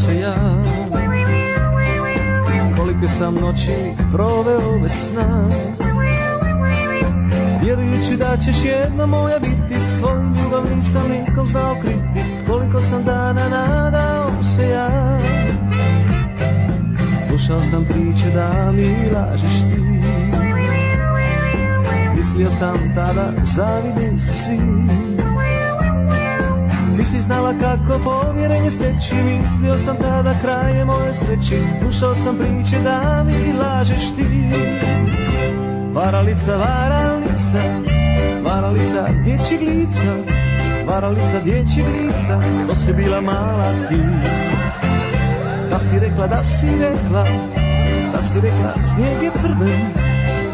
se ja. Kolike sam noći proveo bez sna, vjerujući da ćeš jedna moja biti. Svoju ljubav nisam nikom znao kriti. Koliko sam dana nadao se ja. Slušao sam priče da mi lažeš ti. Mislio sam tada zavidni su svi. Nisi znala kako povjerenje steći. Mislio sam tada kraje moje sreći. Slušao sam priče da mi lažeš ti. Varalica, varalica, varalica dječjeg lica, varalica dječjeg lica, to si bila mala ti. Da si rekla, da si rekla, da si rekla snijeg je crven,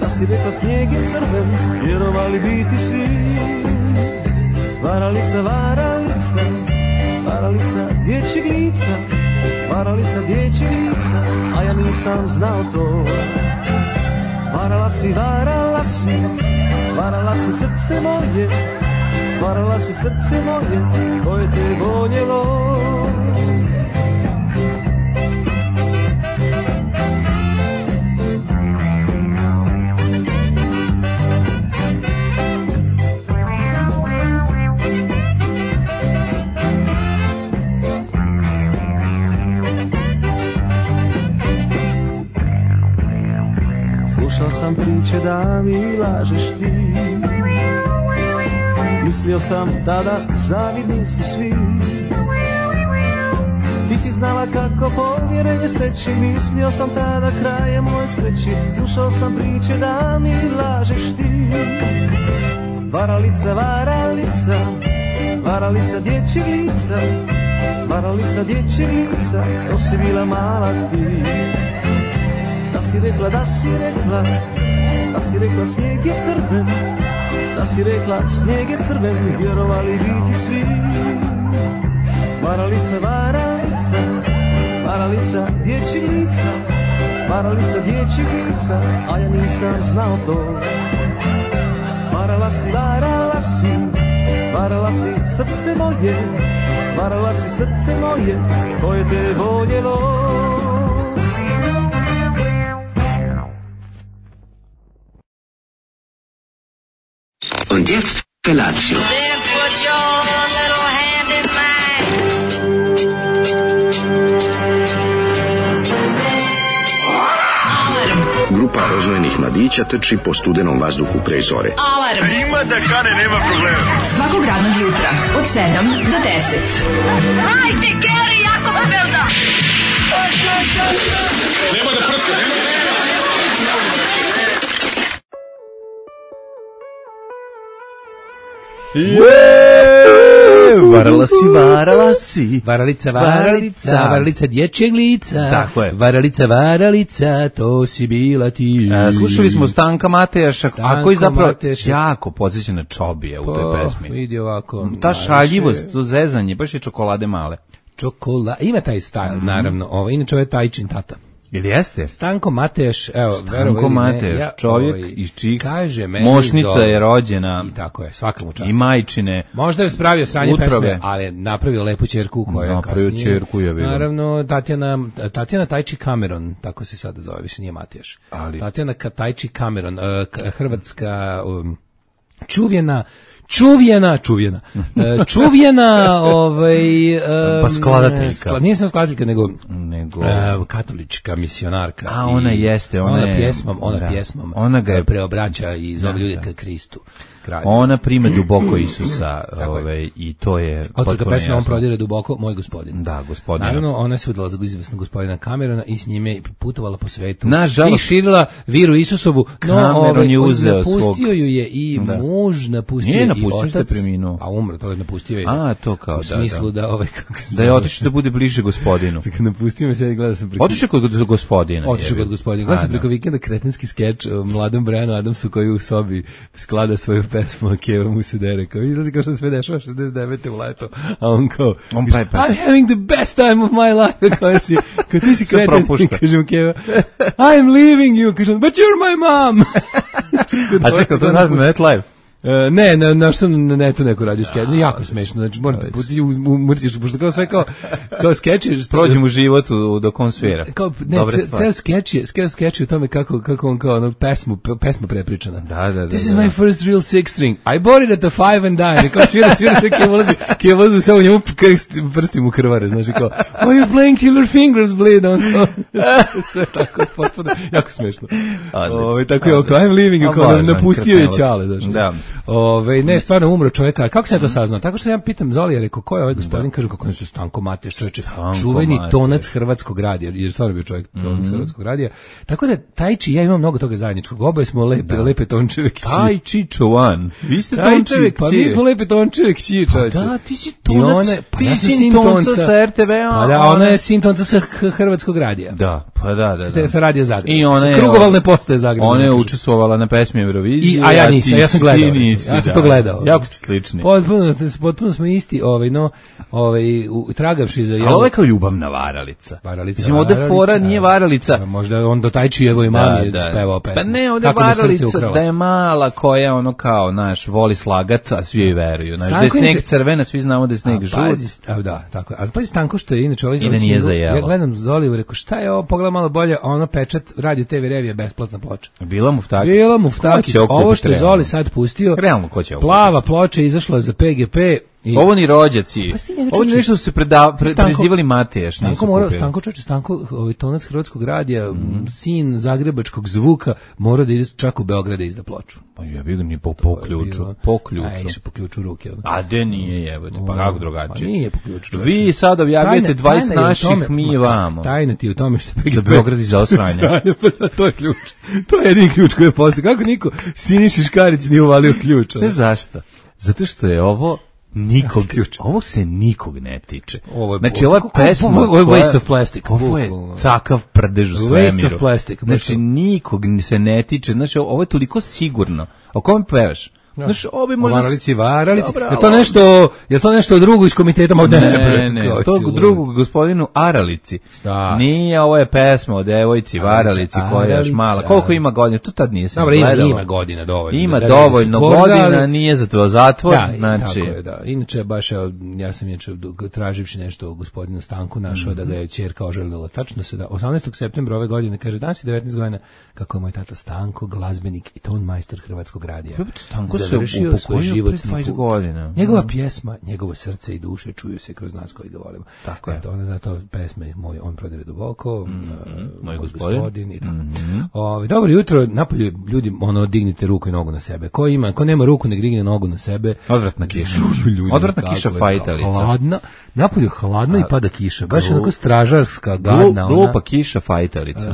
da si rekla snijeg je crven, vjerovali biti svi. Varalica, varalica, varalica dječjeg lica, varalica dječjeg lica, a ja nisam znao to. Varala si, varala si, varala si srce moje, varala si srce moje, koje te voljelo. Slušao sam priče da mi lažeš ti. Mislio sam tada zavidni su svi. Ti si znala kako povjerenje steći. Mislio sam tada kraje moje sreći. Slušao sam priče da mi lažeš ti. Varalica, varalica, varalica dječjeg lica, varalica dječjeg lica, to si bila mala ti. Da si rekla, da si rekla, da si rekla snijeg je crven, da si rekla snijeg je crven, vjerovali biti svi. Varalica, varalica, varalica dječjeg lica, varalica dječjeg lica, a ja nisam znao to. Varala si, varala si, varala si srce moje, varala si srce moje, koje te voljelo. Und jetzt Felatio. Then put your little hand in mine. Grupa rozvojenih mladića trči po studenom vazduhu pre zore. Alarm. Ima da kane, nema problema. Svakog radnog jutra od 7 do 10. Hajde, Geri, jako se velda. Nema da prska, nema. Varala si, varala si. Varalica, varalica, varalica dječjeg lica. Tako je. Varalica, varalica, to si bila ti. Slušali smo Stanka Matejaša, a koji zapravo Matejaša jako podsjeća na Čobija u toj pesmi. Vidi ovako. Ta šaljivost, to zezanje, baš je čokolade male. Ima taj stajl, naravno. Inače, ovo je Tajčin tata. Ili jeste? Stanko Mateš, evo, Stanko Mateš, čovjek iz čih kaže meni mošnica je rođena. I tako je, svaka mu čast. I majčine. Možda je spravio sranje utrove. pesme, ali je napravio lepu ćerku koja je kasnije. Napravio ćerku, je bilo. Naravno, Tatjana Tajči Cameron, tako se sada zove, više nije Mateš. Ali Tatjana Tajči Cameron, hrvatska čuvjena, pa skladateljka. Nije sam skladateljka, nego katolička misionarka. A ona jeste, ona pjesmom ona ga je preobraća i zove ljude ka Kristu. Kralju. Ona prime duboko Isusa, i to je otkrka pesme on prodire duboko, moj gospodin. Da, gospodin. Naravno, ona se udala za izvesnog gospodina Camerona i s njime putovala po svetu. Nažalost, i širila viru Isusovu, Cameron je uzeo napustio ju je i muž, napustio je i otac. A umro, to je napustio je. A, to kao, u smislu da da je otišao da bude bliže gospodinu. Napustio me se, gleda sam preko. Otišao kod gospodina. Gleda sam preko vikenda kretenski skeč o mladom Brianu Adamsu koji u sobi sklada svoju pesmu, a Keva mu se dere, kao izlazi kao što sve dešava 69. u leto, a on kao, I'm having the best time of my life, kao ti si kreten, kaže mu Keva, I'm leaving you, kaže on, but you're my mom. A čekaj, to znači MetLife? Ne, na što na netu neko radio skeč, jako smešno, znači morate puti umrtiš, pošto kao sve kao skeči. Prođem u životu dok on svira. Kao, ne, ceo skeč je o tome kako on kao ono pesmu prepričana. Da. This is my first real six string. I bought it at the 5 and dime. Kao svira sve kjevozu sve u njemu prstim u krvare, znači kao, oh, you're playing till your fingers bleed. Sve tako, potpuno, jako smešno. Tako je, I'm leaving you, kao napustio je ćale, znači. Da. Ne, stvarno umro čovjeka. Kako se ja to saznao? Tako što ja pitam Zolija, rekao, ko je ovaj gospodin? Kažu kako nešto Stanko Mateš, čovječe, čuveni tonac Hrvatskog radija, jer stvarno bio čovjek tonac Hrvatskog radija. Tako da Tajči, ja imam mnogo toga zajedničkog. Oboje smo lepe Tončeve kći. Tajči Čovan. Vi ste Tončeve kći. Pa mi smo lepe Tončeve kći, čovječe. Da, ti si tonac. Ti si sin tonca sa RTV-a. Pa da, ona je sin tonca sa Hrvatskog radija. Da, pa da. Sa radija Zagreb. I ona je krugovalne postaje Zagreb. Ona je učestvovala na pesmi Eurovizije. A ja nisam, ja sam gledao. Ja sam to gledao. Jako ste slični. Potpuno smo isti, tragavši za... A ovo je kao ljubavna varalica. Mislim, ovde fora nije varalica. Možda on do Tajčijevoj mami je spevao pesmu. Pa ne, ovde varalica da je mala koja ono kao, znaš, voli slagat, a svi joj veruju. Znaš, da je sneg crvena, svi znamo da je sneg žut. Da, tako je. A pazi Stanko što je inače ovaj... I da nije zajelo. Ja gledam Zoliju, rekao, šta je ovo, pogledam malo bolje, a ono pečat, Radio TV Revija, besplatna ploča. Bila Muftakis. Ovo što je Zoli sad pustio, realno ko će ovo? Plava ploča izašla za PGP. Ovo ni rođaci. Ovo nešto su se prezivali Matejaš. Stanko, tonac Hrvatskog radija, sin zagrebačkog zvuka, mora da ide čak u Beograd da izda ploču. Pa ja bih ga ni po ključu. Ajde, po ključu ruke. A de nije, jebote, pa kako drugačije? Pa nije po ključu. Vi sad objavljate 20 naših, mi vamo. Tajna ti u tome što PGP... Da Beograd izda osranja. To je ključ. To je jedini ključ koji je postao. Kako niko Siniši Škarić nije uvalio ključ? Ne zašto? Zato što je ovo ovo se nikog ne tiče. Znači, ova pesma... Ovo je waste of plastic. Ovo je takav prdež u svemiru. Waste of plastic. Znači, nikog se ne tiče. Znači, ovo je toliko sigurno. O kome pevaš? Znaš, obi možda... Varalici. Je to nešto drugo iz komiteta? Ne, to drugo gospodinu Aralici. Nije, ovo je pesma o devojci Varalici koja je još mala. Koliko ima godina? To tad nije se gledalo. Ima godina dovoljno. Ima dovoljno godina, nije za to zatvor. Tako je, da. Inače, baš ja sam traživši nešto o gospodinu Stanku našao da ga je ćerka oželjela. Tačno se da 18. septembra ove godine, kaže, danas je 19 godina, kako je moj tata Stanko, glazbenik i ton majstor Hrvatskog radija. Stanko završio svoj životni put. Njegova pjesma, njegovo srce i duše čuju se kroz nas koji ga volimo. Tako je. Ona zato pesme moj on prodire duboko, moj gospodin i tako. Dobro jutro, napolju ljudi, dignite ruku i nogu na sebe. Ko nema ruku, nek digne nogu na sebe. Odvratna kiša. Odvratna kiša fajtalica. Hladna, napolju hladno i pada kiša. Baš onako stražarska, gadna. Glupa kiša fajtalica.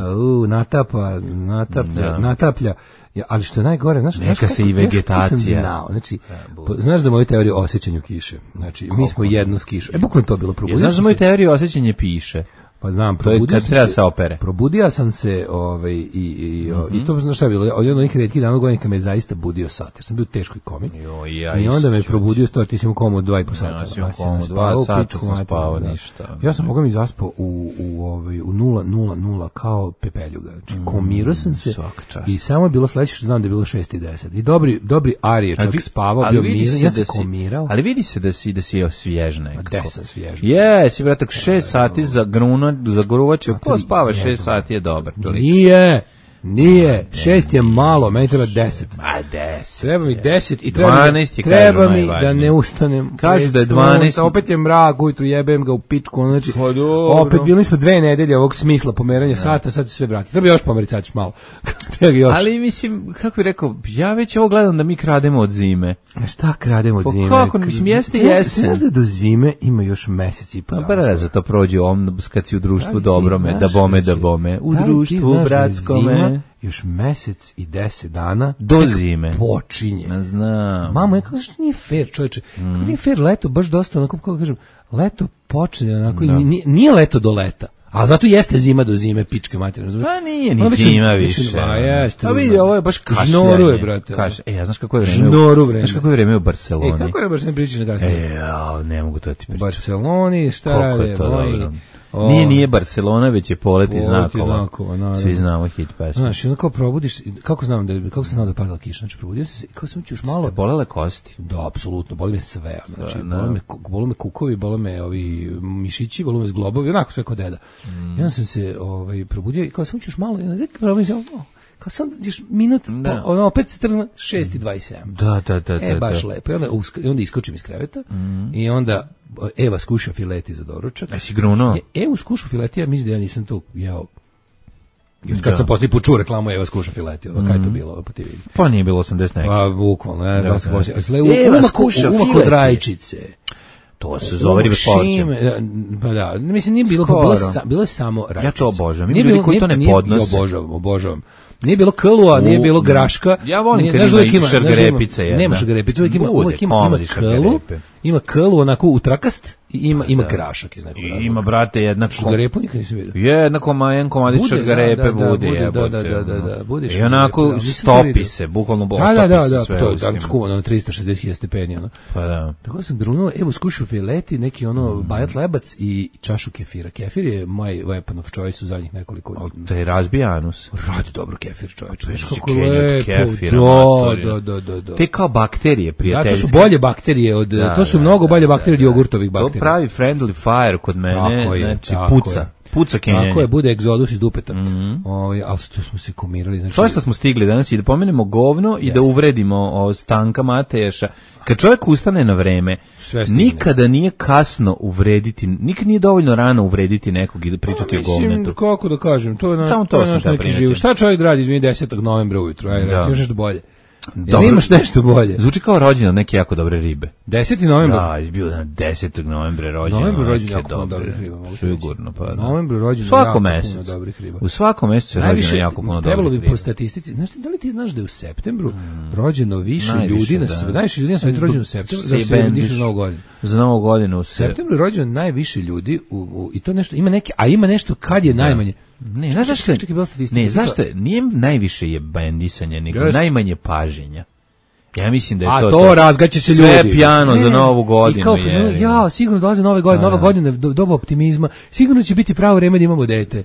Nataplja. Ja, ali što je najgore, neka se i vegetacija. Znaš za moju teoriju o osjećanju kiše. Znači, mi smo jedno s kišom. Bukvalno to bilo probudio. Znaš za moju teoriju o osjećanju piše. Pa znam, probudio sam se i to znaš šta je bilo, od jednog onih retkih dana godina me je zaista budio sat, jer sam bio u teškoj komi i onda me je probudio, ti si mu komu 2,5 sata. Ja sam komu 2 sata sam spavao ništa. Ja sam Boga mi zaspao u 0,00 kao pepeljuga, znači komirao sam se i samo je bilo sledeće što znam da je bilo 6:10 i dobri Ari je čak spavao, bio miran, ja sam komirao. Ali vidi se da si svjež nekako. Da sam svjež. Jesi, bratak, 6 sati za gruna za gruvačiju, ko spava 6 sati je dobar. Nije, 6 je malo, meni treba 10. A 10. Treba mi 10 i treba mi da ne ustanem. Kažu da je 12. Opet je mrak, ujutru jebem ga u pičku, znači, opet bili smo 2 nedelje ovog smisla pomeranja sata, sad se sve vrati. Treba još pomeriti sad malo. Ali mislim, kako bih rekao, ja već ovo gledam da mi krademo od zime. A šta krademo od zime? Kako, mislim, jeste jesen. Znaš da do zime ima još mesec i po dana. Brzo to prođe kad si u društvu dobrome, da bome. U društvu bratskome. Još mesec i 10 dana do zime počinje. Ne znam. Mamo, kako što nije fair, čovječe. Kako nije fair leto, baš dosta, onako, kako kažem, leto počne, onako, nije leto do leta. A zato jeste zima do zime, pičke materine. Pa nije ni zima više. Jeste. A vidi, ovo je baš kašljanje. Žnoruje, brate. Ja znaš kako je vreme? Znaš kako je vreme u Barceloni? Kako je Barceloni, pričaš na kasnije? Ne mogu to ti pričati. U Barceloni, šta rade? Nije Barcelona, već je Poleti znakova. Svi znamo hit pesmu. Znaš, onda kao probudiš, kako sam znao da je padala kiša, znači probudio sam se i kao sam ću još malo... Ste bolele kosti? Da, apsolutno, boli me sve, znači, boli me kukovi, boli me ovi mišići, boli me zglobovi, onako sve kod deda. I onda sam se probudio i kao sam ću još malo, kao sam još minut, opet se trna 6:27. Da. Baš lepo. I onda iskočim iz kreveta i onda Eva skuša fileti za doručak. Jesi grunuo? Evo skušu fileti, ja mislim da ja nisam to jeo. Kad sam poslije počuo reklamu Eva skuša fileti, kaj je to bilo po TV? Pa nije bilo 80 neki. Pa bukvalno, ne znam se poslije. Eva skuša fileti. Kod rajčice. To se zove ribe porče. Pa da, mislim nije bilo, bilo je samo rajčice. Ja to obožavam. Ima ljudi koji to ne podnose. Obožavam. Nije bilo klua, nije bilo graška. Ja volim kad ima šargarepice. Nema šargarepice, uvijek ima klu, ima klu onako utrakast i ima grašak iz nekog razloga. Ima, brate, jednak šargarepu nikad nisam vidio. Jedan komadić šargarepe bude. Da, bude. I onako stopi se, bukvalno stopi se sve. Da, to je skuvano na 360.000 stepeni. Pa da. Tako sam grunuo, evo skušu fileti, neki bajat lebac i čašu kefira. Kefir je my weapon of choice u zadnjih nekoliko godina. To je razbija anus. Radi dobro kefir, čovječ. Viš kako lepo. Da. Te kao bakterije prijateljske. To su bolje bakterije od, to su mnogo bolje bakterije od jogurtovih bakterija. To pravi friendly fire kod mene, znači puca kenjanje. Tako je, bude egzodus iz dupeta. Ali što smo se komirali. Znači, što smo stigli danas i da pomenemo govno i da uvredimo Stanka Mateješa. Kad čovjek ustane na vreme, nikada nije kasno uvrediti, nikad nije dovoljno rano uvrediti nekog i da pričati o govnetu. Kako da kažem, to je naš neki život. Šta čovjek radi izmeni 10. novembra ujutru? Imaš nešto bolje? Imaš nešto bolje? Zvuči kao rođendan neke jako dobre ribe. 10. novembar? Da, izbio na 10. novembra rođendan. Novembru rođendan jako puno dobrih riba. Sigurno, pa da. Novembru rođendan jako puno dobrih riba. U svakom mjesecu je rođendan jako puno dobrih riba. Trebalo bi po statistici, znaš, da li ti znaš da je u septembru rođeno više ljudi na svijetu? Najviše ljudi na svijetu rođeno u septembru, da se dišu za Novu godinu. Za Novu godinu u septembru je rođeno najviše ljudi i to nešto, ima nešto kad je najmanje. Ne, znaš zašto? Ne, zašto? Nije najviše je bendisanje, nego najmanje paženja. Ja mislim da je to. A to razgaće se ljudi. Sve pijano za Novu godinu. I kao, sigurno dolaze Nove godine, Nova godina je doba optimizma. Sigurno će biti pravo vreme da imamo dete.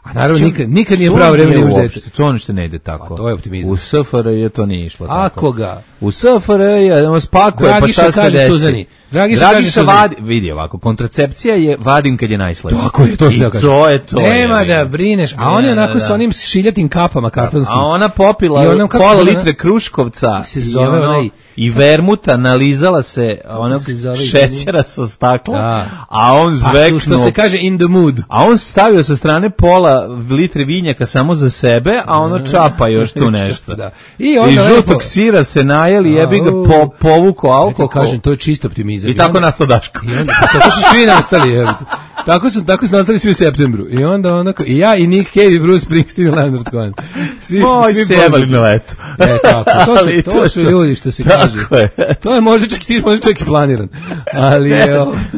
A naravno nikad nije pravo vreme da imaš dete. To ništa ne ide tako. A to je optimizam. U SFRJ to nije išlo tako. Ako ga? U SFRJ on spakuje, pa šta se desi? Dragiša vadi, vidi ovako, kontracepcija je vadim kad je najslađe. Tako je, to što da kažem. To je to. Nema da brineš, a on je onako sa onim šiljatim kapama kartonskim. A ona popila pola litre kruškovca i vermuta, nalizala se onog šećera sa stakla, a on zveknuo. Što se kaže in the mood. A on stavio sa strane pola litre vinjaka samo za sebe, a ono čapa još tu nešto. I žutog sira se najeli, jebi ga povuko alkohol. Kažem, to je čisto optimizam. I tako nastao Daško. Tako su svi nastali. Tako su nastali svi u septembru. I onda onako, i ja, i Nick Cave, i Bruce Springsteen, i Leonard Cohen. Moj sjebali na leto. To su ljudi što se kaže. To je možda čak i planiran. Ali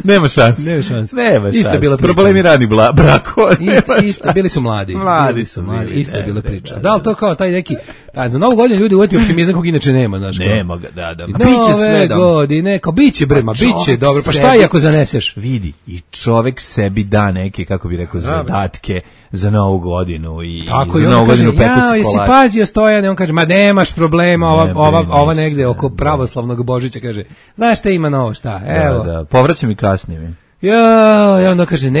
nema šanse. Isto je bila priča. Problemi radnih brakova. Isto, bili su mladi. Isto je bila priča. Da li to kao taj neki, za Novu godinu ljudi uveti optimizam kog inače nema, znaš. Nema ga, da. Biće sve da. Godine, kao biće brema, biće dobro. Pa šta i ako zaneseš? Vidi, i čovek sebi da neke, kako bi rekao, zadatke za Novu godinu i za Novu godinu peku se kolač. Jesi pazio Stojane, on kaže, ma nemaš problema, ova negde oko pravoslavnog Božića kaže, znaš šta ima novo, šta, evo. Da, povraćam i kasnije. Ja, onda kaže,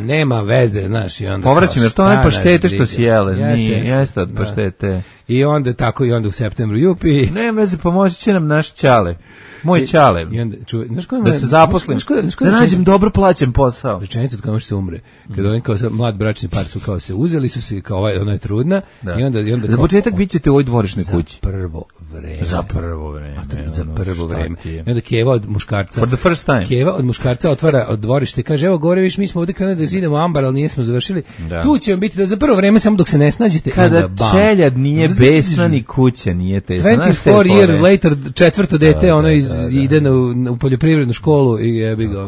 nema veze, znaš, i onda povraćam, jer to one paštete što si jele, jeste od paštete. I onda tako, i onda u septembru, jupi. Nema veze, pomoći će nam naš Ćale. Moj Ćale, da se zaposlim, da nađem dobro plaćen posao. Rečenica od kao se umre. Kada oni kao mlad bračni par su kao se uzeli su se, kao ona je trudna. I onda za početak bit ćete u ovoj dvorišnoj kući. Za prvo vreme. I onda Keva od muškarca. For the first time. Keva od muškarca otvara od dvorište i kaže, evo gore viš, mi smo ovdje krenuli da zidemo ambar, ali nismo završili. Tu će vam biti da za prvo vreme samo dok se ne snađete. Kada čeljad nije besna ni kuća nije tesna. 24 years later, četvrto dete, ono ide u poljoprivrednu školu i jebi ga,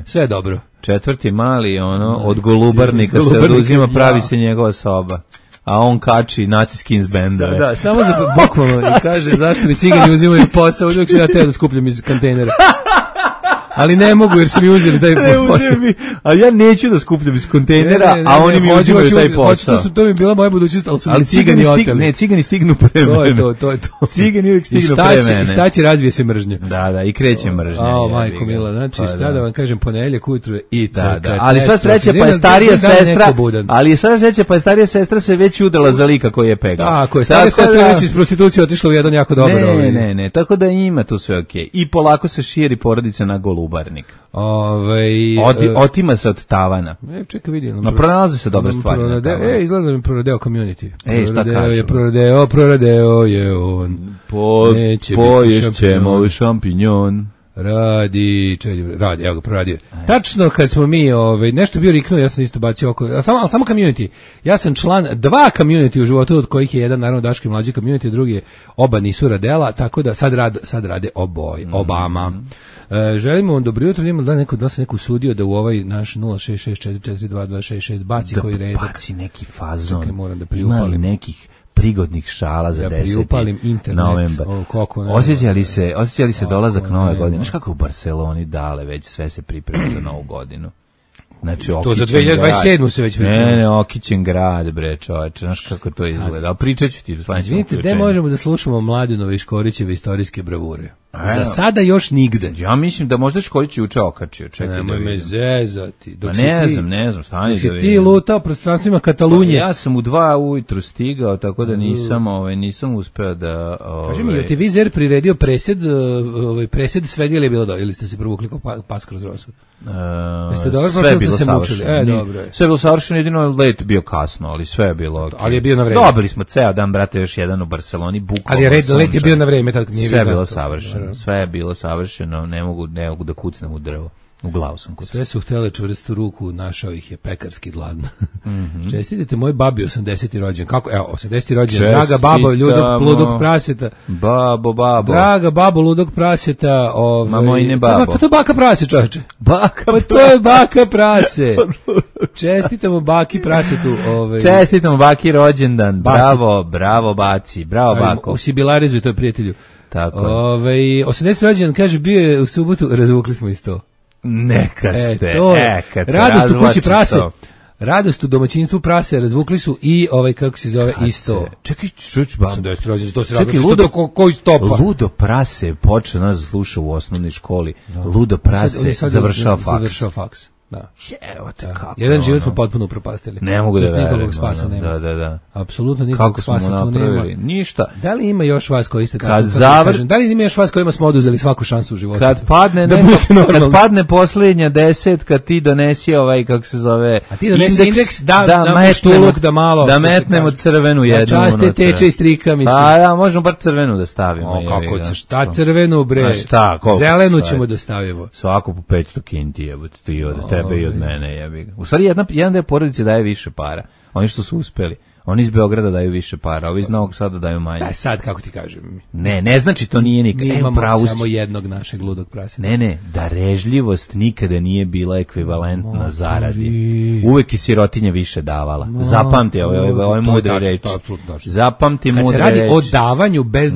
sve je dobro. Četvrti mali, od Golubarnika se oduzima, pravi se njegova soba. A on kači Nazi Skins benda. Da, samo za bukvalno i kaže, zašto mi cigani uzimaju posao, uvijek se ja teo da skupljam iz kontejnera. ali ne mogu jer su mi uzeli taj posao. A ja neću da skupljam iz kontejnera, a oni mi uzimaju taj posao. To mi je bila moja budućnost, ali cigani oteli. Ne, cigani stignu pre mene. To je to. Cigani uvijek stignu pre mene. I šta će razvije se mržnja. Da, i kreće mržnja. Majko mila, znači šta da vam kažem, ponedeljak ujutru i da. Ali sva sreća pa je starija sestra, ali sva sreća pa je starija sestra se već udala za lika koji je pegao. Tako je, starija sestra već iz prostitucije otišla u jedan jako dobar. Ne, tako da ima tu sve okej. I polako se širi porodica na Golubarnik. Otima se od tavana. Čekaj, vidim. No, pronalaze se dobre stvari na tavanu. Izgleda mi proradeo community. Šta kažu? Proradeo je on. Poješćemo šampinjon. Radi, evo ga, proradio. Tačno kad smo mi, nešto bio riknuo, ja sam isto bacio oko, ali samo community. Ja sam član 2 community u životu, od kojih je jedan naravno Daški mlađi community, drugi oba nisu radela, tako da sad rade obama. Želimo vam dobro jutro, ima da se neko usudio da u ovaj naš 066442266 baci koji redak. Da baci neki fazon. Čekaj, moram da priupalim. Ima nekih prigodnih šala za 10. novembar. Osjećali se dolazak nove godine. Znaš kako u Barceloni dale već sve se priprema za novu godinu. Znači, to za 2027. se već priprema. Ne, okićen grad, bre, čoveče, znaš kako to izgleda. Ali pričat ću ti sledećem uključenju. Gde možemo da slušamo Mladenove i Škorićeve istorijske bravure? Za sada još nigde. Ja mislim da možda Škorić juče okačio. Nemoj me zezati. Ne znam, stani da vidim. Ti lutao prostranstvima Katalunje. Ja sam u 2 ujutru stigao, tako da nisam uspeo da... Kaži mi, je ti vizer priredio presed svega ili je bilo ili ste se provukli kao pas kroz rosu? Sve je bilo savršeno. Sve je bilo savršeno, jedino let bio kasno, ali sve je bilo... Ali je bio na vreme. Dobili smo ceo dan, brate, još jedan u Barceloni, bukvalno. Ali let je bio na vreme. Sve je bilo savršeno. Sve je bilo savršeno, ne mogu da kucnem u drvo. U glavu sam kucao. Sve su htjele čvrstu ruku, našao ih je pekarski gladno. Čestitite moj babi 80. rođen. Kako? Evo, 80. rođen. Draga babo, ludog praseta. Babo. Draga babo, ludog praseta. Mamo i ne babo. Pa to je baka prase, čovječe. Pa to je baka prase. Čestitamo baki prasetu. Čestitamo baki rođendan. Bravo baci. Bravo bako. U Sibilarizu, to je prijatelju. Tako. 80. rođendan, kaže, bio je u subotu, razvukli smo isto. Neka ste, kad se radost u kući prase, radost u domaćinstvu prase, razvukli su i kako se zove isto. Čekaj, koji stopa? Ludo prase je počeo nas sluša u osnovnoj školi. Ludo prase završao faks. Da. Evo te kako. Jedan život smo potpuno upropastili. Ne mogu da verujem. Nikakvog spasa nema. Da. Apsolutno nikakvog spasa tu nema. Ništa. Da li ima još vas koji ste tako kažem? Da li ima još vas kojima smo oduzeli svaku šansu u životu? Kad padne posljednja 10, ti donesi kako se zove, a ti donesi indeks da metnemo crvenu jednu. Da časte teče i strika, mislim. Da, možemo bar crvenu da stavimo. Šta crvenu, bre? Zelenu ćemo da stavimo. Svako po 500 kinti, jebote, ti od tebe i od mene, jebi ga. U stvari, jedan deo porodice daje više para. Oni što su uspeli. Oni iz Beograda daju više para, ovi iz Novog Sada daju manje. Da, sad, kako ti kažem. Ne znači to nije nikad. Mi imamo samo jednog našeg ludog praseta. Ne, darežljivost nikada nije bila ekvivalentna zaradi. Uvek i sirotinja više davala. Zapamti ove mudre reči. Zapamti mudre reči. Kad se radi o davanju bez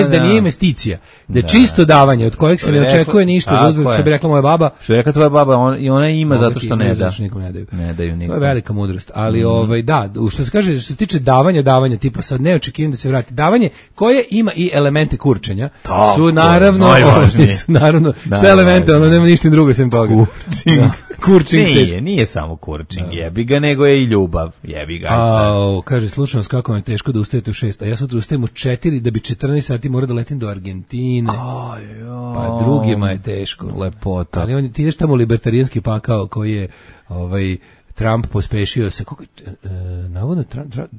da nije investicija, da je čisto davanje, od kojeg se ne očekuje ništa, za uzvrat, što bi rekla moja baba. Što je rekla tvoja baba, i ona ima zato što ne da. Ne daju nikom. To je velika mudrost. Ali, da, što se kaže, što se tiče davanja, tipa sad ne očekujem da se vrati. Davanje koje ima i elemente kurčenja su naravno sve elemente, nema ništa drugo sem toga. Kurčing. Nije samo kurčing, jebi ga, nego je i ljubav, jebi ga. Kaže, slušam vas kako vam je teško da ustajete u 6, a ja sutra ustajem u 4 da bi 14 sati mora da letim do Argentine. Pa drugima je teško. Lepota. Ali ti ideš tamo u libertarijanski pakao koji je Trump pospešio se, navodno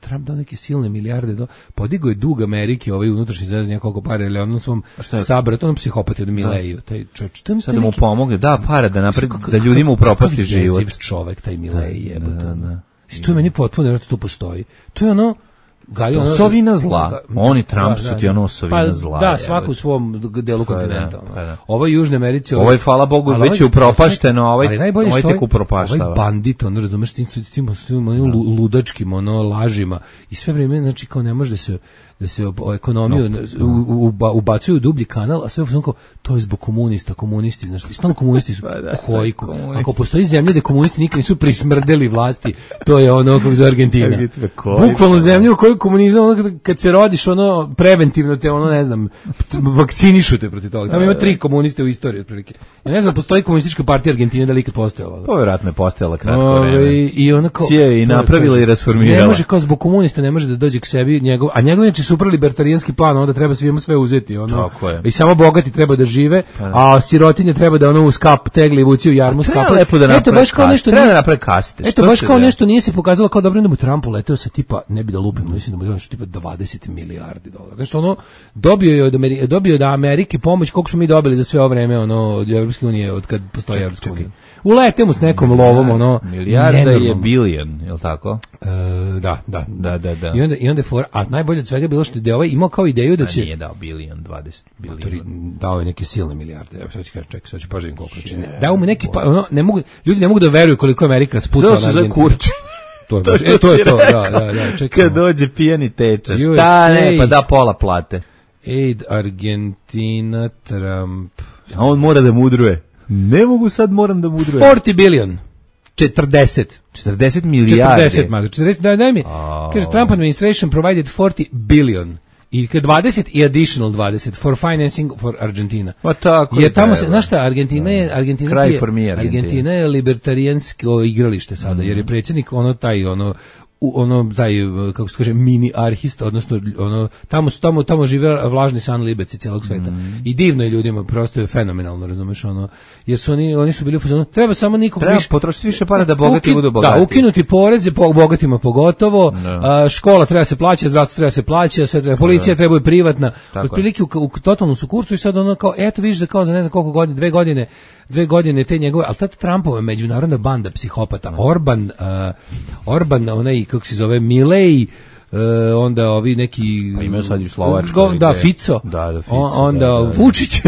Trump dao neke silne milijarde, podigo je dug Amerike, unutrašnji zvezdan, koliko pare, ili onom svom sabratu, onom psihopati od Mileju, taj čovječ. Sad da mu pomogne, da para, da ljudima upropasti život. Jeziv čovek, taj Milej, jebote. To je meni potpuno, jer to postoji. To je osovina zla. Oni Trump su ti osovina zla. Da, svako u svom delu kontinenta. Ovo je Južne Americi. Ovo je, hvala Bogu, već je upropašteno, ovaj tek upropaštava. Ovaj bandit, razumeš, s tim ludačkim, lažima. I sve vrijeme, znači, kao ne može da se ekonomiju ubacuju u dublji kanal, a sve u kao to je zbog komunisti, znači stalno komunisti su koji ako postoji zemlja gde komunisti nikad nisu prismrdeli vlasti, to je ono kako za Argentina. Bukvalno zemlja u kojoj komunizam kad se rodiš ono preventivno te ono ne znam vakcinišu te protiv toga. Tamo ima 3 komuniste u istoriji otprilike. Ja ne znam postoji komunistička partija Argentine da li ikad postojala. Pa verovatno je postojala kratko vreme. I ona kao i napravila i rasformirala. Ne može kao zbog komunista ne može da dođe k sebi njegov, a njegov je super libertarijanski plan, onda treba svima sve uzeti, ono. I samo bogati treba da žive, a sirotinje treba da ono u skap tegli vuci u jarmu skap. Eto baš kao nešto treba da napravi kaste. Eto baš kao nešto nije se pokazalo kao dobro da mu Trumpu leteo sa tipa ne bi da lupim, mislim da mu nešto tipa 20 milijardi dolara. Znači ono dobio od Amerike pomoć koliko smo mi dobili za sve ovo vreme ono od Evropske unije od kad postoji Evropska unija. Ulete mu s nekom lovom ono milijarda je bilion, je l' tako? Da. I onda a najbolje od svega je bilo što je ovaj imao kao ideju da će nije dao bilion 20 bilion. Dao je neke silne milijarde. Evo sad ću kažem, čekaj, sad ću pažavim koliko čini. Dao mu neki ljudi ne mogu da veruju koliko Amerika spucala na Argentinu. Kurče. To je to, da, čekaj. Kad dođe pijani teča, šta ne, pa da pola plate. Aid Argentina, Trump. A on mora da mudruje. Ne mogu sad, moram da mudrujem. 40 billion. 40 milijardi. 40, daj mi. Kaže, Trump administration provided 40 billion. I 20 i additional 20 for financing for Argentina. Pa tako. Jer tamo se, znaš šta, Argentina je libertarijansko igralište sada, jer je predsjednik taj kako se kaže mini arhista, odnosno tamo žive vlažni san libeci cijelog sveta. I divno je ljudima, prosto je fenomenalno, razumeš ono, jer su oni su bili u fazonu, treba samo nikog više potrošiti više para da bogati budu bogati. Da, ukinuti poreze bogatima pogotovo, škola treba se plaća, zdravstvo treba se plaća, sve treba, policija treba i privatna. Otprilike u totalnom su kursu i sad ono kao eto vidiš da kao za ne znam koliko godina, 2 godine te njegove, ali tad Trumpova međunarodna banda psihopata, Orban, onaj, kako se zove, Milei, onda ovi neki... Pa imaju sad u Slovačkoj. Da, Fico. Da, Fico. Onda Vučić.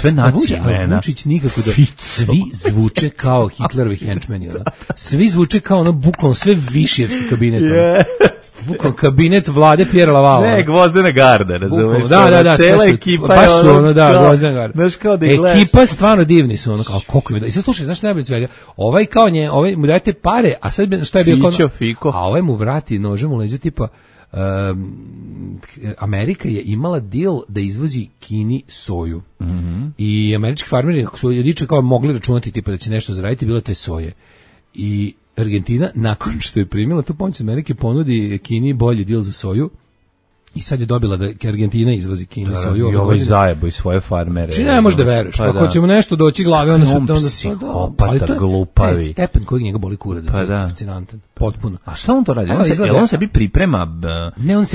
Sve nacije imena. Vučić nikako da... Svi zvuče kao Hitlerovi henčmeni. Svi zvuče kao ono, bukvalno sve višijevski kabinet. Bukvalno kabinet vlade Pierre Laval. Ne, Gvozdena garda, razumeš? Da, cela ekipa baš su ono, Gvozdena garda. Znaš kao da ih gledaš. Ekipa stvarno divni su, ono kao koliko im da. I sad slušaj, znaš najbolje svega, ovaj mu dajete pare, a sad šta je bio Fiko. A ovaj mu vrati nožem u leđa tipa Amerika je imala deal da izvozi Kini soju. I američki farmeri su juče kao mogli računati tipa da će nešto zaraditi, bilo te soje. I Argentina, nakon što je primila tu pomoć Amerike, ponudi Kini bolji deal za soju i sad je dobila da Argentina izvozi Kini soju. I ovaj zajebo i svoje farmere. Či ne možeš da veruješ, pa ako ćemo nešto doći glave, onda su... Psihopata, glupavi. Stepen kojeg njega boli kurac, fascinantan, potpuno. A šta on to radi? On sebi priprema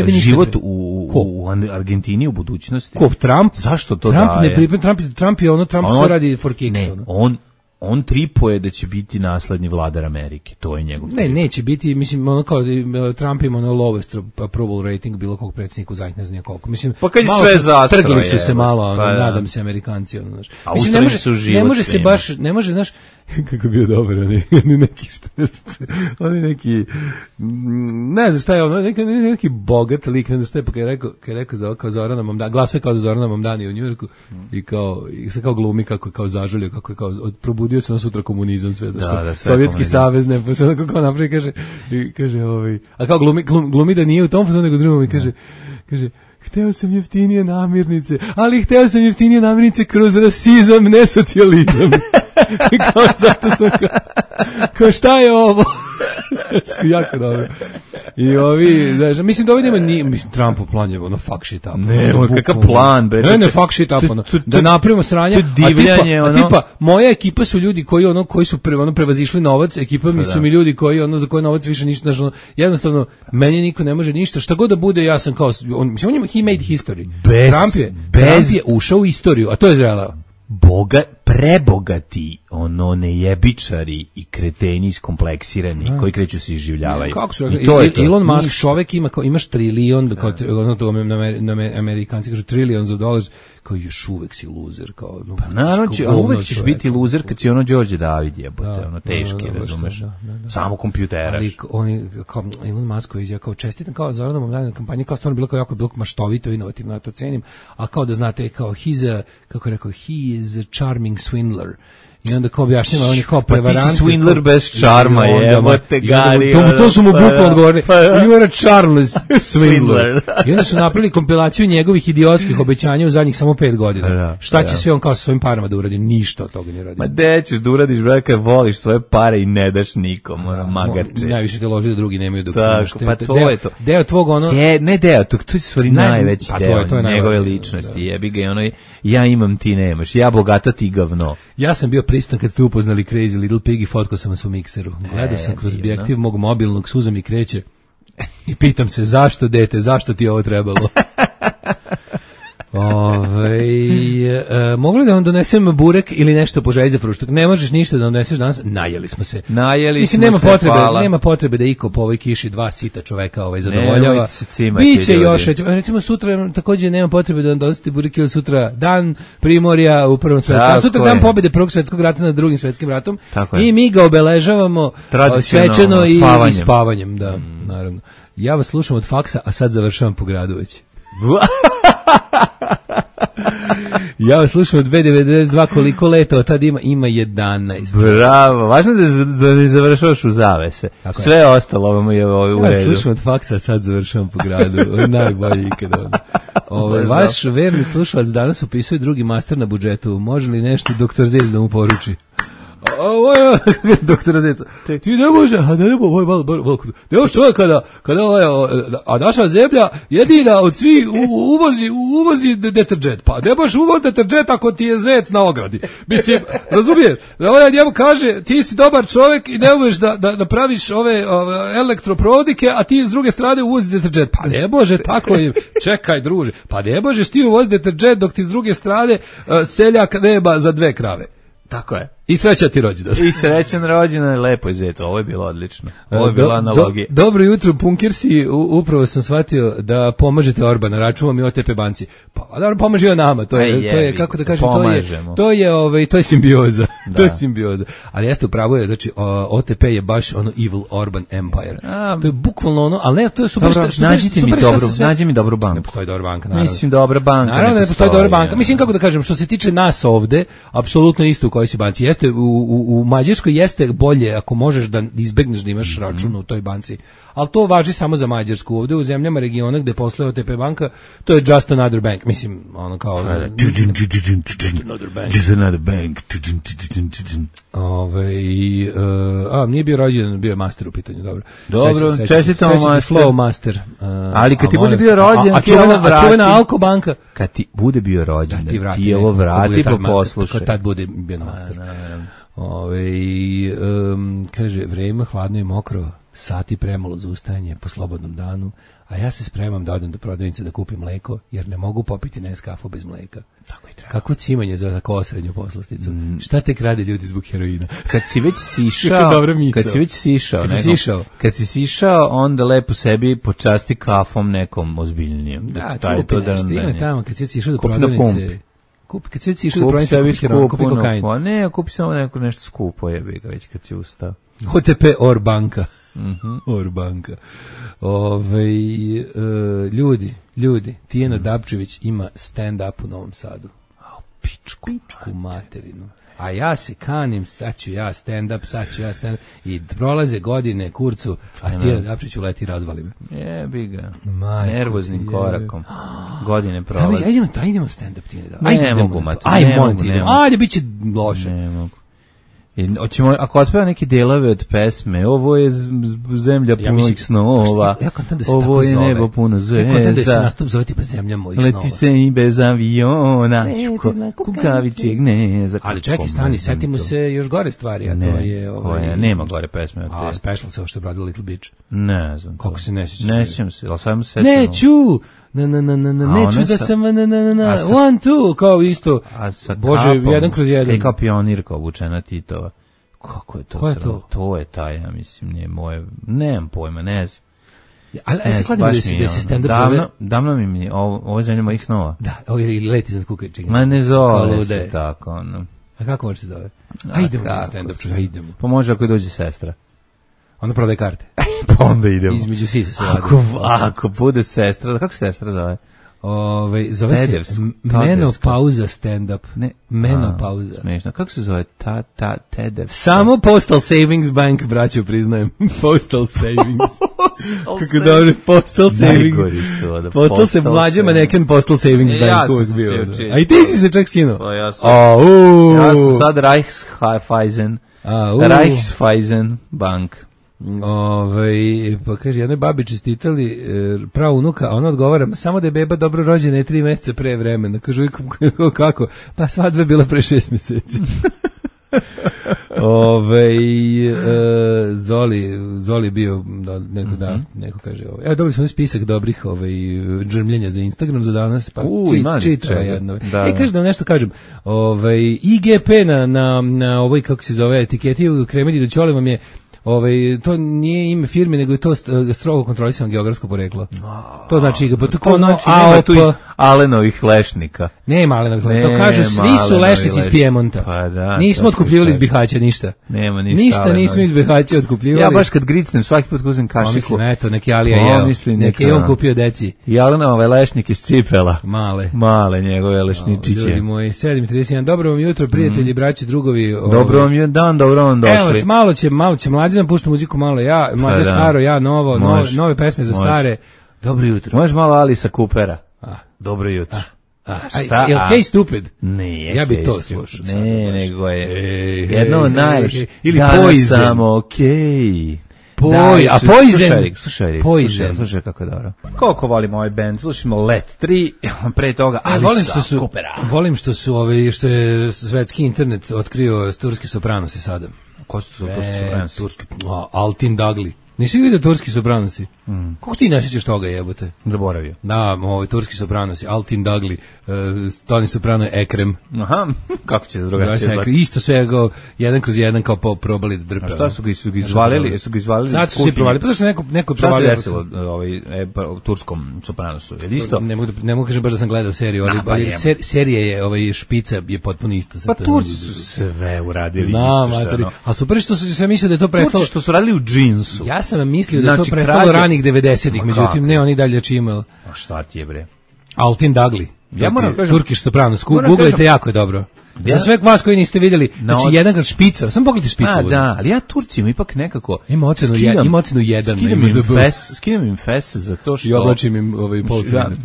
život u Argentini u budućnosti? Ko, Trump? Zašto to daje? Trump je ono, Trump se radi for kicks. On tripuje da će biti naslednji vladar Amerike. To je njegov trip. Ne, neće biti, mislim, ono kao Trump ima ono lowest approval rating bilo kog predsjednika u zadnjih ne znam koliko. Mislim, pa kad je sve zastroje. Trgli su se malo, nadam se Amerikanci. Ono, znaš. A mislim, ne može se baš, ne može, znaš, kako bio dobar, oni neki, ne znam šta je ono, neki bogat lik, ne znam šta je, pa kad je rekao za kao Zorana Mamdani, glasuje kao za Zorana Mamdani u Njujorku i se kao glumi kako je kao zažalio, kako je kao probudio se na sutra komunizam sve, Sovjetski savez, ne, pa se onako kao napravi, kaže, a kao glumi da nije u tom fazonu, nego drugom i kaže, hteo sam jeftinije namirnice, ali hteo sam jeftinije namirnice kroz rasizam, ne socijalizam. Kao zato sam kao šta je ovo? Jako dobro. I ovi, znači, mislim da ovdje nema mislim, Trumpov plan je ono fuck shit up. Ne, kakav plan, bre. Ne, fuck shit up, ono. Da napravimo sranje, a tipa, moja ekipa su ljudi koji su prevazišli novac, ekipa mi su mi ljudi koji, za koje novac više ništa, jednostavno, meni niko ne može ništa, šta god da bude, ja sam kao, he made history. Trump je ušao u istoriju, a to je želeo. Prebogati ono nejebičari i kreteni iskompleksirani koji kreću se iživljavaju. Kako su Elon Musk čovjek imaš trilion, kao ono to Amerikanci kažu trillions of dollars, kao još uvek si loser, kao no, pa naravno, a uvek ćeš biti loser kad si ono Đorđe David jebote, ono teški, razumeš, samo kompjuteraš. Ali oni, kao Elon Musk koji je kao čestitam, kao Zoranovom danu kampanji, kao stvarno bilo kao jako bilo maštovito, inovativno, ja to cenim, a kao da znate, kao kako rekao, he is a charming swindler. I onda kao objašnjava, on je kao prevarant. Pa ti si swindler bez čarma, jebote, Gari. To su mu bukvalno odgovorili. You are a charmless swindler. I onda su napravili kompilaciju njegovih idiotskih obećanja u zadnjih samo 5 godina. Šta će sve on kao sa svojim parama da uradi? Ništa od toga ne radi. Ma de ćeš da uradiš, brate, kad voliš svoje pare i ne daš nikom, magarče. Najviše te loži da drugi nemaju dok imaš. Pa to je to. Deo tvog ono... Ne deo, to je stvari najveći deo njegove ličnosti. Jebi ga, ono, ja imam, ti nemaš. Ja bogata, ti govno. Ja sam bio pristan kad ste upoznali Crazy Little Pig i fotkao sam vas u mikseru. Gledao sam kroz objektiv mog mobilnog, suza mi kreće i pitam se zašto dete, zašto ti je ovo trebalo? Mogu li da vam donesem burek ili nešto po želji za fruštak? Ne možeš ništa da doneseš danas. Najeli smo se. Mislim, nema potrebe da iko po ovoj kiši 2 sita čoveka zadovoljava. Biće još, recimo sutra takođe nema potrebe da vam donosite burek ili sutra dan primorja u Prvom svetskom ratu. Sutra dan pobede Prvog svetskog rata nad Drugim svetskim ratom. I mi ga obeležavamo svečano i spavanjem. Da, naravno. Ja vas slušam od faksa, a sad završavam po gradu već. Ja vas slušam od 2.92, koliko leta od tada ima 11. Bravo, važno da ne završavaš u zavese. Tako sve je ostalo ovo je u redu. Ja slušam od faksa, sad završavam po gradu. Najbolji ikada. Vaš verni slušalac danas upisuje drugi master na budžetu. Može li nešto doktor Zec da mu poruči? Doktora Zeca, ti ne može, ne može čovjek kada a naša zemlja jedina od svih uvozi deterđent, pa ne možeš uvoz deterđent ako ti je zec na ogradi. Mislim, razumiješ, ovaj njemu kaže ti si dobar čovjek i ne možeš da praviš ove elektroprovodike, a ti s druge strane uvozi deterđent, pa ne može tako, čekaj druže, pa ne možeš ti uvozi deterđent dok ti s druge strane seljak nema za 2 krave. Tako je. I srećan ti rođendan. I srećan rođendan, lepo je Zec, ovo je bilo odlično. Ovo je bila analogija. Dobro jutro, punkirsi, upravo sam shvatio da pomažete Orbana, računam i OTP banci. Pa, da pomaže on nama, to je kako da kažem, to je simbioza. To je simbioza. Ali jeste upravo je, znači OTP je baš ono evil Orban Empire. To je bukvalno ono, ali ne, to je super. Nađi mi dobru banku. Ne postoji dobra banka, naravno. Mislim, dobra banka. Naravno ne postoji dobra banka. Mislim, kako da kažem, što se tiče nas ovde, apsolutno isto u kojoj si banci. Jeste, u Mađarskoj jeste bolje ako možeš da izbegneš da imaš račun u toj banci, ali to važi samo za Mađarsku. Ovde u zemljama regiona gde posluje OTP banka, to je just another bank. Mislim, ono kao just another bank. Nije bio rođendan, bio je master u pitanju, dobro. Dobro, čestitamo master. Flow master. Ali kad ti bude bio rođendan, a čuvena Alko banka. Kad ti bude bio rođendan, ti ovo vrati pa poslušaj. Kad tad bude bio na master. Kaže, vreme hladno i mokro, sati premalo za ustajanje po slobodnom danu, a ja se spremam da odem do prodavnice da kupim mleko, jer ne mogu popiti Nescafe bez mleka. Tako i treba. Kako cimanje za tako osrednju poslasticu? Šta tek rade ljudi zbog heroina? Kad si već sišao, onda lepo sebi počasti kafom nekom ozbiljnijom. Da, ima tamo, kad si išao do prodavnice... Kad si već išao do prodavnice, kupi kokain. Pa ne, kupi samo nešto skupo, jebi ga već kad si ustao. OTP Orbanka. Orbanka. Ljudi, Tijena Dabčević ima stand-up u Novom Sadu. Pičku materinu. A ja se kanim, sad ću ja stand-up, i prolaze godine, kurcu, a Tijena Dabčević uleti i razvali me. Jebi ga. Nervoznim korakom. Godine prolaze. Idemo stand-up, Tijena Dabčević. Ajde, bit će loše. Ne mogu. Hoćemo, ako otpeva neke delove od pesme, ovo je zemlja punih snova, ovo je nebo puno zvezda, ja kontam da se nastup zove tipa zemlja mojih snova. Leti se i bez aviona, kukavičeg gneza. Ali čekaj, stani, setimo se još gore stvari, a to je... Nema gore pesme. A special se ovo što je obradila Little Beach. Ne znam. Kako se ne sjećaš? Ne sjećam se, ali sam se setimo. Neću neću da sam one, two, kao isto, Bože, jedan kroz jedan. Kao pionirka obučena Titova. Kako je to? Ko je to? To je taj, ja mislim, nije moje, nemam pojma, ne znam. Ali ja se kladim da se stand-up zove... Davno mi ovo je zemlja mojih snova. Da, ovo je leti za kukačenje. Ma ne zove se tako, ono. A kako može se zove? Idemo na stand-up, čuj, idemo. Pa može ako dođe sestra. Onda prodaje karte. Pa onda idemo. Između sisa se radi. Ako bude sestra, kako se sestra zove? Zove se menopauza stand-up. Ne, menopauza. Smešno. Kako se zove? Tedev. Samo Postal Savings Bank, braćo, priznajem. Postal Savings. Kako dobro, Postal Savings. Najgori su ovdje. Postal se mlađe maneken Postal Savings Bank. Ja sam se bio. A i ti si se čak skinuo. Pa ja sam sad Reichsweisen Bank. Pa kaže, jednoj babi čestitali pravo unuka, a ona odgovara, samo da je beba dobro rođena je 3 meseca pre vremena. Kažu, kako? Pa svadba je bila pre 6 meseci. Zoli bio neko kaže dobili smo spisak dobrih džrmljenja za Instagram za danas, pa čitava jedno. Kaže da nešto kažem, IGP na ovoj, kako se zove, etiketi u Kremedi do Ćole vam je to nije ime firme, nego je to strogo kontrolisano geografsko poreklo. To znači IGP, to znači nema tu iz Alenovih lešnika. Nema Alenovih lešnika, to kažu svi su lešnici iz Pijemonta. Pa da, nismo otkupljivali iz Bihaća ništa. Nema ništa. Ništa nismo iz Bihaća otkupljivali. Ja baš kad gricnem svaki put uzem kašiku. Mislim, eto, neki Alija jeo. Neki je on kupio deci. I Alenove lešnik iz cipela. Male njegove lešničiće. Ljudi moji, 7:31. Dobro vam jutro, prijatelji, braći, drugovi. Dobro vam je dan, dobro vam došli. Evo, malo će mlađi nam pušta muziku, malo ja, mlađe staro, ja novo, nove pesme za stare. Dobro jutro. Možeš malo Alisa Coopera. Dobro jutro. Jel Hey Stupid? Nije. Ja bi to slušao. Ne, nego je jedno od najlepših. Ili Poison. Samo okej. A Poison. Slušaj kako je dobro. Koliko volim ovaj band, slušamo Let 3, pre toga Alisa Coopera. Volim što što je svetski internet otkrio turski sopranosi sada. Ko su turski sopranosi? Altin Dagli. Nisi vidio turski sopranosi? Kako ti ne sjećaš toga, jebote? Zaboravio. Da, turski sopranosi, Altin Dagli, Toni Soprano, Ekrem. Aha, kako će se drugačije zvati? Isto sve jedan kroz jedan kao probali da drpe. A šta su ga izvalili? Sad su svi provalili, pa zašto neko provalio? Šta se desilo u turskom sopranosu? Je isto? Ne mogu kažem baš da sam gledao seriju, ali serija je, špica je potpuno ista. Pa Turci su sve uradili isto. Znam, ali super što su sve mislili da je to prestalo. Turci što su radili u džinsu. Ja sam mislio da je to prestalo ranih 90-ih, međutim ne, oni dalje čimali. A šta ti je bre? Altin Dagli. Ja moram kažem, Turkish Sopranos, googlejte, jako je dobro. Za sve vas koji niste vidjeli, znači jedan kad špica, samo pogledajte špicu. Da, ali ja Turcima ipak nekako ima ocenu 1. Skidam im fes zato što i oblačim im polcene.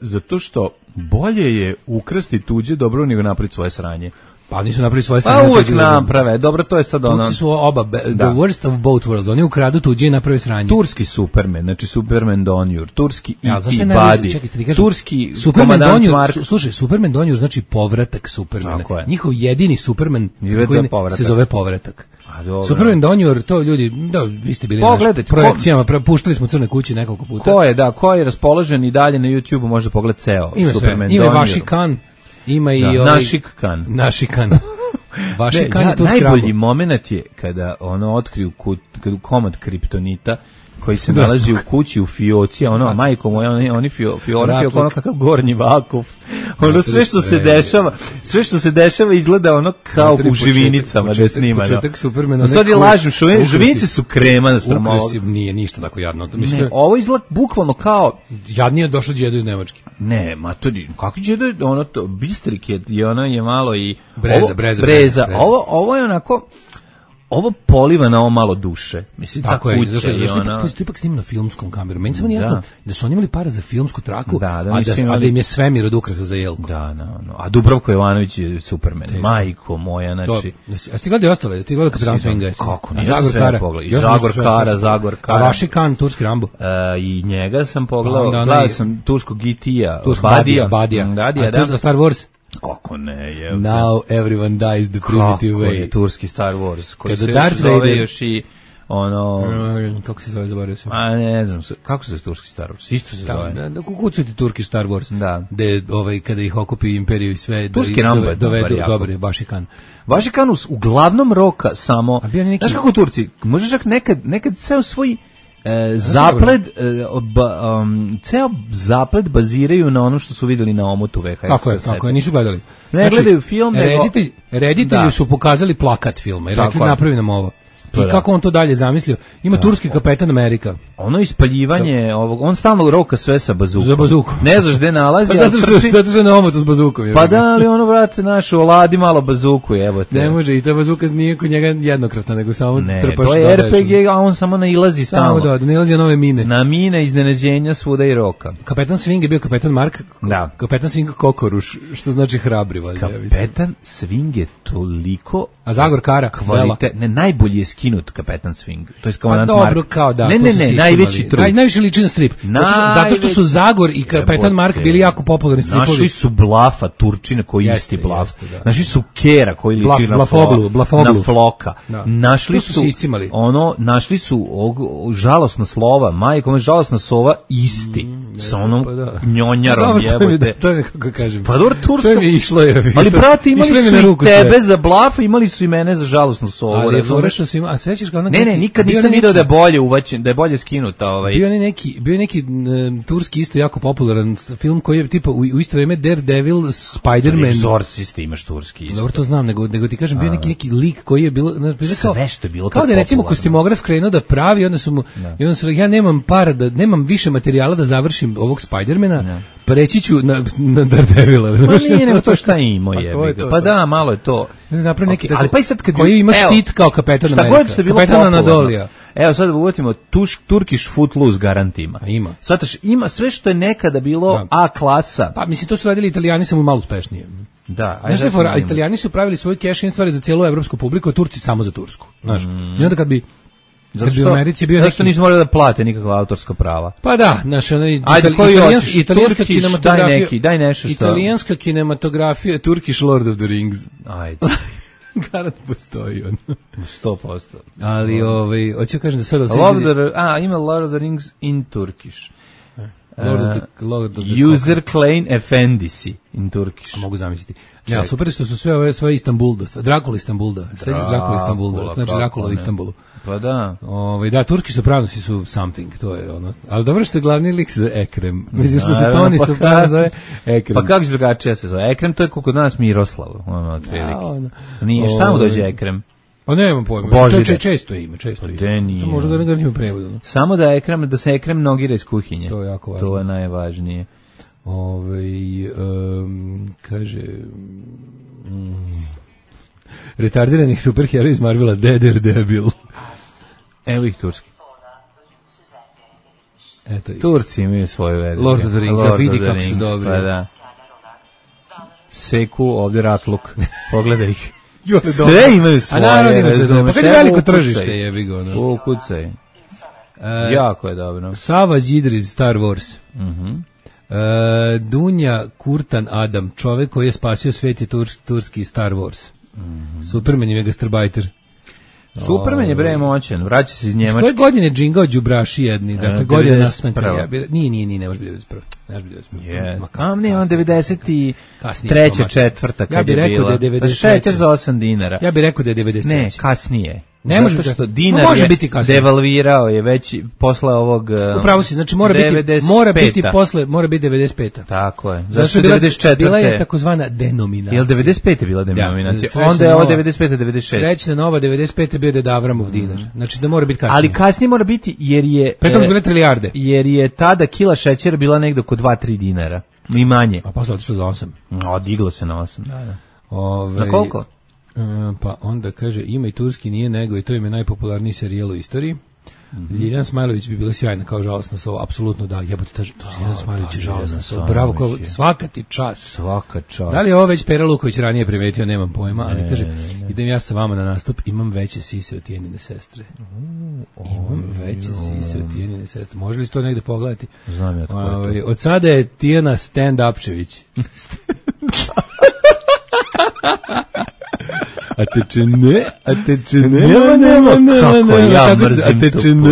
Zato što bolje je ukrasti tuđe dobro nego napraviti svoje sranje. Pa nisu napravili svoje sranje. Pa uvek naprave, dobro, to je sad ono. Turci su oba, the worst of both worlds, oni ukradu tuđe i naprave sranje. Turski Superman, znači Superman Donjur, turski E.T. Buddy, turski komandant Mark. Slušaj, Superman Donjur znači povratak Supermana. Njihov jedini Superman se zove povratak. Superman Donjur, to ljudi, da, vi ste bili na projekcijama, puštali smo Crne kuće nekoliko puta. Ko je raspoložen i dalje na YouTube-u može pogledati ceo Superman Donjur. Ima vaši kan. Ima i Našikan. Vašikan je tu najbolji moment je kada ono otkriju komad kriptonita koji se nalazi u kući u fioci, a majko moja, oni fiorati oko kakav gornji vakuf. Sve što se dešava izgleda ono kao u živinicama da je snimano. Početak Supermana. Sad je lažem, živinice su krema nasprem ovog. Nije ništa tako jadno. Ne, ovo izgleda bukvalno kao... Jadnije došao Đedo iz Nemačke. Ne, ma to kako Đedo je ono to, Bistrik je ono je malo i... Breza. Ovo je onako... Ovo poliva na ovo malo duše. Mislim, tako je, zašto to ipak snimano filmskom kamerom. Meni samo jasno da su oni imali para za filmsku traku, a da im je svemir od ukrasa za jelku. A Dubravko Jovanović je Superman. Majko moja, znači... A ti gledali ostale? Ti gledali Kapitan Swinga? Kako? Zagor Kara. A vaši kan, turski Rambo? I njega sam pogledao. Gledao sam turskog E.T.-a. Badija. A Star Wars? Kako ne je? Now everyone dies the primitive way. Kako je turski Star Wars? Koji se zove još i kako se zove, zaboravio sam. A ne znam, kako se zove turski Star Wars? Isto se zove. Da kukucujete turki Star Wars. Da. Gde, kada ih okupi imperiju i sve, turski Rambo je dovedu, dobar je, Vašikan. Vašikan uglavnom roka samo, znaš kako Turci, možeš čak nekad ceo svoj ceo zaplet baziraju na ono što su videli na omotu VHS. Tako je, nisu gledali. Ne gledaju film, reditelji su pokazali plakat filma i rekli napravi nam ovo. I kako on to dalje zamislio? Ima turski Kapetan Amerika. Ono ispaljivanje ovog, on stalno roka sve sa bazukom. Za bazuku. Ne znaš gde nalazi. Pa zato što je na omotu s bazukom. Pa da, ali ono, brate, našu oladi malo bazuku, jebote. Ne može, i ta bazuka nije kod njega jednokratna, nego samo trpaš. Ne, to je RPG, a on samo nailazi stalno. Samo nailazi na nove mine. Na mine, iznenađenja, svuda i roka. Kapetan Swing je bio Kapetan Mark. Da. Kapetan Swing Kokoruš, što znači hrabri. Kapetan Swing je toliko... A Zagor Kara, ne, najbolji je skinut Kapetan Swing. To je komandant Mark. Dobro, kao da. Ne, najveći trup. Najviše liči na strip. Zato što su Zagor i Kapetan Mark bili jako popularni stripovi. Našli su Blafa, Turčina koji isti Blaf. Našli su Kera koji liči na Floka. Našli su žalosno slova, majko, žalosna sova isti. Sa onom njonjarom jebote. To je kako kažem. Pa dobro, tursko. To mi je išlo je. Ali brate, imali su i tebe za Blafa, imali su i mene za žalosnu sovu. Ali je forešno svima, a sećaš kao Ne, nikad nisam video da je bolje uvaćen, da je bolje skinuta Bio je neki turski isto jako popularan film koji je tipa u isto vrijeme Daredevil, Spider-Man. Egzorcist imaš turski isto. Dobro, to znam, nego ti kažem, bio neki lik koji je bilo, sve što je bilo kao da je recimo kostimograf krenuo da pravi, onda su ja nemam para, nemam više materijala da završim ovog Spider-mana, preći ću na Daredevila. Pa nije, nego to šta ima je. Pa da, malo je to. Napravi neki, ali pa i sad kad koji ima štit kao Kapetan Amerika. Kapetan Anadolija. Evo sad uvatimo Turkish Footloose garantima. Ima. Svataš, ima sve što je nekada bilo A klasa. Pa mislim, to su radili Italijani samo malo uspešnije. Da. Znaš, Italijani su pravili svoj cash-in stvari za cijelu evropsku publiku, a Turci samo za tursku. Znaš, i onda kad bi u Americi bio zašto nisu morali da plate nikakva autorska prava? Pa da, naša italijanska kinematografija. Daj nešto što. Italijanska kinematografija, Turkish Lord of the Rings. Ajde. Garant postoji on. 100%. Ali hoću kažem da sad ima Lord of the Rings in Turkish. Lord of the User Klein Efendisi in Turkish. Mogu zamisliti. Ja, super što su sve ove svoje Istanbulda. Drakula Istanbulda. Sveći Drakula Istanbulda. Znači Drakula u Istanbulu. Pa da. Da, turski sopranosi su something, to je ono. Ali dobro što je glavni lik za Ekrem. Mislim što se Toni soprano zove Ekrem. Pa kako drugačije se zove? Ekrem to je kod nas Miroslav. Nije, šta mu dođe Ekrem? Pa nemam pojma. Božire. Često ime. Samo možda ga ne ima prevodu. Samo da se Ekrem nogira iz kuhinje. To je jako važno. To je najvažnije. Kaže... retardiranih superheroja iz Marvela, Daredevil. Evo ih turski. Eto ih. Turci imaju svoju verziju. Lord of the Rings, vidi kako su dobri. Pa da. Seku ovdje ratluk. Pogledaj ih. Sve imaju svoje. A naravno se zove. Pa kad je veliko tržište jebi ga. Ukucaj. Jako je dobro. Savage Idris, Star Wars. Dunja Kurtan Adam, čovek koji je spasio svijet, je turski Star Wars. Superman je gastarbajter. Superman je bre moćan, vraća se iz Njemačke. Koje godine džingao đubraši jedni, dakle godine nastanka. Nije, ne može biti 91. Ne može biti 91. Ne, on 93. četvrta kad je bila. Ja bih rekao da je 93. Šećer za 8 dinara. Ja bih rekao da je 93. Ne, kasnije. Ne može biti što dinar je devalvirao je već posle ovog. Upravo si, znači mora biti posle, mora biti 95. Tako je. Znači 94. Bila je takozvana denominacija. Jel 95. bila denominacija? Onda je ovo 95. 96. Srećna nova 95. bio Deda Avramov dinar. Znači da mora biti kasnije. Ali kasnije mora biti jer je Pretom su bile trilijarde. Jer je tada kila šećera bila negde oko 2-3 dinara. I manje. A posle otišlo za 8. Diglo se na 8. Da. Na koliko? Pa onda kaže, ima i turski nije nego i to im je najpopularniji serijal u istoriji. Ljiljana Smajlović bi bila sjajna kao žalosna sova, apsolutno da, jebote, Ljiljana Smajlović je žalosna sova, bravo, svaka ti čast. Svaka čast. Da li je ovo već Pera Luković ranije primetio, nemam pojma, ali kaže, idem ja sa vama na nastup, imam veće sise od Tijanine sestre. Imam veće sise od Tijanine sestre. Može li se to negde pogledati? Znam ja tako je to. Od sada je Tijana stand-upčević. Kako ja mrzim tu pesmu.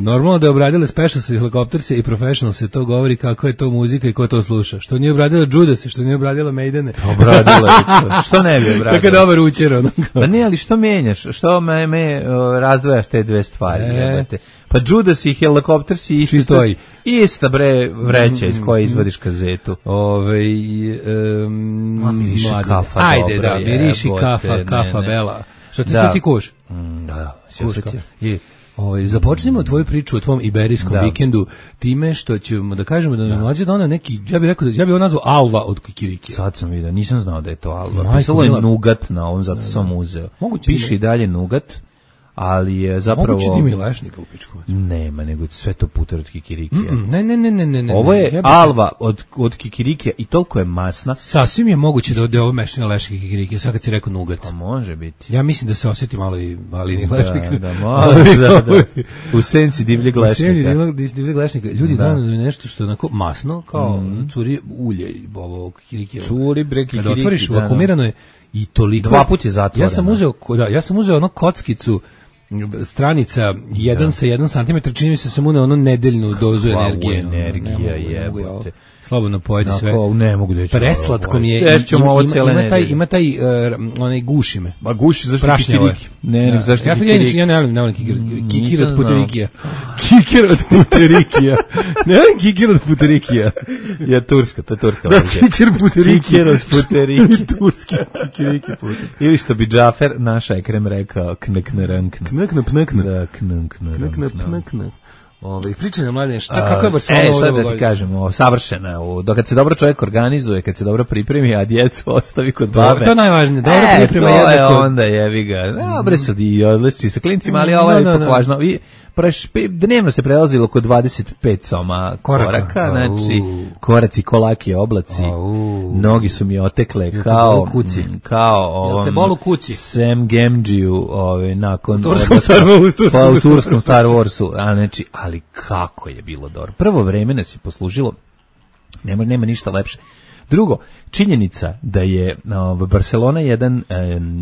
Normalno da je obradila Specials i Helicopters i Professionals se to govori kako je to muzika i ko to sluša. Što nije obradila Judas, što nije obradila Maidene. Obradila je to. Što ne bi obradila? Tako je dobar učer. Pa ne, ali što menjaš? Što me razdvajaš te dve stvari? Pa Judas i Helicopters i ista bre vreća iz koje izvadiš kazetu. Miriši kafa. Ajde, da, miriši kafa bela. Što ti kuš? Da, započnimo tvoju priču o tvom iberijskom vikendu time što ćemo da kažemo da nam mlađe dona neki, ja bih rekao, ja bih ovo nazvao Alva od kikirikija. Sad sam vidio, nisam znao da je to Alva. Pisalo je Nugat na ovom, zato sam uzeo. Piše i dalje Nugat, ali je zapravo... Moguće da ima i lešnika u pičku. Nema, nego sve to puter od kikirikija. Ne. Ovo je Alva od kikirikija i toliko je masna. Sasvim je moguće da je ovo mešina lešnika i kikirikija, sad kad si rekao Nugat. Pa može biti. Ja mislim da se osjeti malo i malini lešnika. Da, malo, da. U senci divljeg lešnika. U senci divljeg lešnika. Ljudi dano nešto što je onako masno, kao curi ulje ovo kikirikija. Curi bre kikirikija. Kada otvoriš, vakumirano je i toliko. 2 puta je zatvoreno. Ja sam uzeo ono kockicu stranica 1 sa 1 cm, čini mi se sam uneo ono nedeljnu dozu energije. Energija jebote. Slobodno pojedi sve. Ne mogu da ću. Preslatko mi je. Ima taj onaj guši me. Ma guši zašto kikiriki? Ne, zašto kikiriki? Ja ne volim kikir od puterikija. Kikir od puterikija. Ne volim kikir od puterikija. Ja turska, to je turska. Da, kikir puterikija. Kikir od puterikija. Turski kikiriki puterikija. Ili što bi Džafer, naš Ekrem rekao, kneknerankna. Knekna. Pričaj nam, Mladene, kako je Barcelona ovo godine? Sad da ti kažemo, savršena. Kad se dobro čovjek organizuje, kad se dobro pripremi, a djecu ostavi kod babe. To je najvažnije, dobro priprema jednako. To je onda jebi ga. Dobre su i odlični sa klincima, ali ovo je ipak važno. Dnevno se prelazilo oko 25 soma koraka, znači koraci, kolaki, oblaci. Nogi su mi otekle kao Sam Gamgee-u nakon u turskom Star Warsu. Znači, ali kako je bilo dobro. Prvo vreme nas je poslužilo, nema ništa lepše. Drugo, činjenica da je Barcelona jedan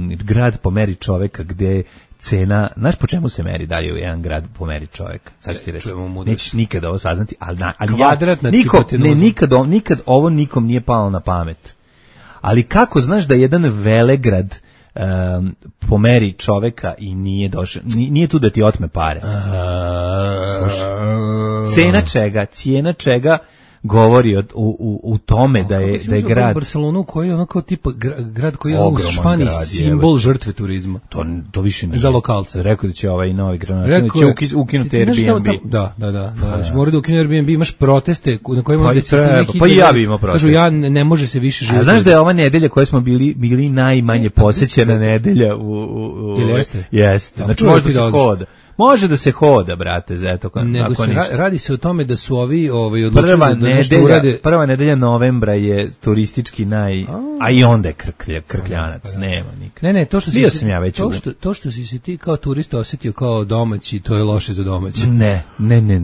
grad po meri čoveka gde cena, znaš po čemu se meri dalje u jedan grad po meri čoveka? Sad ću ti reći, nećeš nikada ovo saznati, ali nikad ovo nikom nije palo na pamet. Ali kako znaš da jedan velegrad po meri čoveka i nije došao, nije tu da ti otme pare. Cijena čega govori u tome da je grad Barcelonu koji je onako tipa grad koji je u Španiji simbol žrtve turizma. To više nije. Za lokalce. Rekao da će ovaj novi gradonačelnik će ukinuti Airbnb. Da. Mora da ukine Airbnb, imaš proteste na kojima pa i ja bih imao protest. Kažu ne može se više živjeti. Znaš da je ova nedelja koja smo bili najmanje posećena nedelja u jeste. Znači može da se hoda, brate, zato nego se radi se o tome da su ovi odlučili da nešto urade. Prva nedelja novembra je turistički a i onda je krkljanac, nema nikad. Ne, to što si ti kao turista osjetio kao domaći, to je loše za domaći. Ne,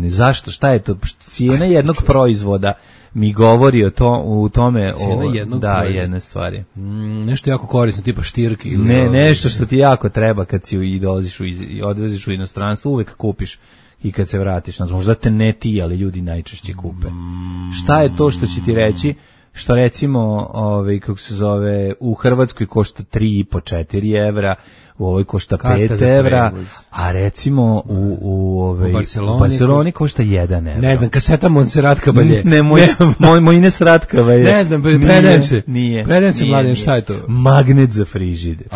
zašto? Šta je to? Cijena jednog proizvoda mi govori u tome jedne stvari. Nešto jako korisno, tipa štirki. Nešto što ti jako treba kad si odveziš u inostranstvo, uvek kupiš i kad se vratiš. Možda te ne ti, ali ljudi najčešće kupe. Šta je to što će ti reći? Što recimo, kako se zove, u Hrvatskoj košta 3,5-4 evra, u ovoj košta 5 evra, a recimo u Barceloni košta 1 evra. Ne znam, kaseta Montserrat Caballé. Moj Montserrat Caballé. Ne znam, predajem se. Predajem se, Mladen, šta je to? Magnet za frižider.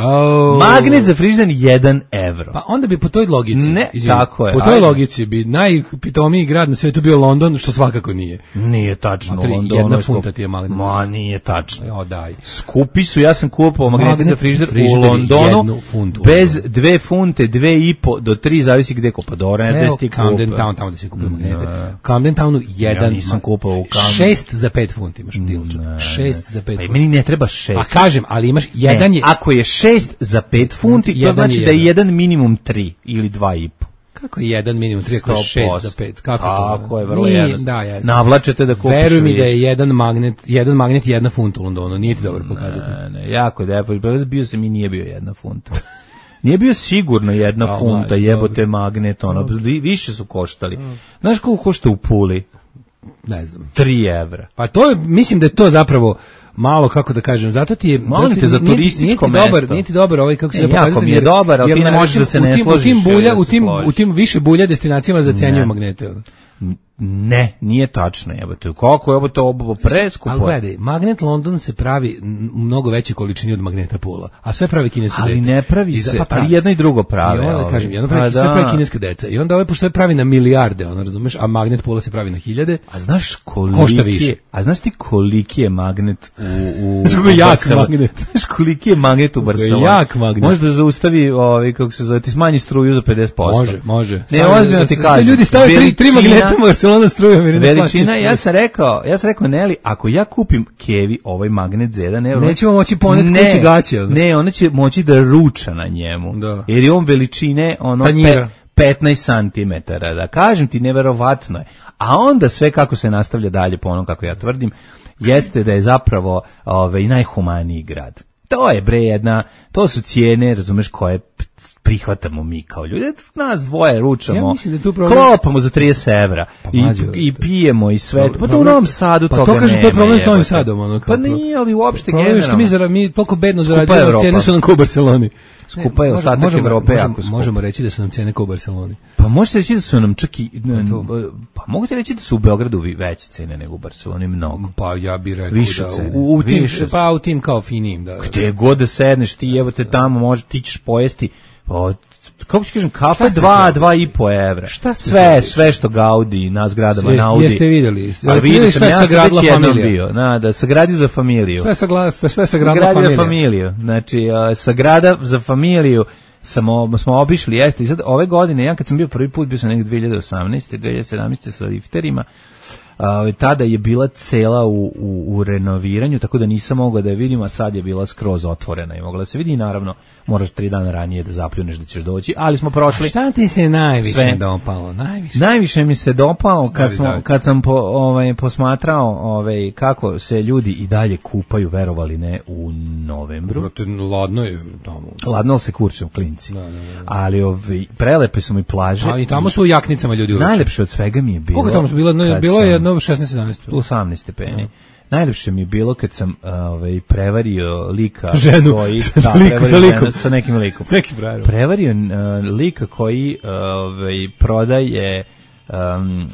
Magnet za frižider 1 evro. Pa onda bi po toj logici. Ne, tako je. Po toj logici bi najpitomiji grad na svijetu bio London, što svakako nije. Nije tačno. Jedna funta ti je magnet. Ma, nije tačno. Daj. Skupi su, ja sam kupovao magnet za frižider u Londonu. Bez 2 funte, 2,5 do 3, zavisi gde kupa. Dobro, ne znam ti kupa. Camden Town, tamo da se kupuje magnete. Camden Townu 1. Ja nisam kupao u Camden. 6 za 5 funti imaš dilča. 6 za 5 funti. Pa meni ne treba 6. A kažem, ali imaš jedan je... Ako je 6 za 5 funti, to znači da je jedan minimum 3 ili 2,5. Kako je 1 minimum 3 ako je 6 za 5? Kako tako to? Je, vrlo jednostavno. Da, navlačete da kupiš. Veruj mi da je jedan magnet 1 funta u Londonu, nije ti dobro pokazati. Ne, jako je da, bio sam i nije bio 1 funta. Nije bio sigurno 1 funta, jebote magnet, ono, više su koštali. Znaš koliko košta u Puli? Ne znam. 3 evra. Pa to je, mislim da je to zapravo malo, kako da kažem, zato ti je... Molim te za turističko mesto. Nije ti dobar ovaj, kako se da pokazati. Jako mi je dobar, ali ti ne možeš da se ne složiš. U tim više bulja destinacijama zacenjuju magnete. Ne, nije tačno, jebote. Kako je to preskupo? Ali gledaj, magnet London se pravi u mnogo veće količini od magneta Pula, a sve pravi kineska deca. Ali ne pravi se, ali jedno i drugo prave. I onda kažem, jedno pravi, sve pravi kineska deca. I onda pošto sve pravi na milijarde, ono, razumeš, a magnet Pula se pravi na hiljade. A znaš koliki je? A znaš ti koliki je magnet u jak magnet. Znaš koliki je magnet u Barceloni? Jak magnet. Može da zaustavi, kako se zove, ti smanji struju za 50%. Može. Ne, ozbiljno ti kažem. Ljudi stave 3 magneta u Barcelona strujom. Veličina, ja sam rekao Neli, ako ja kupim Kevi ovaj magnet za 1 evro, nećemo moći poneti kući gaće. Ne, ona će moći da ruča na njemu. Da. Jer je on veličine 15 cm. Da kažem ti, neverovatno je. A onda sve kako se nastavlja dalje po onom kako ja tvrdim, jeste da je zapravo najhumaniji grad. To je to su cijene, razumeš, koje prihvatamo mi kao ljudi. Nas dvoje ručamo, klopamo za 30 evra i pijemo i sve. Pa to u Novom Sadu toga nema. Pa to kaže, to je problem s Novim Sadom. Pa nije, ali uopšte generalno. Što mi toliko bedno zarađujemo, cijene su nam kao u Barceloni. Skupa je ostatak Evrope jako skupa. Možemo reći da su nam cijene kao u Barceloni. Pa možete reći da su nam čak i... Pa mogu ti reći da su u Beogradu veće cene nego u Barceloni, mnogo. Pa ja bih rekao više da cene. U tim kao finijim. Gde god da sedneš ti, evo te tamo, ti ćeš pojesti... Kako ću kažem, kafe 2,5 evra. Sve što Gaudi na zgradama Naudi. Jeste vidjeli? Ali vidio sam, ja sam već jednom bio. Da, sagradi za familiju. Šta je sagradila familiju? Znači, sagrada za familiju smo obišli, jeste. I sad ove godine, ja kad sam bio prvi put, bio sam negdje 2018. 2017. sa lifterima, tada je bila cela u renoviranju, tako da nisam mogao da je vidim, a sad je bila skroz otvorena i mogla da se vidi. I naravno, moraš 3 dana ranije da zapljuneš da ćeš doći, ali smo prošli. A šta ti se najviše dopalo? Najviše mi se dopalo kad sam posmatrao kako se ljudi i dalje kupaju, verovali ne, u novembru. Ladno je tamo. Ladno se kurče u klinci. Ali prelepe su mi plaže. A i tamo su u jaknicama ljudi uveče. Najlepše od svega mi je bilo. Koliko tamo su bilo je jedno 16-17. 18 stepeni. Najlepše mi je bilo kad sam prevario lika ženu, koji sa nekim likom. Prevario lika koji prodaje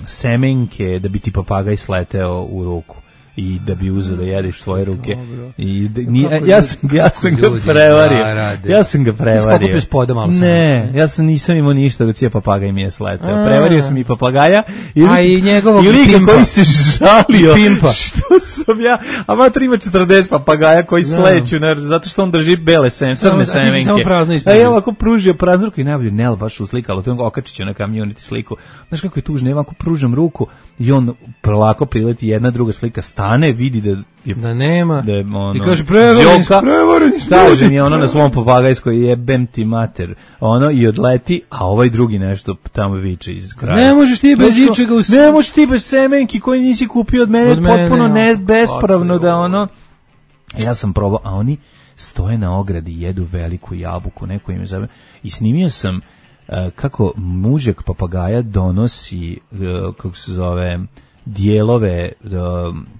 semenke da bi ti papagaj sleteo u ruku i da bi uzeo da jedeš tvoje ruke. Ja sam ga prevario. Ja sam ga prevario. Ne, nisam imao ništa da cija papagaj mi je sleteo. Prevario sam i papagaja i lika koji se žalio što sam ja, a mater ima 40 papagaja koji sleću zato što on drži bele crne semenke. A ja ovako pružio praznu ruku i najbolje Nel baš uslikalo, to je okačiću na kamioniti sliku. Znaš kako je tužno, ja ovako pružam ruku i on polako prileti jedna druga slika, stane, vidi da nema i kaže prevareni. Kaže mi na svom papagajskoj jebem ti mater, i odleti, a ovaj drugi nešto tamo viče iz kraja. Ne možeš ti bez ičega, ne možeš ti bez semenki koji nisi kupio od mene, potpuno bespravno da ja sam probao, a oni stoje na ogradi, jedu veliku jabuku, neko im je zove, i snimio sam kako mužjak papagaja donosi, kako se zove, dijelove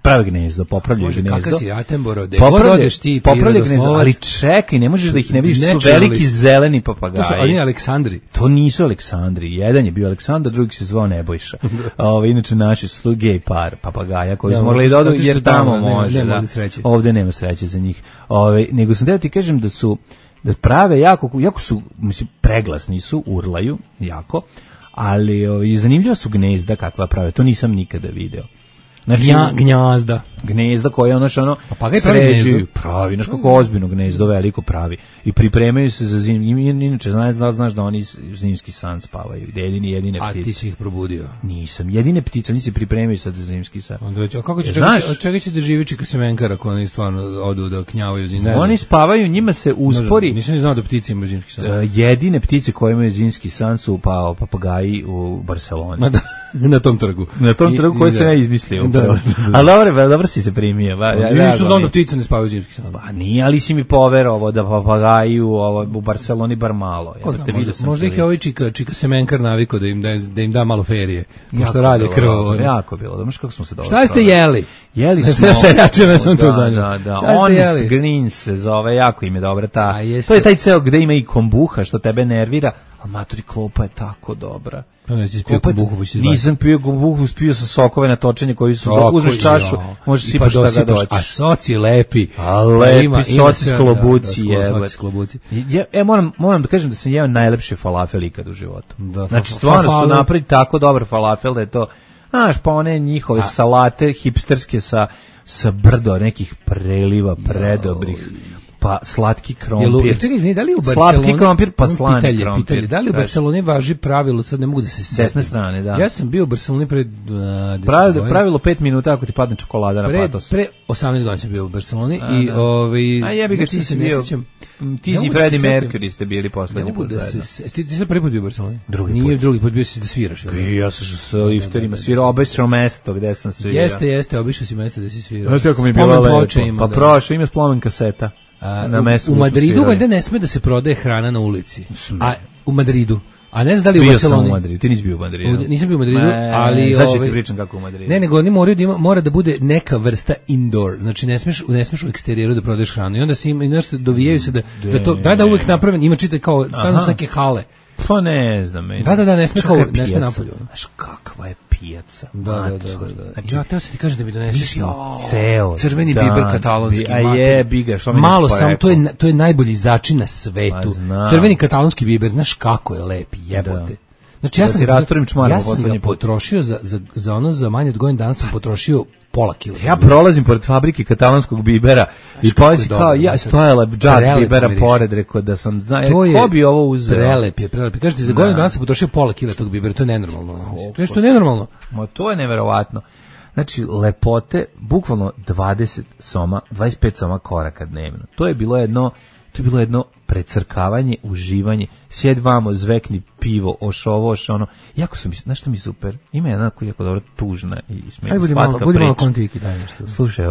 prave gnezdo, popravljaju gnezdo. Kakav si Attenborough, gde god odeš ti prirodoslovac. Ali čekaj, ne možeš da ih ne vidiš, su veliki zeleni papagaji. To su oni Aleksandri. To nisu Aleksandri, jedan je bio Aleksandar, drugi se zvao Nebojša. Inače naši su tu gej par papagaja koji su mogli da odu, jer tamo može. Ovdje nema sreće za njih. Nego sam da ti kažem da prave jako su, mislim, preglasni su, urlaju jako, ali zanimljiva su gnezda kakva prave, to nisam nikada video. Znači, gnjazda. Gnezda koje ono papagaj sređuju, pravi, znaš kako ozbiljno gnezdo veliko pravi i pripremaju se za zimu. Inače, znaš da oni zimski san spavaju, jedine ptice. A ti si ih probudio? Nisam, jedine ptice, oni se pripremaju sad za zimski san. Onda već, a kako će čega će da živi čika semenkara ako oni stvarno odu da knjavaju zimski san? Oni spavaju, njima se uspori. Nisam ni znao da ptice imaju zimski san. Jedine ptice koje imaju zimski san su papagaji u Barseloni. Na tom trgu. Na tom trgu koji se ne izmislio. Ali dobro si se primio. Nisu znam da ptice ne spavaju zimski san. Pa nije, ali si mi poverovao da papagaji u Barceloni bar malo. Možda ih je ovaj čika semenkar navikao da im da malo ferije. Pošto rade krvo. Jako bilo. Znaš kako smo se dobro. Šta ste jeli? Jeli smo. Seljačeva sam to zanimao. Da. Honest Greens se zove, jako im je dobra ta. To je taj ceo gde ima i kombuha što tebe nervira, a maturi klopa je tako dobra. Nisam pio kombuhu, pio sa sokove na točenje koji su, uzmeš čašu, možeš sipaš šta ga doći. A soci lepi. A lepi soci s klobuci. Moram da kažem da sam jeo najlepše falafel ikad u životu. Znači, stvarno su napravili tako dobar falafel da je to, znaš, pa one njihove salate hipsterske sa brdo nekih preliva predobrih. Pa slatki krompir. Čekaj, da li u Barceloni slatki krompir pa slani krompir. Da li u Barceloni važi pravilo, sad ne mogu da se setim. Desne strane, da. Ja sam bio u Barceloni pre pravilo 5 minuta ako ti padne čokolada na patos. Pre 18 godina sam bio u Barceloni i a jebi ga, ti si bio. Ti si Freddie Mercury ste bili poslednji put zajedno. Ti si prvi put bio u Barceloni? Drugi put bio si da sviraš. Ja sam sa lifterima svirao, obišao mesto gde sam svirao. Jeste, obišao si mesto gde si svirao. Znaš kako mi je bilo lepo. Pa prošao, ima spomen kaseta. U Madridu valjda ne sme da se prodaje hrana na ulici. A u Madridu. A ne znam da li u Barceloni. Bio sam u Madridu, ti nisi bio u Madridu. Nisam bio u Madridu, ali sad ću ti pričam kako u Madridu. Ne, nego oni mora da bude neka vrsta indoor. Znači ne smeš u eksterijeru da prodaješ hranu. I onda se ima nešto dovijaju se da uvek napraven, ima čita kao stanu neke hale. Pa ne znam. Da, ne sme napolju. Znaš kakva je pijaca. Da. Znači, ja teo se ti kažem da mi doneseš ceo crveni biber katalonski. A je, biga, što mi malo sam, to je najbolji začin na svetu. Crveni katalonski biber, znaš kako je lep, jebote. Znači, ja sam ga potrošio za manje od godinu dana sam potrošio pola kila. Ja prolazim pored fabrike katalonskog bibera i poslije kao ja stojala džak bibera pored, rekao da sam ko bi ovo uzeo. Prelep je. Kažete, za godinu dana sam potrošio pola kila tog bibera, to je nenormalno. To je nenormalno. To je neverovatno. Znači, lepote, bukvalno 25 soma koraka dnevno. To je bilo jedno precrkavanje, uživanje, sjed vamo, zvekni pivo, ono. Jako sam, znaš što mi super? Ima jedna jako dobro tužna i smijena slatka priča. Budi malo kontiki, daj nešto. Slušaj,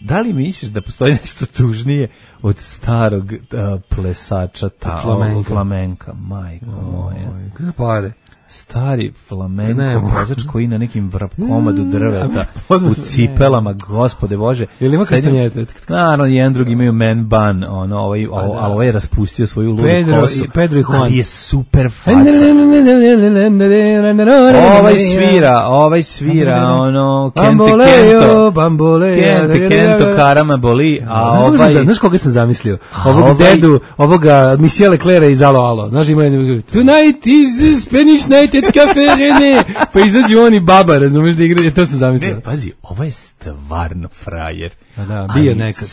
da li misliš da postoji nešto tužnije od starog plesača flamenka, majko moja? Kada pare? Stari flamenko vozač koji na nekim komadu drveta u cipelama, gospode Bože. Jel ima kastanjete? Naravno, jedan drugi imaju man bun, ali ovaj je raspustio svoju ludu kosu. Pedro i Juan. Ali je super faca. Ovaj svira, Kente Kento Karama boli, a ovaj... Znaš koga sam zamislio? Ovog dedu, ovoga Michele Clera iz Alo Alo. Znaš, ima Tonight is Spanish night at Cafe Rene. Pa izađu oni baba, razumiješ da igra, to sam zamislio. Ne, pazi, ovo je stvarno frajer. Da, bio nekad.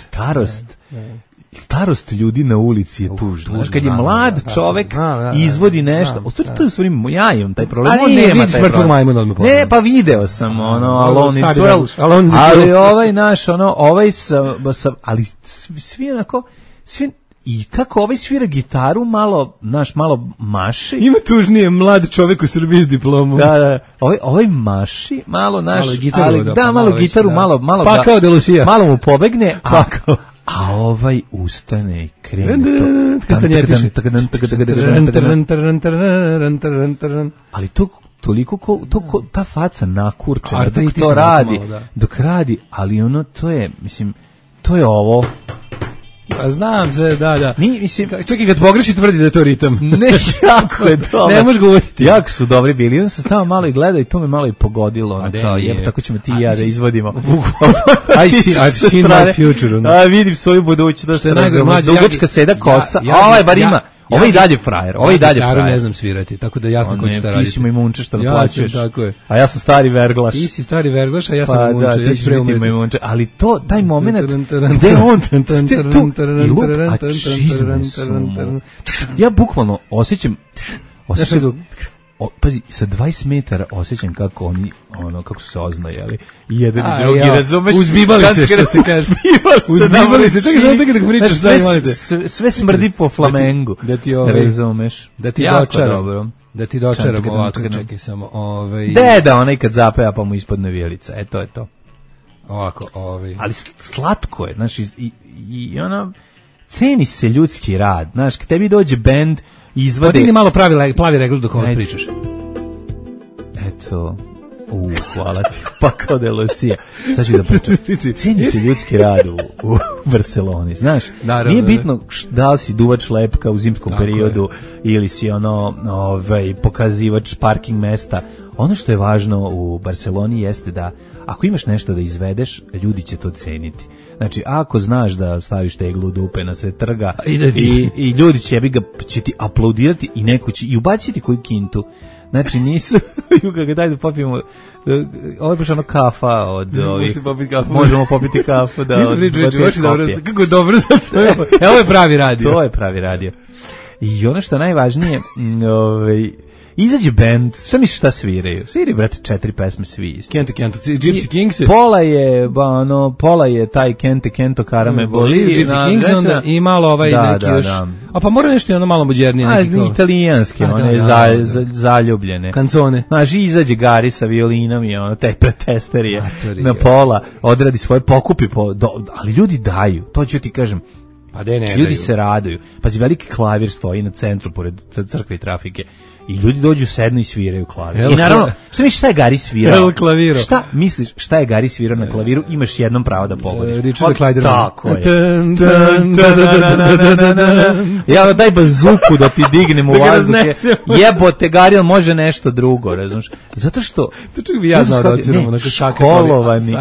Starost ljudi na ulici je tužna. Znaš, kad je mlad čovek izvodi nešto, u stvari to je u stvari, ja imam taj problem, on nema taj problem. Ne, pa video sam, Alone in Swell, ali ovaj naš, ali svi onako, i kako ovaj svira gitaru, malo maši. Ima tužnije mlad čovek u Srbiji s diplomom. Da, ovaj maši, malo gitaru, malo pa kao de Lucia. Malo mu pobegne, a ovaj ustane i krene. Ali toliko ta faca nakurčena dok radi, ali to je ovo. A znam sve, da. Čekaj, kad pogreši tvrdi da je to ritam. Ne, jako je dobro. Ne možeš ga uvjetiti. Jako su dobri bili. Onda sam stava malo i gledao i to me malo i pogodilo. Tako ćemo ti i ja da izvodimo. I've seen my future. Vidim svoju budućnost. Dugačka seda kosa. Ovaj bar ima. Ovo je i dalje frajer, ovo je i dalje frajer. Ne znam svirati, tako da jasno ko će šta raditi. Ti si Majmunče što naplaćuješ. Tako je. A ja sam stari verglaš. Ti si stari verglaš, a ja sam Majmunče. Pa da, ti ćeš biti Majmunče. Ali to, taj moment, gde on, ja bukvalno osjećam pazi, sa 20 metara osjećam kako oni, kako su se oznajali. Jedan i drugi, razumeš? Uzbivali se, što se kaže. Uzbivali se, čekaj da pričaš. Sve smrdi po flamengu. Razumeš? Da ti dočaram. Da ti dočaram ovako, čekaj samo. Deda, onaj kad zapeva pa mu ispadne vijelica. To je to. Ovako, ali slatko je, znaš, i ceni se ljudski rad, znaš, kad tebi dođe bend izvade... Podigni malo plavi regl dok ovo pričaš. Eto, hvala ti, pa kao da je Lucija. Sad ću da pričam. Ceni se ljudski rad u Barceloni, znaš, naravno, nije bitno da li si duvač lepka u zimskom periodu ili si pokazivač parking mesta. Ono što je važno u Barceloni jeste da ako imaš nešto da izvedeš, ljudi će to ceniti. Znači, ako znaš da staviš teglu dupe na sred trga i ljudi će ti aplaudirati i neko će i ubaciti koju kintu. Znači, nisu, kako daj da popijemo, ovo je baš kafa od ovih, možemo popiti kafu da od 2 kopije. Kako je dobro za to. Ovo je pravi radio. To je pravi radio. I ono što je najvažnije, izađe band, šta misliš šta sviraju? Sviraju, brate, 4 pesme svi. Kente, Gypsy Kings. Pola je taj Kente, Karame Boli. Gypsy Kings, onda i malo neki još. A pa mora nešto ono malo mođernije. Italijanski, one zaljubljene. Kancone. Znaš, izađe Gari sa violinom i te pretesterije na pola, odradi svoje pokupi, ali ljudi daju, to ću ti kažem. Ljudi se raduju. Pazi, veliki klavir stoji na centru pored crkve i trafike i ljudi dođu, sednu i sviraju klavir. I naravno, šta misliš šta je Gari svirao? Šta misliš šta je Gari svirao na klaviru? Imaš jednom pravo da pogodiš. Richard Clayderman. Tako je. Ja daj bazuku da ti dignem u vazduhe. Jebote, Gari, on može nešto drugo, razumiješ? Zato što... To čak bi ja znao da ociramo. Školovani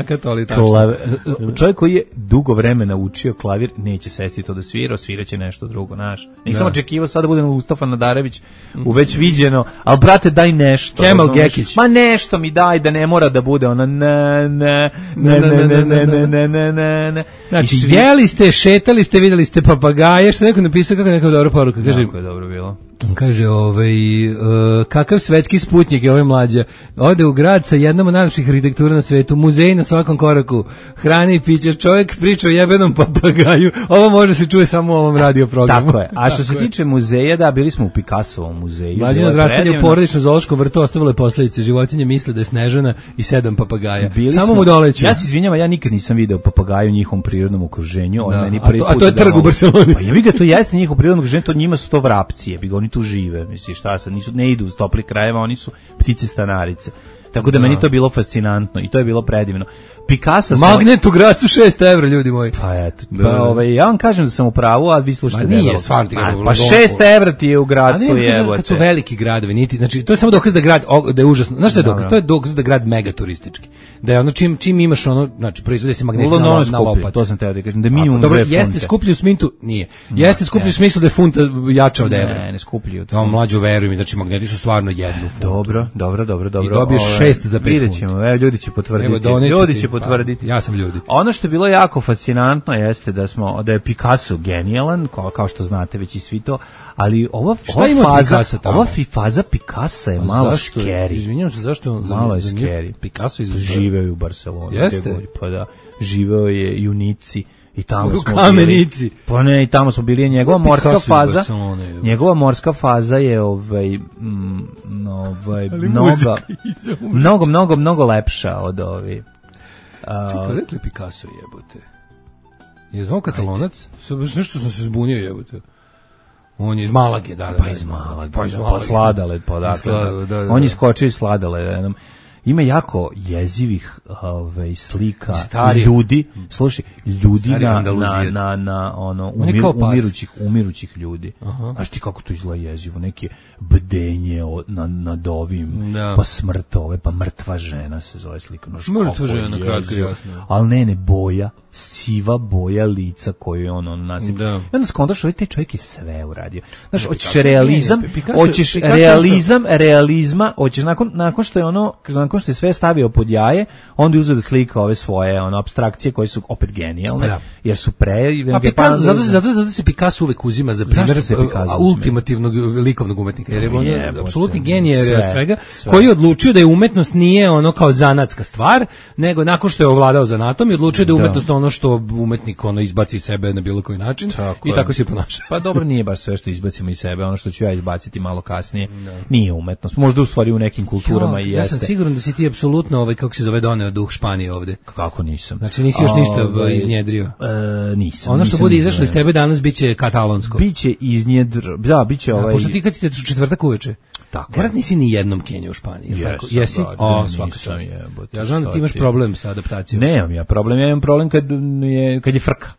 čovjek koji je dugo vremena učio klavir, neće sesti to da svira, sviraće nešto drugo, znaš. Nisam očekivao sad da budem Mustafa Nadarević u već viđeno, ali brate daj nešto. Kemal Gekić. Ma nešto mi daj da ne mora da bude ona ne. Znači, jeli ste, šetali ste, videli ste papagaje, što neko napisao kako neka dobra poruka. Kako je dobro bilo. Kaže, kakav svetski sputnik je ovaj mlađa. Ode u grad sa jednom od najlepših arhitektura na svetu, muzej na svakom koraku, hrane i piće, čovjek priča o jebenom papagaju. Ovo može se čuje samo u ovom radio programu. Tako je. A što se tiče muzeja, da, bili smo u Picassovom muzeju. Mlađe odrastanje u porodičnom zoološkom vrtu ostavilo je posljedice. Životinje misle da je Snežana i 7 papagaja. Samo mu doleću. Ja se izvinjavam, ja nikad nisam video papagaju u njihovom prirodnom okruženju. A to je trg u Barceloni. Pa ja vidim da to jeste njihovo prirodno okruženje, to njima su to vrapci, oni tu žive, misliš, šta sad, ne idu uz topli krajeva, oni su ptice stanarice. Tako da meni to bilo fascinantno i to je bilo predivno. Picasso Magnet u Gracu 6 evra, ljudi moji. Pa eto, ja vam kažem da sam u pravu, a vi slušate debelo. Nije, stvarno ti kažem. Pa 6 evra ti je u Gracu, jebote. Kad su veliki gradovi, niti, znači, to je samo dokaz da grad, da je užasno. Znaš šta je dokaz? To je dokaz da grad megaturistički. Da je ono, čim imaš ono, znači, proizvode se magneti na lopatu. To sam teo da kažem, da minimum 2 funte. Dobro, jeste skuplji u smintu? Nije. Jeste skuplji u smislu da je funta jača od evra. Ne skuplji od funta. No, mlađo, veruj mi, znači, magneti su stvarno 1 funtu. Dobro. I dobiješ 6 za 5 funta. Ljudi će potvrditi. Ja sam ljudi. Ono što je bilo jako fascinantno jeste da je Picasso genijalan, kao što znate već i svi to, ali ova faza Picassa je malo scary. Izvinjam se, zašto? Malo je scary. Picasso živeo u Barceloni. Jeste? Pa da, živeo je i u Nici. I tamo smo Kamenici. Pa ne, i tamo smo bili, njegova morska faza. Njegova morska faza je mnogo lepša od ove. Čekaj, rekli Picasso jebote. Je zvao Katalonac? Nešto sam se zbunio jebote. On je iz Malage, da. Pa iz Malage. Pa Sladoled, pa dakle. On je skočio iz Sladoleda. ima jako jezivih slika ljudi, slušaj, ljudi na ono umirućih ljudi. Znaš ti kako to izgleda jezivo, neke bdenje nad ovim, pa smrt pa mrtva žena se zove slika. Mrtva žena, kratko jasno. Ali ne, boja, siva boja lica koju on nasipa. I onda skontaš, taj čovjek je sve uradio. Znaš, hoćeš realizma, hoćeš nakon što je sve stavio pod jaje, onda je uzeo da slika ove svoje apstrakcije koje su opet genijalne, jer su zato se Picasso uvek uzima za primjer ultimativnog likovnog umetnika, jer je on apsolutni genije svega, koji je odlučio da je umetnost nije ono kao zanatska stvar, nego nakon što je ovladao zanatom i odlučio da je umetnost ono što umetnik izbaci iz sebe na bilo koji način i tako se ponaša. Pa dobro, nije baš sve što izbacimo iz sebe, ono što ću ja izbaciti malo kasnije, nije umetnost. Možda u stvari u nekim kulturama i jeste. Ja sam siguran da si ti apsolutno kako se zove doneo duh Španije ovde. Kako nisam? Znači nisi još ništa iznjedrio? Nisam. Ono što bude izašlo iz tebe danas biće katalonsko. Biće biće pošto ti kad si te četvrtak uveče. Tako. Garant nisi ni jednom Keniju u Španiji. Jesi? Svaka čast. Ja znam da ti imaš problem sa adaptacijom. Nemam ja problem, ja imam problem kad je frka.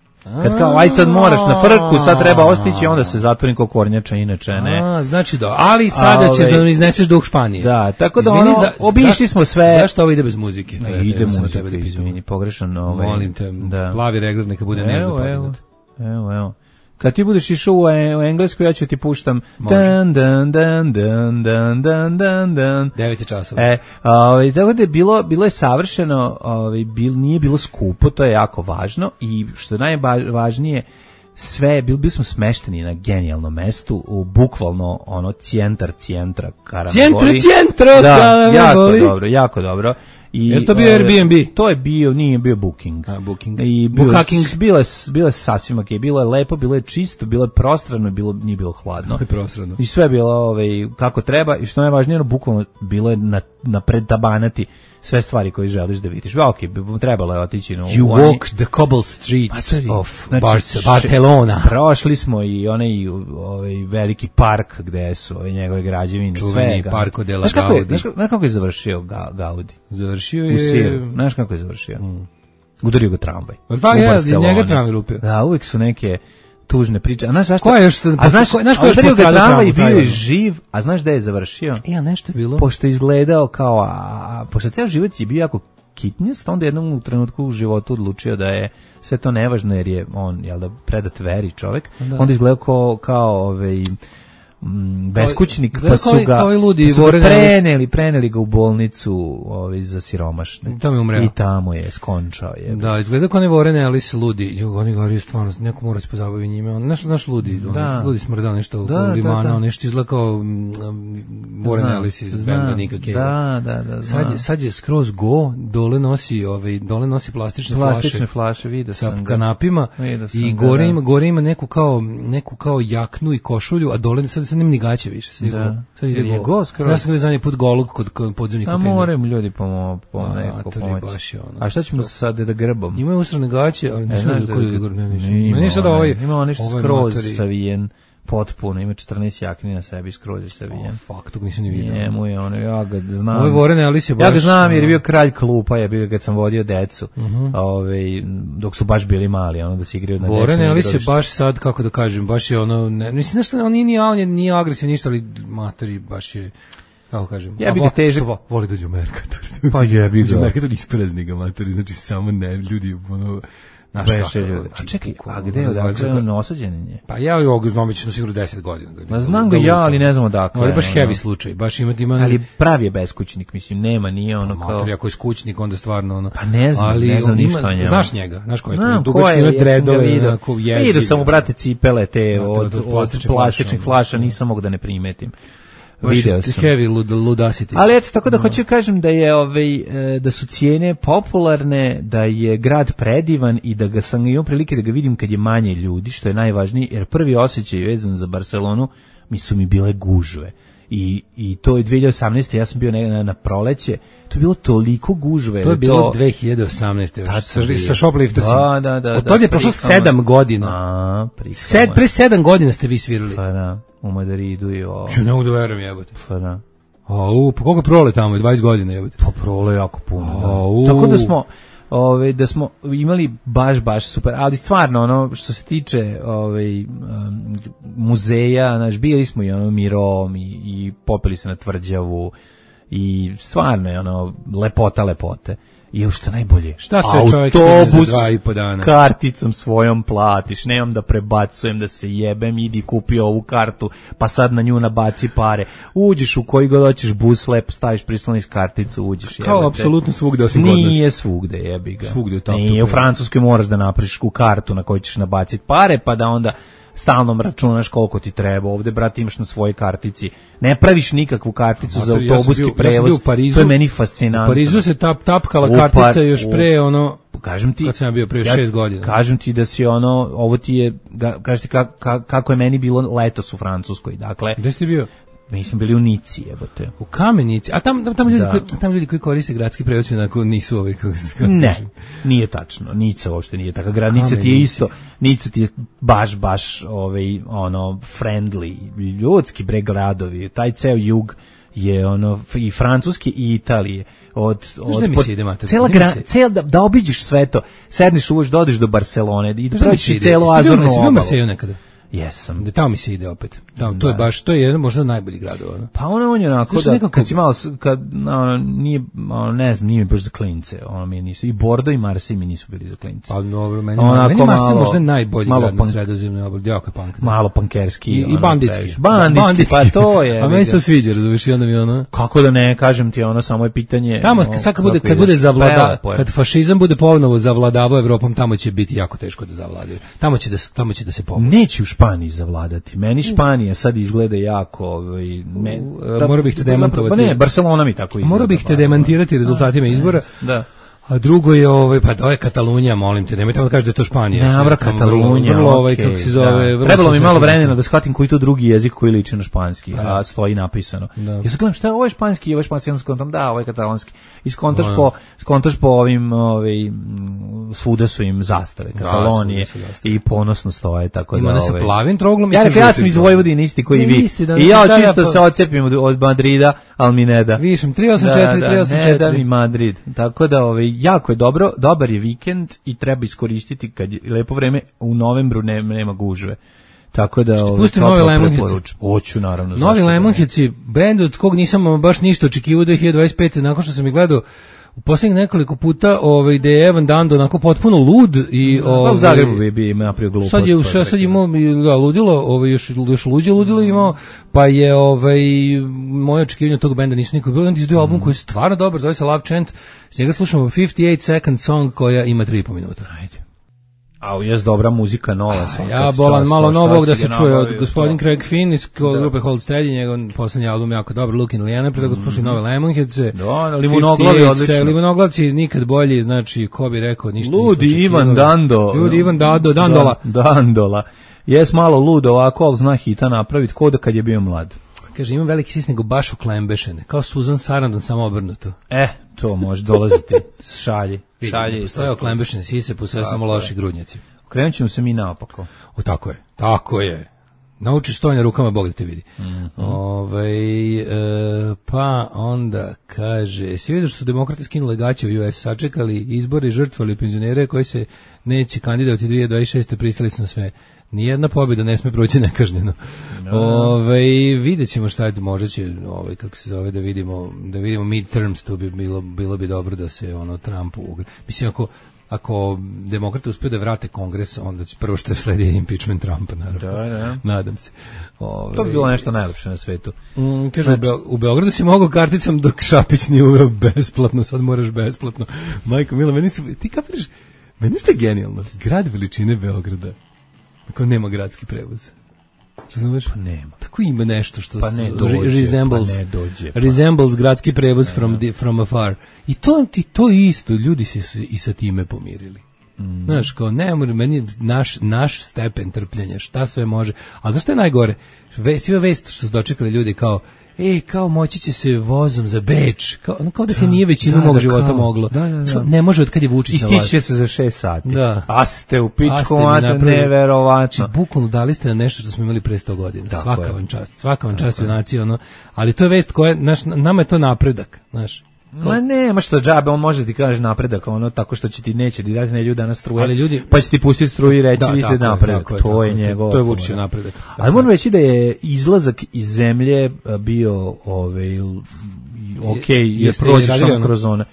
Kad kao, aj sad moraš na frku, sad treba ostići, onda se zatvorim kao kornjača, inače ne. Znači ali sada ćeš da nam izneseš duh Španije. Da, tako da obišli smo sve. Zašto ovo ide bez muzike? Ide muzika, izvini, pogrešan. Molim te, plavi regler neka bude nezgodno. Evo. Kad ti budeš išao u englesku, ja ću ti puštam dan. 9 časova. Tako da je bilo je savršeno, nije bilo skupo, to je jako važno i što je najvažnije, sve, bili smo smešteni na genijalnom mestu, u bukvalno centra Karamegoli. Centra Karamegoli. Jako dobro. Je to bio Airbnb? To je nije bio Booking. Booking. I bilo je sasvim okej, bilo je lepo, bilo je čisto, bilo je prostrano, nije bilo hladno. Prostrano. I sve je bilo kako treba i što najvažnije, bukvalno bilo je na predtabanati sve stvari koje želiš da vidiš. Trebalo je otići You walk the cobble streets of Barcelona. Prošli smo i onaj veliki park gde su njegove građevine. Čuveni Parko de la Gaudi. Znaš kako je završio Gaudi? Završio je... U Siru. Znaš kako je završio? Udario ga tramvaj. Njega tramvaj lupio. Da, uvijek su neke tužne priče. A znaš zašto? Znaš ko je udario ga tramvaj i bio je živ, a znaš da je završio? Ja, nešto je bilo. Pošto je izgledao kao, pošto ceo život je bio jako kitnjast, onda jednom u trenutku u životu odlučio da je sve to nevažno, jer je on, predat veri čovjek, onda izgledao kao beskućnik, pa su ga preneli ga u bolnicu za siromašne. I tamo je skončao. Da, izgleda kao ne Warren Ellis ludi. Oni govori stvarno, neko mora se pozabavi njime. Naš ludi, ludi smrdao nešto u limana, nešto izgleda kao Warren Ellis iz benda Nika Cave. Da. Sad je skroz go, dole nosi plastične flaše vidio sa sam kanapima i gore ima neku kao jaknu i košulju, a dole sad nema ni gaće više. Sad ide go. Ja sam gledao zadnji put golog kod podzemnih kontejnera. A moram ljudi pomoći. A šta ćemo sad da grbom? Imaju usrane gaće, ali ništa da ima on nešto skroz savijen potpuno, ima 14 jakni na sebi, skroz je savijen. Fuck, tog nisam ni vidio. Njemu je ono, ja ga znam. Ovo je Warren Ellis je baš... Ja ga znam jer je bio kralj klupa, je bio kad sam vodio decu, dok su baš bili mali, ono da se igraju na deču. Warren Ellis je baš sad, kako da kažem, baš je ono, mislim nešto, on nije agresivan ništa, ali matori baš je... Kako kažem? Ja bih ga težak. Voli dođe u Merkator. Pa je bih ga. Merkator isprazni ga matori, znači samo ne, ljudi, ono... Čekaj, a gde je odakle osuđenje? Pa ja i ovog znam, ćemo sigurno 10 godina. Znam ga ja, ali ne znam odakle. Ovo je baš heavy slučaj, baš ima... Ali pravi je beskućnik, mislim, nije ono kao... Mater, ako je skućnik, onda stvarno ono... Pa ne znam ništa o njemu. Znaš njega, znaš ko je to? Znam ko je, vidio sam u brate cipele te od plastičnih flaša, nisam mogu da ne primetim. Video sam. Heavy ludacity. Ali eto, tako da hoću kažem da je da su cijene popularne, da je grad predivan i da sam imao prilike da ga vidim kad je manje ljudi, što je najvažnije, jer prvi osjećaj vezan za Barcelonu su mi bile gužve. I to je 2018. Ja sam bio na proleće, to je bilo toliko gužve. To je bilo 2018. Sa shopliftersima. Da. Od toga je prošlo 7 godina. Pre 7 godina ste vi svirali. Pa da, u Madridu i ovo. Ču ne mogu da verujem, jebote. Pa da. Pa koliko prole tamo, 20 godina je? Pa prole jako puno, da. Tako da smo imali baš super, ali stvarno ono što se tiče muzeja, znaš, bili smo i ono Mirom i popeli se na Tvrđavu i stvarno je ono lepote. I što najbolje, šta sve čovjek stigne za 2,5 dana? Karticom svojom platiš, nemam da prebacujem, da se jebem, idi kupi ovu kartu, pa sad na nju nabaci pare. Uđeš u koji god hoćeš bus, lepo staviš prisloniš karticu, uđeš. Kao apsolutno svugde osim kod nas. Nije svugde, jebi ga. Svugde je tako. Nije, u Francuskoj moraš da napraviš kartu na kojoj ćeš nabaciti pare, pa da onda stalno računaš koliko ti treba. Ovde, brate, imaš na svojoj kartici. Ne praviš nikakvu karticu za autobuski prevoz. To je meni fascinantno. U Parizu se tapkala kartica još pre ono... Kažem ti, kad sam bio pre 6 godina. Kažem ti da si ono, ovo ti je, kažete kako je meni bilo letos u Francuskoj. Dakle, gde si ti bio? Mi smo bili u Nici, jebote. U Kamenici. A tamo ljudi koji koriste gradski prevoz onako nisu ovi kako se kaže. Ne, nije tačno. Nica uopšte nije takav grad. Nica ti je isto, Nica ti je baš ono friendly, ljudski bre gradovi. Taj ceo jug je ono i Francuske i Italije. Da obiđeš sve to. Sedneš uvoš, dodeš do Barcelone i da praviš celu Azornu obalu. Jesam. Da tamo mi se ide opet. Tamo, to je baš, to je jedan možda najbolji grad. Ono. Pa on je onako da, kad si malo, nije, ne znam, nije mi baš za klince. Mi nisu, i Bordo i Marseille mi nisu bili za klince. Pa dobro, meni Marseille možda najbolji grad na Sredozemnoj obali. Jako je punk. Malo pankerski. I banditski. Banditski, pa to je. A meni se to sviđa, razumiješ, i onda mi ono... Kako da ne, kažem ti, ono, samo je pitanje... Tamo, kad bude kad fašizam bude ponovo zavladavao Evropom, tamo će biti jako teško da zavladaju. Tamo će da se pomoći. Neće u Španiji zavladati. Meni Španija sad izgleda jako... Morao bih te demantovati. Pa ne, Barcelona mi tako izgleda. Morao bih te demantirati rezultatima izbora. Da. A drugo je pa to je Katalunija, molim te, nemojte da kažete da je to Španija. Dobra Katalunija. Vrlo kako se zove. Trebalo mi malo vremena da shvatim koji to drugi jezik koji liči na španski, a stoji napisano. Ja se gledam šta je ovo španski, ovo je španski, ja skontam da, ovo je katalonski. I skontaš po ovim svuda su im zastave Katalonije i ponosno stoje, tako da ima sa plavim troglom. Ja sam iz Vojvodine isti koji vi. I ja čisto se odcepim od Madrida, al mi ne da. Višem 384 i Madrid. Tako da jako je dobro, dobar je vikend i treba iskoristiti kad je lepo vreme, u novembru nema gužve. Tako da pusti Novi Lemonheads. Hoću naravno. Novi Lemonheads, bend od kog nisam baš ništa očekivao 2025. nakon što sam ih gledao u posljednjih nekoliko puta, gde je Evan Dando onako potpuno lud i u Zagrebu bi napravio glupost. Sad je imao ludilo, još luđe ludilo imao, pa je moje očekivanje tog benda nisu nikog bilo, onda izdio album koji je stvarno dobar, zove se Love Chant, s njega slušamo 58 Second Song koja ima 3,5 minuta. Ajde. A jes dobra muzika nova. Ja bolan malo novog da se čuje od gospodin Craig Finn iz grupe Hold Steady, njegov poslednji album jako dobar, Looking Liana, pre da ga slušaju Nove Lemonheads. Da, Limonoglavi odlično. Limonoglavci nikad bolji, znači ko bi rekao ništa. Ludi Ivan Dando. Ludi Ivan Dandola. Dandola. Jes malo lud ovako, ali zna hita napraviti ko da kad je bio mlad. Kaže, imam veliki sis nego baš uklembešene, kao Susan Sarandon, samo obrnuto. To može dolaziti, šalji. Postoje oklembešene sise, postoje samo loši grudnjaci. Okrenut ćemo se mi naopako. Tako je. Naučiš stojanje rukama, Bog da te vidi. Pa onda kaže, si vidio što su demokrati skinuli gaće u US, sačekali izbore i žrtvali penzionere koji se neće kandidovati 2026. pristali su na sve. Nijedna pobjeda ne sme proći nekažnjeno. Vidjet ćemo šta je, možda će, kako se zove, da vidimo midterms, to bi bilo bi dobro da se Trumpu mislim, ako demokrate uspiju da vrate kongres, onda će prvo što sledi impeachment Trumpa, naravno. Da. Nadam se. To bi bilo nešto najlepše na svetu. Kaže, u Beogradu si mogao karticom dok Šapić nije uveo besplatno, sad moraš besplatno. Majko Mila, ti kapiraš, meni što je genijalno, grad veličine Beograda, tako nema gradski prevoz. Razumeš? Pa nema. Tako ima nešto što resembles gradski prevoz from afar. I to isto, ljudi se i sa time pomirili. Znaš, kao ne mora, meni naš stepen trpljenja, šta sve može. Ali znaš što je najgore? Sve vest što su dočekali ljudi kao kao moći će se vozom za Beč, kao da se nije većinu mog života moglo. Ne može od kad je Vučić na vlasti. Istiće se za 6 sati. Da. A ste u pičku, neverovatno. Bukvalno dali ste na nešto što smo imali pre 100 godina. Svaka vam čast junaci, ali to je vest koja, nama je to napredak, znaš. Ma nema što džabe, on može ti kaže napredak, tako što će ti neće ti dati ljude danas struje, pa će ti pustiti struju i reći vidite napredak, to je njegov. To je Vučićev napredak. Ali moram reći da je izlazak iz zemlje bio je prođeš samo kroz one.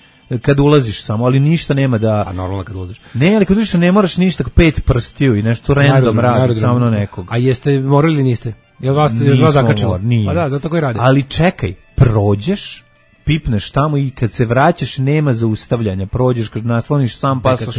Kad ulaziš samo, ali ništa nema da... A normalno kad ulaziš. Ne, ali kad ulaziš ne moraš ništa 5 prstiju i nešto random radi samo na nekog. A jeste morali ili niste? Jel vas zakačilo? Pa da, zato koji radi. Ali čekaj, prođeš, pipneš tamo i kad se vraćaš nema zaustavljanja, prođeš, kad nasloniš sam pasoš,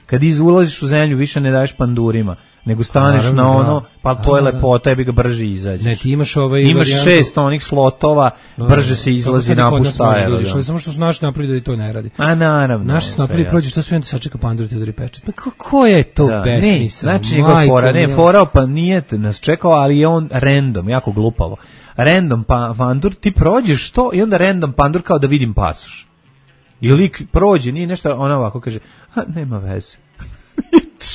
kad ulaziš u zemlju više ne daješ pandurima, nego staneš na pa to je lepota, bi ga brže izađeš. Ne, ti imaš imaš 6 onih slotova, brže se izlazi napušta aerodrom. Samo što su naši napravili da i to ne radi. A naravno. Naši su napravili, prođeš, što sve onda sačeka pandur ti udari pečet. Pa kako je to besmisla? Znači njegov fora, forao pa nije nas čekao, ali je on random, jako glupavo. Random pandur, ti prođeš to i onda random pandur kao da vidim pasoš. I lik prođe, nije nešto, ona ovako kaže, nema veze.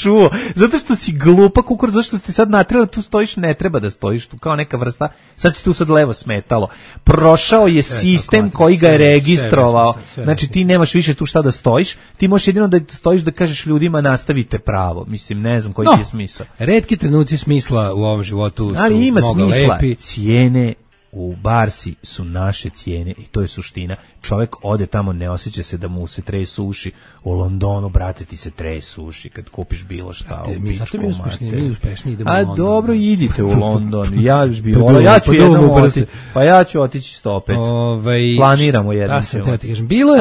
Čuo, zato što si glupa kukurac, zato što ti sad natrela, tu stojiš, ne treba da stojiš, tu kao neka vrsta, sad si tu sad levo smetalo. Prošao je sistem koji ga je registrovao, znači ti nemaš više tu šta da stojiš, ti možeš jedino da stojiš da kažeš ljudima nastavite pravo, mislim, ne znam koji ti je smisao. Retki trenuci smisla u ovom životu su ali ima mnogo smisla. Lepi. Cijene u Barsi su naše cijene i to je suština. Čovjek ode tamo, ne osjeća se da mu se tresu uši. U Londonu, brate, ti se tresu uši kad kupiš bilo šta u pičku mater. Mi uspešniji idemo u London. Dobro, idite u London. Ja ću otići sto opet. Planiramo jednom.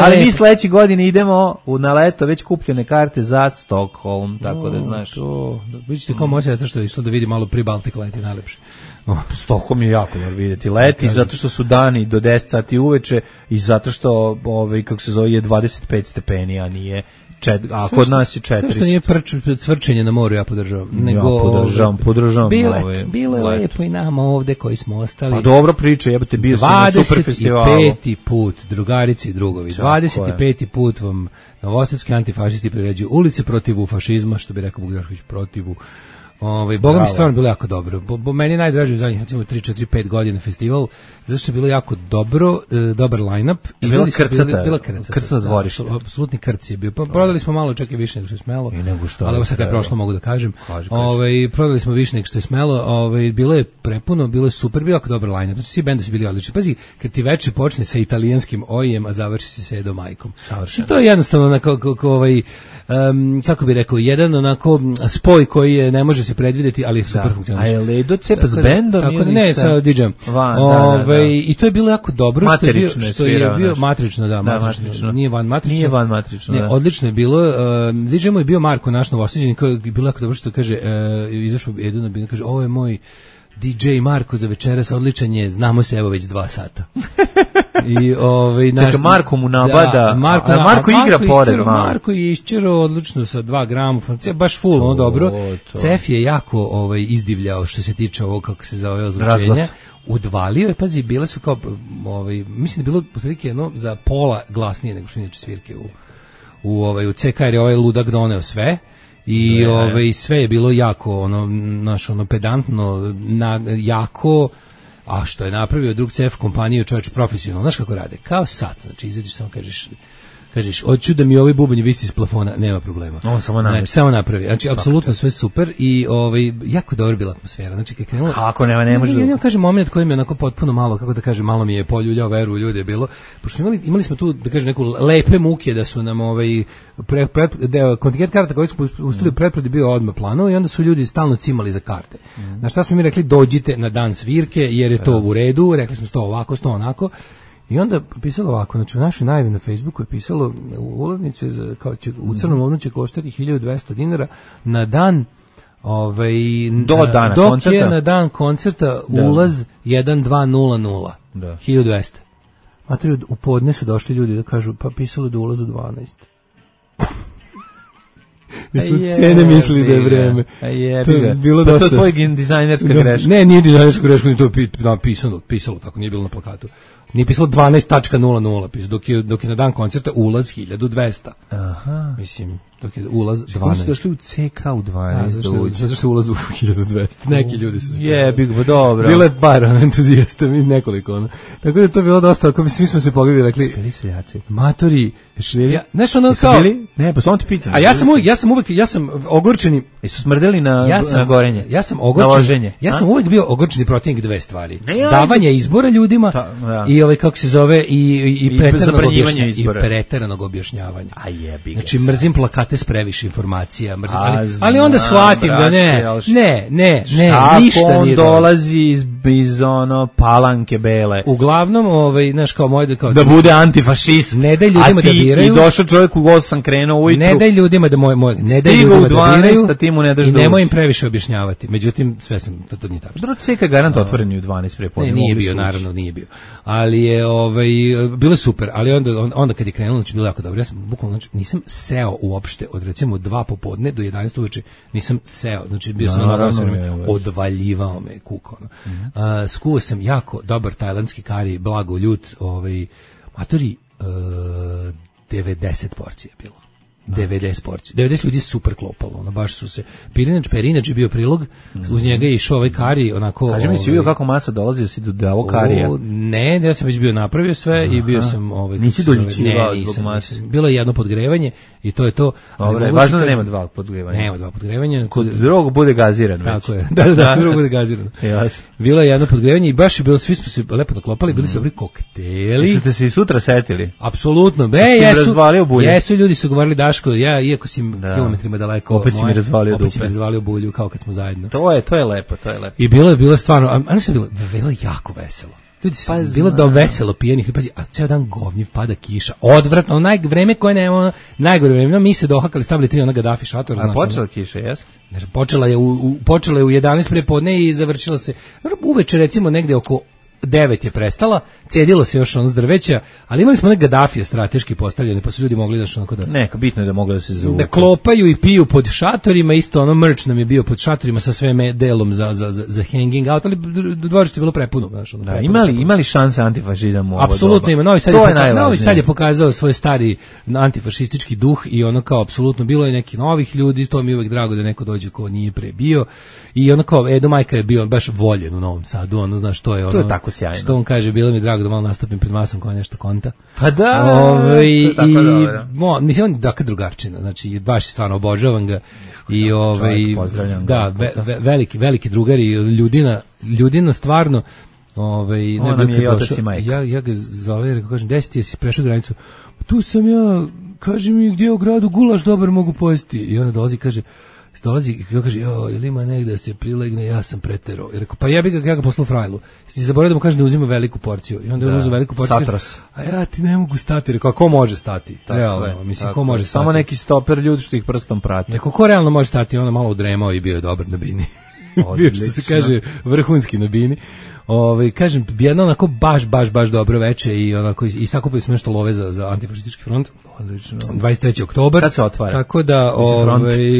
Ali mi sledeće godine idemo na leto već kupljene karte za Stockholm, tako da znaš. Vidite kao moja sestra što je išla da vidi malo Pribaltik leti najlepše. Stockholm je jako dobro vidjeti leti, zato što su dani do 10 sati uveče i zato što kako se zove je 25 stepeni, a nije a kod nas je 400. Sve što nije cvrčenje na moru ja podržavam. Podržavam. Bilo je lepo i nama ovde koji smo ostali. Pa dobro priče, jebate, bio sam na super festivalu. 25. put, drugarice i drugovi, 25. put vam novosadski antifašisti priređuju ulice protiv fašizma, što bi rekao Vugrašković, protiv Boga mi stvarno bilo jako dobro. Meni je najdraži u zadnjih 3-4-5 godina festival, zato što je bilo jako dobro, dobar line-up. Bila krcata dvorište. Apsolutni krc je bio. Prodali smo malo, čak i više nego što je smelo. Ali ovo sad kad je prošlo mogu da kažem. Prodali smo više nego što je smelo. Bilo je prepuno, bilo je super, bilo jako dobar line-up. Znači svi bendovi su bili odlični. Pazi, kad ti veče počne sa italijanskim ojem, a završi se sa Edo Majkom. To je jednostavno kako bi rekao, jedan onako spoj koji ne može se predvidjeti, ali super funkcioniše. A je Ledo cepa s bendom ili ne, sa DJ-em. I to je bilo jako dobro što je bio matrično, matrično. Nije van matrično. Ne, odlično je bilo. DJ-em je bio Marko, naš Novosađanin, koji je bilo jako dobro što kaže, izašao Edo na binu, kaže, ovo je moj DJ Marko za večeras, odličan je, znamo se evo već 2 sata. I čekaj, Marko mu nabada, Marko igra pored malo. Marko je iščerao odlično sa 2 gramofona, baš full, dobro. Cef je jako izdivljao što se tiče ovo, kako se zove, ozvučenja. Udvalio je, pazi, bile su kao, mislim da je bilo otprilike za pola glasnije nego što inače svirke u CK, jer je ovaj ludak doneo sve. I sve je bilo jako pedantno, jako, a što je napravio drug CF kompaniju, čovječ profesionalno, znaš kako rade, kao sat, znači izađeš samo kažeš, hoću da mi ovaj bubanj visi iz plafona, nema problema. On samo napravi. Znači, apsolutno sve super i jako dobra bila atmosfera. Znači, kad krenulo... Kako ne može... Ja kažem moment koji mi je onako potpuno malo, kako da kažem, malo mi je poljuljao veru u ljude bilo, pošto imali smo tu, da kažem, neku lepe muke da su nam kontingent karata koji smo uspeli u pretpredi bio odmah planu i onda su ljudi stalno cimali za karte. Na šta smo mi rekli, dođite na dan svirke, jer je to u redu, rekli smo 100 ovako, 100 onako. I onda pisalo ovako, znači u našoj najavi na Facebooku je pisalo ulaznice kao će u Crnom ovnu će koštati $1.200 na dan dana dok koncerta. Je na dan koncerta ulaz 1200. 1200. Materi, u podne su došli ljudi da kažu, pa pisalo da ulaz u 12. Da su cene mislili da je vreme. To je bilo dosta. To je tvoj dizajnerska greška. Ne, nije dizajnerska greška, to je pisalo tako, nije bilo na plakatu. Nije pisalo 12.00, dok je na dan koncerta ulaz 1200. Aha. Mislim, dok je ulaz 12. Kako su došli u CK u 12? Zato što ulaz u 1200. Neki ljudi su se... Jebi ga, dobro. Bilo je bar entuzijasta, mi nekoliko. Tako da to je bilo dosta, ako svi smo se pogledali i rekli... Bili seljaci. Matori, znaš ono kao... Ne, pa samo ti pitam. A ja sam ogorčeni... Jesu smrdeli na gorenje? Ja sam ogorčen. Ja sam uvek bio ogorčeni protivnik dve stvari. Davanje izbora ljudima i kako se zove i preteranog objašnjavanja. A jebi ga. Znači mrzim plakate s previše informacija, ali onda shvatim da ne, ništa nije. On dolazi iz ono Palanke bele. Uglavnom, znaš kao moj da bude antifašist. Ne daj ljudima da biraju. I došao čovjek u 8 krenuo ujutru. Ne daj ljudima da ne daj ljudima da biraju. I nemoj im previše objašnjavati. Međutim, sve sam to nije tačno. Dobro, CK garant otvoren u 12 prepodne. Ne, nije bio, naravno nije bio. Ali je bilo super, ali onda kad je krenulo, znači bilo jako dobro. Ja sam bukvalno nisam seo uopšte od recimo 2 popodne do 11 uveče, nisam seo. Znači bio sam odvaljivao me kuko. Skuo sam jako dobar tajlandski kari, blago ljut, matori 90 porcija je bilo. 90 porcija. 90 ljudi super klopalo, baš su se. Perinač je bio prilog, uz njega je išao ovaj kari, onako... Kaži mi si vidio kako masa dolazi da si do ovog karija? Ne, ja sam već bio napravio sve i bio sam... Nisi doljičivao zbog mase? Bilo je jedno podgrevanje i to je to. Dobre, važno da nema 2 podgrevanja. Nema 2 podgrevanja. Kod drugog bude gaziran. Tako je, da, drugog bude gaziran. Bilo je jedno podgrevanje i baš je bilo, svi smo se lepo naklopali, bili su dobri kokteli. Jeste se i sutra setili? Apsolutno, jesu, ljudi su govorili ja, iako si kilometrima daleko, opet si mi razvalio bulju kao kad smo zajedno. To je lepo. I bilo je stvarno, a nisam bilo jako veselo. Ljudi su bilo da veselo pijenih, pazi, a ceo dan govnjiv, pada kiša, odvratno, vreme koje nema, najgore vreme, mi se dohakali, stavili 3 onoga Dafi šatora. A počela kiša, jes? Počela je u 11 prepodne i završila se, uveče recimo negde oko 9 je prestala, cedilo se još ono s drveća, ali imali smo one Gadafije strateški postavljene, pa su ljudi mogli da onako da... Neka, bitno je da mogli da se zavuku. Da klopaju i piju pod šatorima, isto ono merch nam je bio pod šatorima sa sve delom za hanging out, ali dvorište je bilo prepuno. Znaš, ono, da, imali šanse antifašizam u ovo doba? Apsolutno ima, Novi Sad je pokazao svoj stari antifašistički duh i ono kao apsolutno bilo je neki novih ljudi, to mi je uvek drago da neko dođe ko nije pre bio i ono kao Edo Majka je bio baš voljen u Novom Sadu, ono znaš to je ono... To je tako sjajno. Što on kaže, bilo mi drago da malo nastupim pred masom kao nešto konta. Pa da, mislim, on je dakle drugarčina, znači baš stvarno obožavam ga i veliki drugar i ljudina stvarno on je i otac i majka. Ja ga zove, rekao, kažem, 10 si prešao granicu, tu sam ja, kaži mi gdje u gradu gulaš dobar mogu pojesti i ona dolazi i kaže, kaže, ili ima negde da se prilegne, ja sam preterao. I rekao, pa ja ga poslao frajlu. I zaboravio da mu kaže da uzima veliku porciju. I onda uzima veliku porciju. Satros. A ja ti ne mogu stati. Rekao, ko može stati? Realno, mislim, ko može stati? Samo neki stoper ljudi što ih prstom prati. Rekao, ko realno može stati? Onda malo udremao i bio je dobar na bini. Bio što se kaže vrhunski na bini. Kažem, jedno onako baš dobro veče i onako i sakupili smo nešto love za antifašistički front. Odlično. 23. oktobar. Kad se otvara? Tako da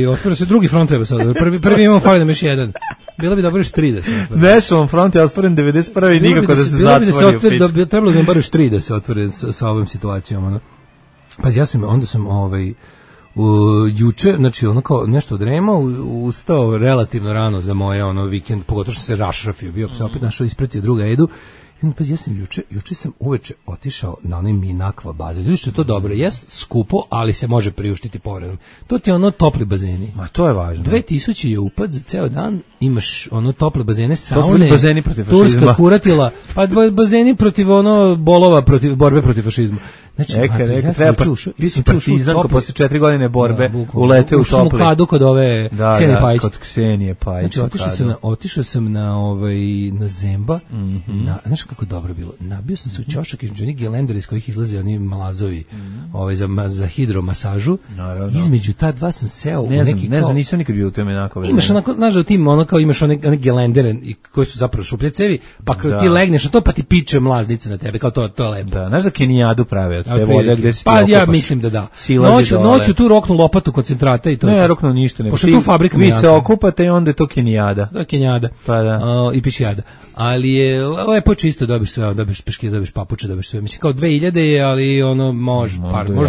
otvara se drugi front, treba sad. Prvi imamo fali nam još jedan. Bilo bi dobro još 3 da se otvore. Nešovom front je otvoren 91. i nikako da se zatvori. Trebalo bi nam bar još 3 da se otvore sa ovom situacijom. Pazi, onda sam juče, znači ono kao nešto odremao, ustao relativno rano za moje vikend, pogotovo što se rašrafio, bio se opet našao ispratio druga Edu. Pa ja sam juče sam uveče otišao na onaj Minakva bazen. Ljudi što je to dobro, skupo, ali se može priuštiti povredom. To ti je topli bazeni. Ma to je važno. 2000 je upad za ceo dan, imaš tople bazene, saune. To su bili bazeni protiv fašizma. Turska kuratila, pa bazeni protiv bolova, borbe protiv fašizma. Znači, treba partizan ko posle 4 godine borbe ulete u topli. U Kadu kod ove Ksenije Pajić. Kod Ksenije Pajić. Znači, otišao sam na Zemba, znaš kako dobro bilo. Nabio sam se u ćošak između onih gelendera iz kojih izlaze oni malazovi za hidromasažu. Između ta dva sam seo u neki... Ne znam, nisam nikad bio u tome onako. Imaš onako, znaš da u tim kao imaš one gelendere koji su zapravo šuplje cevi, pa ti legneš na to pa ti piče mlaznice na tebe, kao to je lepo. Da, znaš da Kenijadu prave od te vode gde se pa ja mislim da da. Noću tu roknu lopatu koncentrata i to. Ne, roknu ništa, nego pošto tu fabrika vi se okupate i onda je to kenijada. Da, kenijada. Pa da. I pičijada. Ali je lepo čisto, dobiš sve, dobiš peške, dobiš papuče, dobiš sve. Mislim kao 2000 je, ali ono može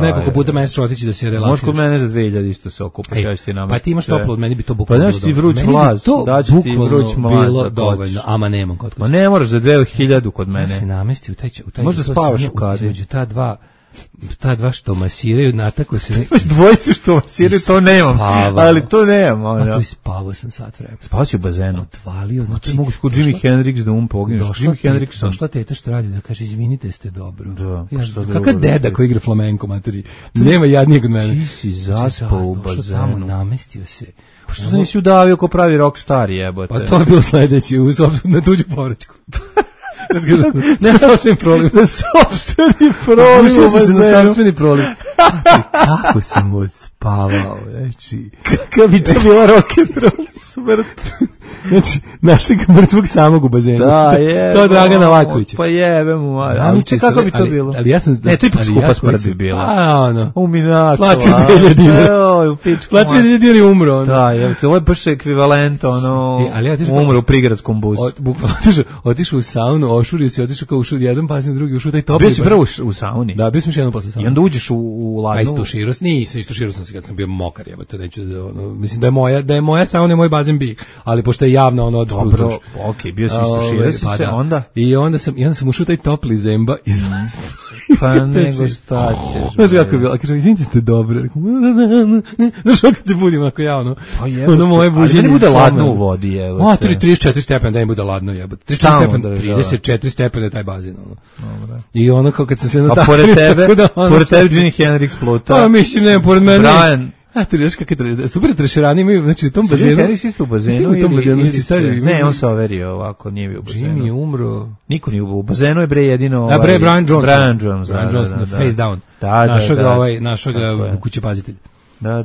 nekoliko puta mesečno otići da se relaksiraš. Može kod mene za 2000 isto se okupaš, ja ću ti namestiti. Pa ti imaš toplo, od meni bi to bukvalno bilo. Pa daš ti vruć mlaz, daću ti vruć mlaz. Bilo dovoljno, ama nemam kod. Ma ne moraš za 2000 kod mene. Ja se namesti u taj možda spavaš u kadi. Među ta dva što masiraju, natako se... Dvojicu što masiraju, to nemam. Ali to nemam. A tu i spavao sam sat vremena. Spavao si u bazenu. Odvalio, znači... mogu kod Jimi Hendrix da pogineš. Jimi Hendrix. Došla teta što radi da kaže, izvinite, ste dobro. Da. Kakav deda koji igra flamenko, materi. Nema jadnijeg od mene. Ti si zaspao u bazenu. Tamo, namestio se. Pa što se nisi udavio ko pravi rockstar, jebote? Pa to je bilo sledeće, na tuđu povraćku. Ne, sopstveni problem. Sopstveni problem. Ušao sam se na sopstveni problem. Kako sam odspavao, znači. Kakav bi to bila rock'n'roll smrt. Znači, našli ga mrtvog samog u bazenu. Da, je. To je Dragana Lakovića. Pa jebe mu, ali kako bi to bilo? Ali ja sam... Ne, to ipak skupa smrt bi bila. A, ono. Uminato. Platio 2000 dinara. Evo, pičku. Platio 2000 dinara i umro, ono. Da, je, ovo je baš ekvivalent, ono, umro u prigradskom busu. Bukvalno otišao u saunu, ošurio si, otišao kao ušao jedan, pa sam drugi ušao taj topli. Bio si prvo u sauni? Da, bio sam još jednom posle sauni. I onda uđeš u ladnu? Pa istuširao sam se kad sam bio mokar, jebate, neću da, ono, mislim da je moja sauna i moj bazen bi, ali pošto je javno, ono, dobro, okej, bio si istuširao si se, onda? I onda sam ušao taj topli zemba i pa nego šta ćeš. Znaš kako je bilo, kažem, izvinite ste dobro. Znaš kad se budim, ako ja, ono, ono moje buđenje. Ali ne bude ladno u vodi, jebote. 34 stepena, da ne bude ladno, jebote. 34 stepena je taj bazen, ono. I ono, kao kad sam se natakrio. A pored tebe Jimi Hendrix pluta. Pa mislim, nema, pored mene. Brian. A ti reš kako je super trešerani imaju, znači u tom bazenu. Jimi Hendrix isto u bazenu ili ne, on se overio ovako, nije bio u bazenu. Jimmy je umro. Niko nije u bazenu, je bre jedino Brian Johnson. Brian Johnson, face down. Našeg kućepazitelja. Da.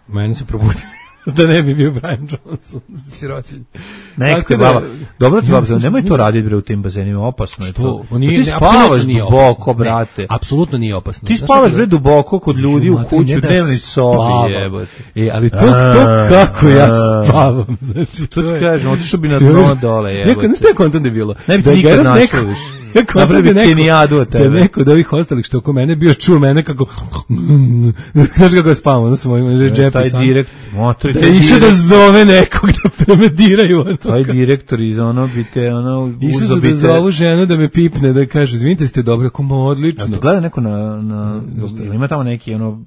Meni su probudili. Da ne bi bio Brian Johnson, sirotinj. Nekako baba. Dobro ti baba, nemoj to raditi bre u tim bazenima, opasno je to. Ti spavaš duboko, brate. Apsolutno nije opasno. Ti spavaš bre duboko kod ljudi u kući, u dnevnoj sobi, jebote. Ali to kako ja spavam. Znači to ti kažem, otišao bi na dno dole, jebote. Ne ste kontent je bilo. Ne bi ti nikad našao više. Napravi kenijadu od tebe. Da neko od ovih ostalih što oko mene bio čuo mene kako znaš kako je spavam, ono sam moj džepi taj direkt motor da išao da zove nekog da premediraju taj direktor iz ono bi te ono išao da zovu ženu da me pipne da kaže izvinite ste dobro, kako odlično. A gleda neko na ima tamo neki ono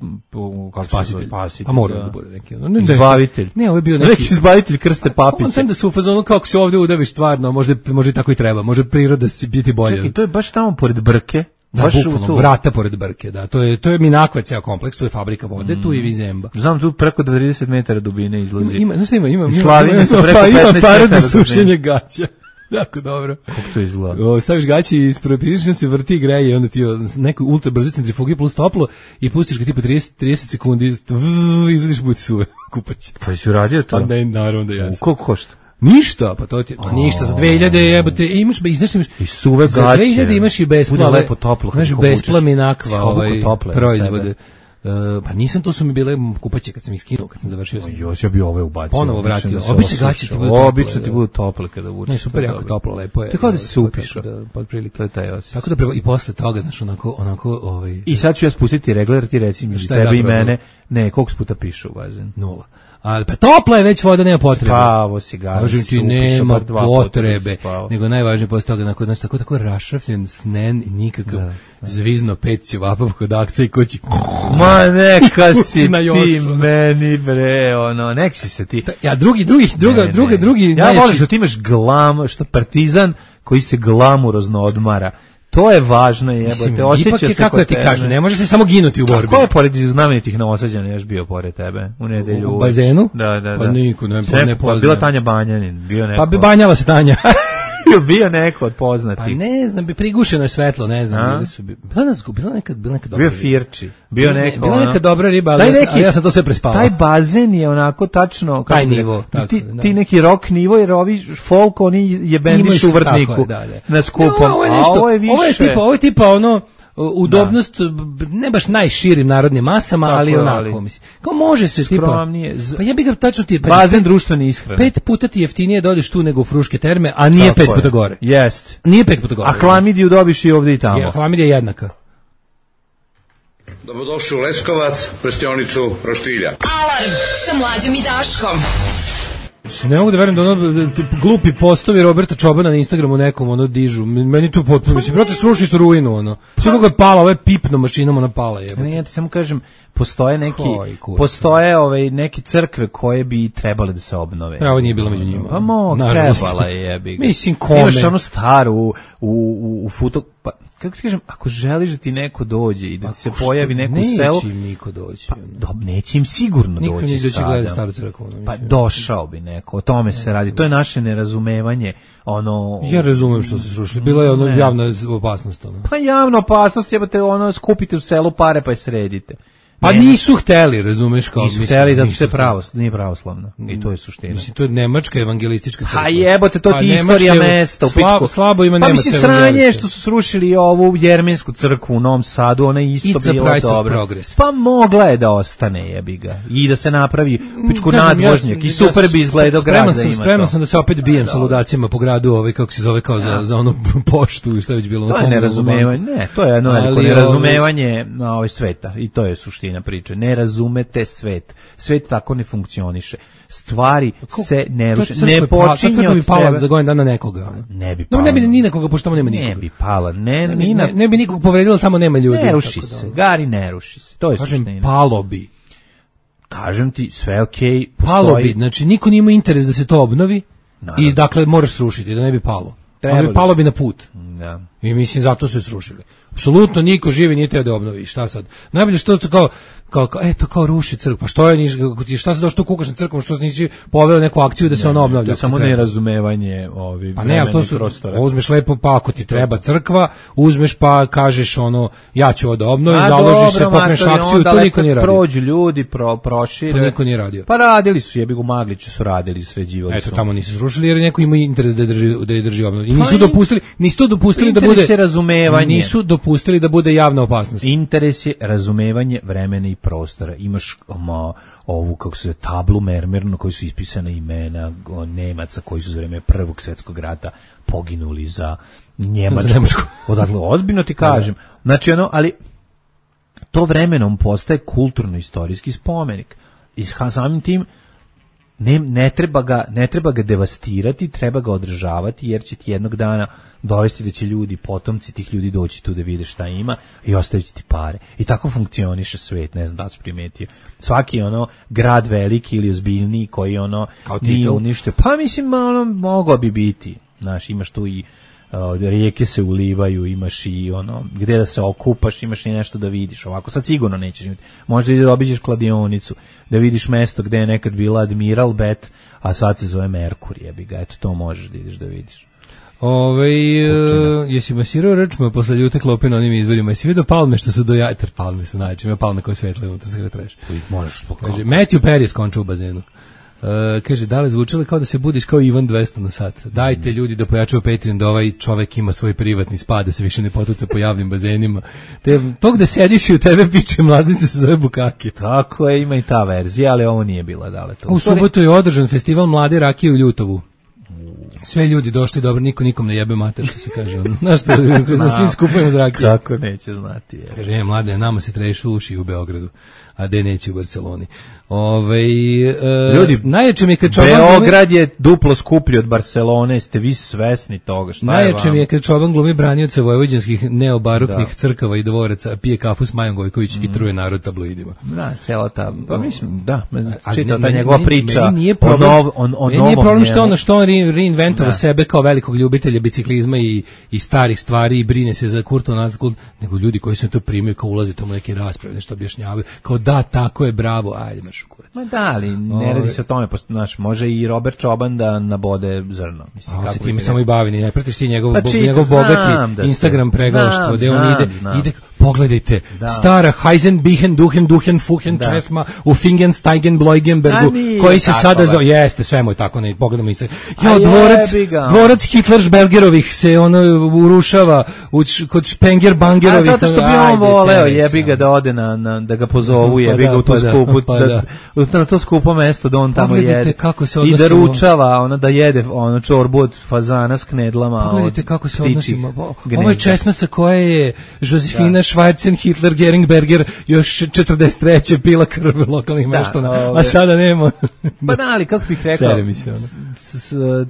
kako se spasitelj. A mora da bude neki ono izbavitelj. Ne, ovo je bio neki izbavitelj Krste Papića. On sam da su u fazonu kako se ovde udaviš stvarno, može tako i treba, može priroda biti bolja. I to je baš tamo pored Brke. Da, bukvalno, vrata pored Brke, da. To je Minakva ceo kompleks, tu je fabrika vode, tu je Vizemba. Znam, tu preko 30 metara dubine izlazi. Ima par za sušenje gaća. Jako dobro. Kako to izgleda? Staviš gaći i prilično se vrti i greje, onda ti neku ultra brzo centrifugi plus toplo i pustiš ga tipa 30 sekundi, izvadiš buti suve kupać. Pa si uradio to? Pa ne, naravno da ja. Koliko košta? Ništa, pa to ti ništa za 2000 jebote, imaš i suve gaće. Za 2000 imaš i besplatno. Bude lepo toplo. Znaš, besplatno Minakva proizvode. Pa nisam, to su mi bile kupaće kad sam ih skinuo, kad sam završio. Ja bi ove ubacio. Ponovo vratio. Obično ti budu tople kada vučeš. Ne, super, jako toplo, lepo je. Tako da se upišao. To je taj osjećaj. Tako da i posle toga, znaš, onako. I sad ću ja spustiti regler, ti reci mi, tebe i mene, ne, koliko puta pišu u bazen? 0. Ali pa topla je već voda, nema potrebe. Spavo si ga. Kažem ti, nema potrebe. Nego najvažnije posle toga, nakon tako rašrafljen snen i nikakav zvizno pet ćevapov kod akca i kući. Ma neka si ti meni bre, ono, nek si se ti. Ja drugi. Ja volim što ti imaš glam, što partizan koji se glamurozno odmara. To je važno, jebote, osjeća se kako ti kažu, ne može se samo ginuti u borbi. Ko je pored znamenitih Novosađana još bio pored tebe u nedelju? U bazenu? Da. Pa niko, ne poznaje. Bila Tanja Banjanin, bio neko. Pa bi banjala se Tanja. Bio neko od poznatih. Pa ne znam, bi prigušeno je svetlo, ne znam, bili su bila nekad dobra. Bio Firči, bio neko. Bila neka dobra riba, ali ja sam to sve prespavao. Taj bazen je onako tačno taj nivo, ti neki rock nivo, jer ovi folk oni jebendiš u vrtniku na skupom. Ovo je tipa ono udobnost, ne baš najširim narodnim masama, tako, ali onako, mislim. Kao može se skromnije, tipa, pa ja bih ga tačno ti... Bazen društvene ishrane. 5 puta ti jeftinije da odeš tu nego u Fruške terme, a nije tako 5 puta gore. Jest. Nije 5 puta gore. A klamidiju dobiš i ovdje i tamo. Ja, klamidija je jednaka. Dobrodošli u Leskovac, prštionicu Roštilja. Alarm sa Mlađom i Daškom. Ne mogu da verujem da ono glupi postovi Roberta Čobana na Instagramu nekom ono dižu. Meni tu potpuno, mislim, brate, srušiš ruinu, ono. Sve kako je pala, ovo je pipno mašinom, ona pala je. Ne, ja ti samo kažem, postoje neki crkve koje bi trebale da se obnove. Ovo nije bilo među njima. Pa trebala je, jebi ga. Mislim, kome? Imaš onu staru u futo... Pa, kako ti kažem, ako želiš da ti neko dođe i da ti se pojavi neko u selu... Neće im niko doći. Pa, neće im sigurno niko doći sada. Gleda staru crkvu. Pa došao bi neko, o tome se radi. To je naše nerazumevanje. Ja razumem što se srušili. Bilo je javna opasnost. Pa javna opasnost, jebate, skupite u selu pare pa je sredite. Pa nisu hteli, razumeš, kao nisu hteli zato što je nije pravoslavna. I to je suština. Mislim, to je nemačka evangelistička crkva. A jebote, to ti istorija mesta u pičku. Slabo ima nemačka evangelistička. Pa mislim, sranje što su srušili ovu jermensku crkvu u Novom Sadu, ona je isto bila dobra. Pa mogla je da ostane, jebi ga. I da se napravi pičku nadvožnjak. I super bi izgledao grad za ima to. Spreman sam da se opet bijem sa ludacijama po gradu, kako se zove, kao za onu poštu i što je već bilo. To je nerazumevanje. Ne, to je jedno veliko nerazumevanje sveta. I to je suština priče. Ne razumete svet. Svet tako ne funkcioniše. Stvari se ne ruše. Ne počinje od pala za godinu dana nekoga. Ne bi pala. Ne bi ni nekoga, pošto tamo nema nikoga. Ne bi pala. Ne bi nikog povredilo, tamo nema ljudi. Ne ruši se. Gari ne ruši se. To je suština. Kažem, palo bi. Kažem ti, sve okej. Palo bi. Znači, niko nima interes da se to obnovi i dakle moraš srušiti, da ne bi palo. Palo bi na put. Da. I mislim, zato su je srušili. Apsolutno niko živi nije teo da obnovi. Šta sad? Najbolje što to kao ruši crkvu. Pa što je, šta se došlo tu kukaš na crkvu, što nisi poveo neku akciju da se ona obnavlja? Samo nerazumevanje vremena i prostora. Uzmeš lepo, pa ako ti treba crkva, uzmeš pa kažeš ja ću ovo da obnovim, založiš se, pokreneš akciju, to niko nije radio. Prođu ljudi, prošire. To niko nije radio. Pa radili su, jebi ga u Magliću su radili, sređivali su. Eto, tamo nisu srušili jer neko ima interes da je drži obnovu. I nisu dopustili da bude... Interes je razumevanje. Nisu dopustili da bude javna opasnost. Interes je razumevanje vremena i prostora. Imaš ovu, kako se tablu mermerno, koji su ispisana imena Nemaca koji su za vreme Prvog svjetskog rata poginuli za Njemačku. Odakle, ozbiljno ti kažem. Znači, ali to vremenom postaje kulturno-istorijski spomenik. I samim tim ne treba ga devastirati, treba ga održavati, jer će ti jednog dana dovesti da će potomci tih ljudi doći tu da vide šta ima i ostavit će ti pare. I tako funkcioniše svet, ne znam da si primetio. Svaki grad veliki ili ozbiljniji koji nije uništio. Pa mislim, mogao bi biti. Znaš, imaš tu i rijeke se ulivaju, imaš i gde da se okupaš, imaš i nešto da vidiš. Ovako sad sigurno nećeš imati. Možda i da obiđeš kladionicu, da vidiš mesto gde je nekad bila Admiral Bet, a sad se zove Merkur, jebi ga. Eto, to možeš da ideš da vidiš. Jesi masirao rčma posle ljute klope na onim izvorima? Jesi vidio palme što su dojatar? Palme su najče, ima palme koje svetle unutra, sve ga treš. Možeš spokojno. Kaže, Matthew Perry skončao u bazenu. Kaže, da li zvučalo kao da se budiš kao Ivan 200 na sat? Dajte ljudi da pojačaju Patreon, da ovaj čovek ima svoj privatni spa, da se više ne potuca po javnim bazenima. To gde sediš i u tebe piče mlaznice se zove bukake. Tako je, ima i ta verzija, ali ovo nije bila daleko. U subotu je održan festival mlade rakije u Ljutovu. Sve ljudi došli dobro, nikom ne jebe mater, što se kaže. Znaš što, za svim skupujemo zrakije. Kako neće znati. Kaže, mlade, nama se trešu uši u Beogradu, a de neće u Barceloni. Ljudi, najjače mi je kad Beograd je duplo skuplji od Barcelone, ste vi svesni toga, šta je vam? Najjače mi je kad Čoban glumi branioca vojvođanskih neobaroknih crkava i dvoraca, pije kafu s Majom Gojković i truje narod tabloidima. Da, cela ta, pa mislim, čita ta njegova priča o nije problem što on reinventovao sebe kao velikog ljubitelja biciklizma i starih stvari i brine se za kulturno, nego ljudi koji se to primaju kao ulaze tamo neke rasprave, nešto objašnjavaju, kao da, tako je, bravo, ajde, marš u kurac. Ma da, ali ne radi se o tome, može i Robert Čoban da nabode zrno. Mislim, kako se time samo i bavi, ne pratiš ti njegov bogati Instagram pregalaštvo, gde on ide, pogledajte, stara Heisenbichen, Duhen, Fuhen, Česma u Fingensteigen, Bloigenbergu, koji se sada zove, jeste, sve mu je tako, ne, pogledamo isto. Dvorac Hitlersbergerovih se ono urušava kod Spenger-Bangerovih. A zato što bi on voleo, jebi ga da ode da ga pozovu, jebi ga u to skupu, na to skupo mesto da on tamo jede. I da ručava, da jede čorbu od fazana s knedlama. Pogledajte kako se odnosimo. Ovo je česma sa koje je Josefina Schwarzen Hitler Geringberger još 43. pila krv lokalnih meštana, a sada nema. Pa da, ali kako bih rekao, sere mi se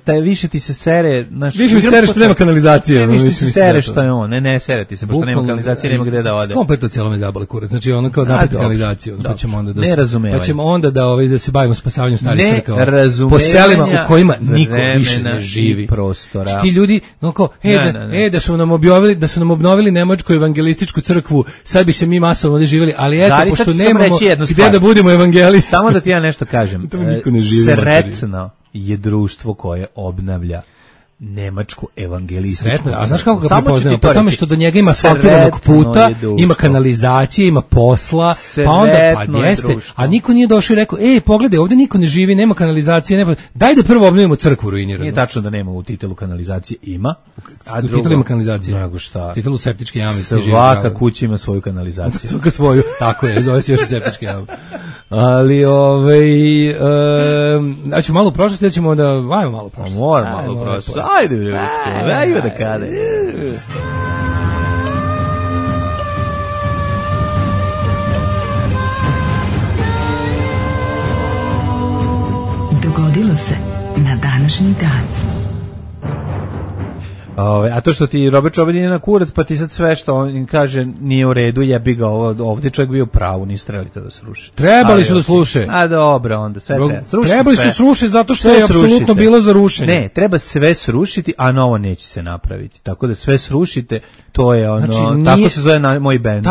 taj više ti se sere, više mi sere što nema kanalizacije. Više ti se sere što je on, ne sere ti se, pošto nema kanalizacije, nema gde da ode. Kompletno cijelo me zabale kurac, znači ono kao napred kanalizaciju, pa ćemo onda da se bavimo spasavanjem starih crkava. Po selima u kojima niko više ne živi. Ti ljudi, da su nam obnovili Nemačku evangelističku crkvu, sad bi se mi masovno ovdje živjeli, ali eto, pošto nemamo gde da budemo evangelisti. Samo da ti ja nešto kažem. Sretno je društvo koje obnavlja nemačku evangelističku. Sretno, a znaš kako ga prepoznajemo? Po tome što do njega ima asfaltiranog puta, ima kanalizacije, ima posla, pa onda jeste, a niko nije došao i rekao, pogledaj, ovdje niko ne živi, nema kanalizacije, nema. Daj da prvo obnovimo crkvu ruiniranu. Nije tačno da nema u titelu kanalizacije, ima. A u titelu ima kanalizacije. Nego šta? Titelu septičke jame. Svaka kuća ima svoju kanalizaciju. Svaka svoju, tako je, zove se još septičke jame. Ali, znači malo u prošlosti, da ćemo da, ajmo malo u prošlosti. Moram malo u prošlosti. Ajde, ajde da kada. Dogodilo se na današnji dan. A to što ti Robert Čobin je na kurac, pa ti sad sve što on kaže nije u redu, jebi ga ovdje čovjek bio u pravu, nisu trebali to da sruše. Trebali su da sluše. A dobro, onda sve treba. Trebali su sruše zato što je apsolutno bilo za rušenje. Ne, treba sve srušiti, a novo neće se napraviti. Tako da sve srušite, to je ono, znači, tako se zove moj bend.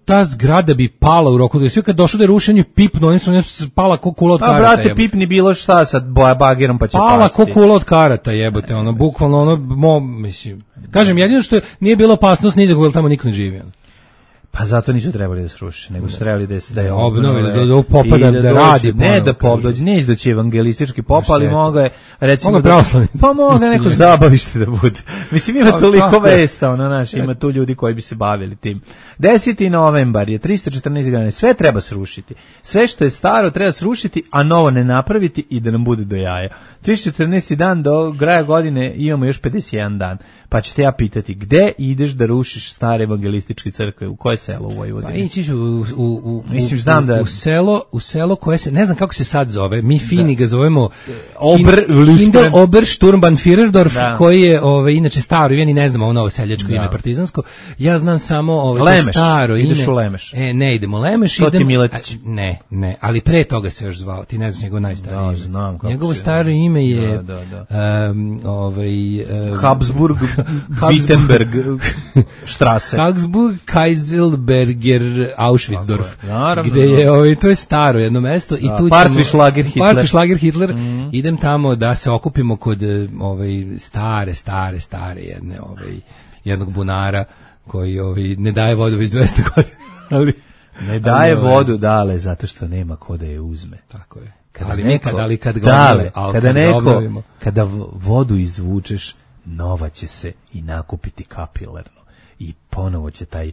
Ta zgrada bi pala u roku, da je sve kad došlo da je rušenje pipno, oni su pala ko kula od karata. A brate, pipni bilo šta sad bagerom pa će pasti. Pala ko kula od karata, jebote, ono, bukvalno ono, mislim, kažem, jedino što nije bila opasnost ni za koga tamo niko ne živi. Pa zato nisu trebali da sruše, nego su trebali da je obnovi, da popada, da radi. Ne da dođe, neće doći evangelistički pop, ali mogo je, recimo, pa mogo neko zabavište da bude. Mislim, ima toliko vesta, ima tu ljudi koji bi se bavili tim. 10. novembar je 314 godina, sve treba srušiti. Sve što je staro treba srušiti, a novo ne napraviti i da nam bude do jaja. 314. dan do kraja godine imamo još 51 dan. Pa ću te ja pitati, gde ideš da rušiš stare evangelističke crkve? U koje selo u Vojvodini? Pa ići u selo koje se, ne znam kako se sad zove, mi fini ga zovemo Hindel Obersturmbannführerdorf, koji je inače staro, ja ni ne znam ovo novo seljačko ime partizansko. Ja znam samo staro ime. Ideš u Lemeš? Ne idemo u Lemeš. To ti Miletić? Ne, ali pre toga se još zvao, ti ne znaš njegov najstariji ime. Znam kako. Njegovo staro ime je Habsburg Wittenberg Strasse. Habsburg Kaiselberger Auschwitzdorf. Gde je to je staro jedno mesto i tu Partwischlager Hitler. Idem tamo da se okupimo kod stare jednog bunara koji ne daje vodu već 200 godina. Ne daje vodu, dale, zato što nema ko da je uzme. Tako je. Kada vodu izvučeš, nova će se i nakupiti kapilarno i ponovo će taj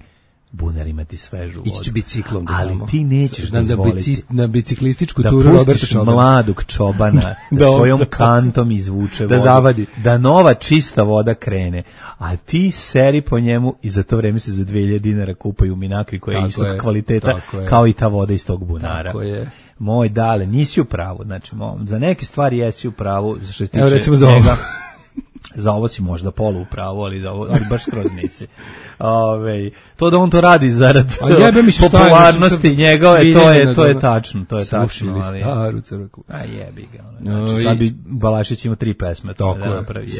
bunar imati svežu vodu. Ići ću biciklom. Ali ti nećeš dozvoliti na biciklističku turu Roberta Čobana. Da pustiš mladog čobana da svojom kantom izvuče vodu. Da zavadi. Da nova čista voda krene. A ti seri po njemu i za to vreme se za 2000 dinara kupaju minakvi koja je istog kvaliteta kao i ta voda iz tog bunara. Tako je. Moj dale, nisi u pravu. Znači, za neke stvari jesi u pravu. Za što tiče recimo za ovo. Za ovo si možda polu u pravu, ali baš skroz nisi. To da on to radi zarad popularnosti njegove, to je tačno. To je tačno. Staru crkvu. A jebi ga. Znači, sad bi Balašić imao 3 pesme.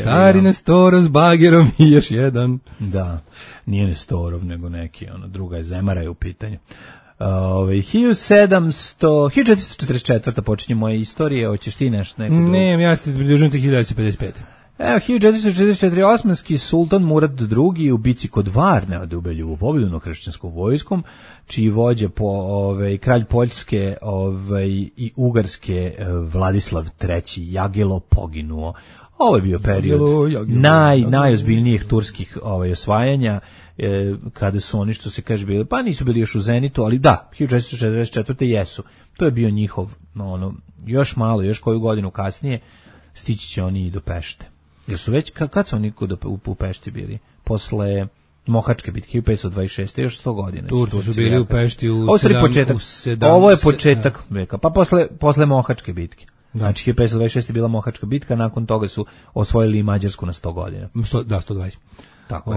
Stari Nestorov s bagerom i još jedan. Da, nije Nestorov, nego neki, druga je Zemara je u pitanju. 1444. počinje moje istorije, hoćeš ti nešto? Ne, ja se pridružujem te 1955. Evo, 1444. osmanski sultan Murad II u bici kod Varne od ubelju pobjedu nad kršćanskom vojskom, čiji vođa kralj Poljske i Ugarske Vladislav III Jagelo poginuo. Ovo je bio period najozbiljnijih turskih osvajanja, kada su oni, što se kaže, bili, pa nisu bili još u zenitu, ali da, 1444. jesu. To je bio njihov, još malo, još koju godinu kasnije, stići će oni i do Pešte. Jer su već, kad su oni u Pešti bili? Posle Mohačke bitke, 1526. još 100 godina. Turci su bili u Pešti u Ovo je početak veka, pa posle Mohačke bitke. Znači, 1526. je bila Mohačka bitka, nakon toga su osvojili i Mađarsku na 100 godina. Da, 120. Tako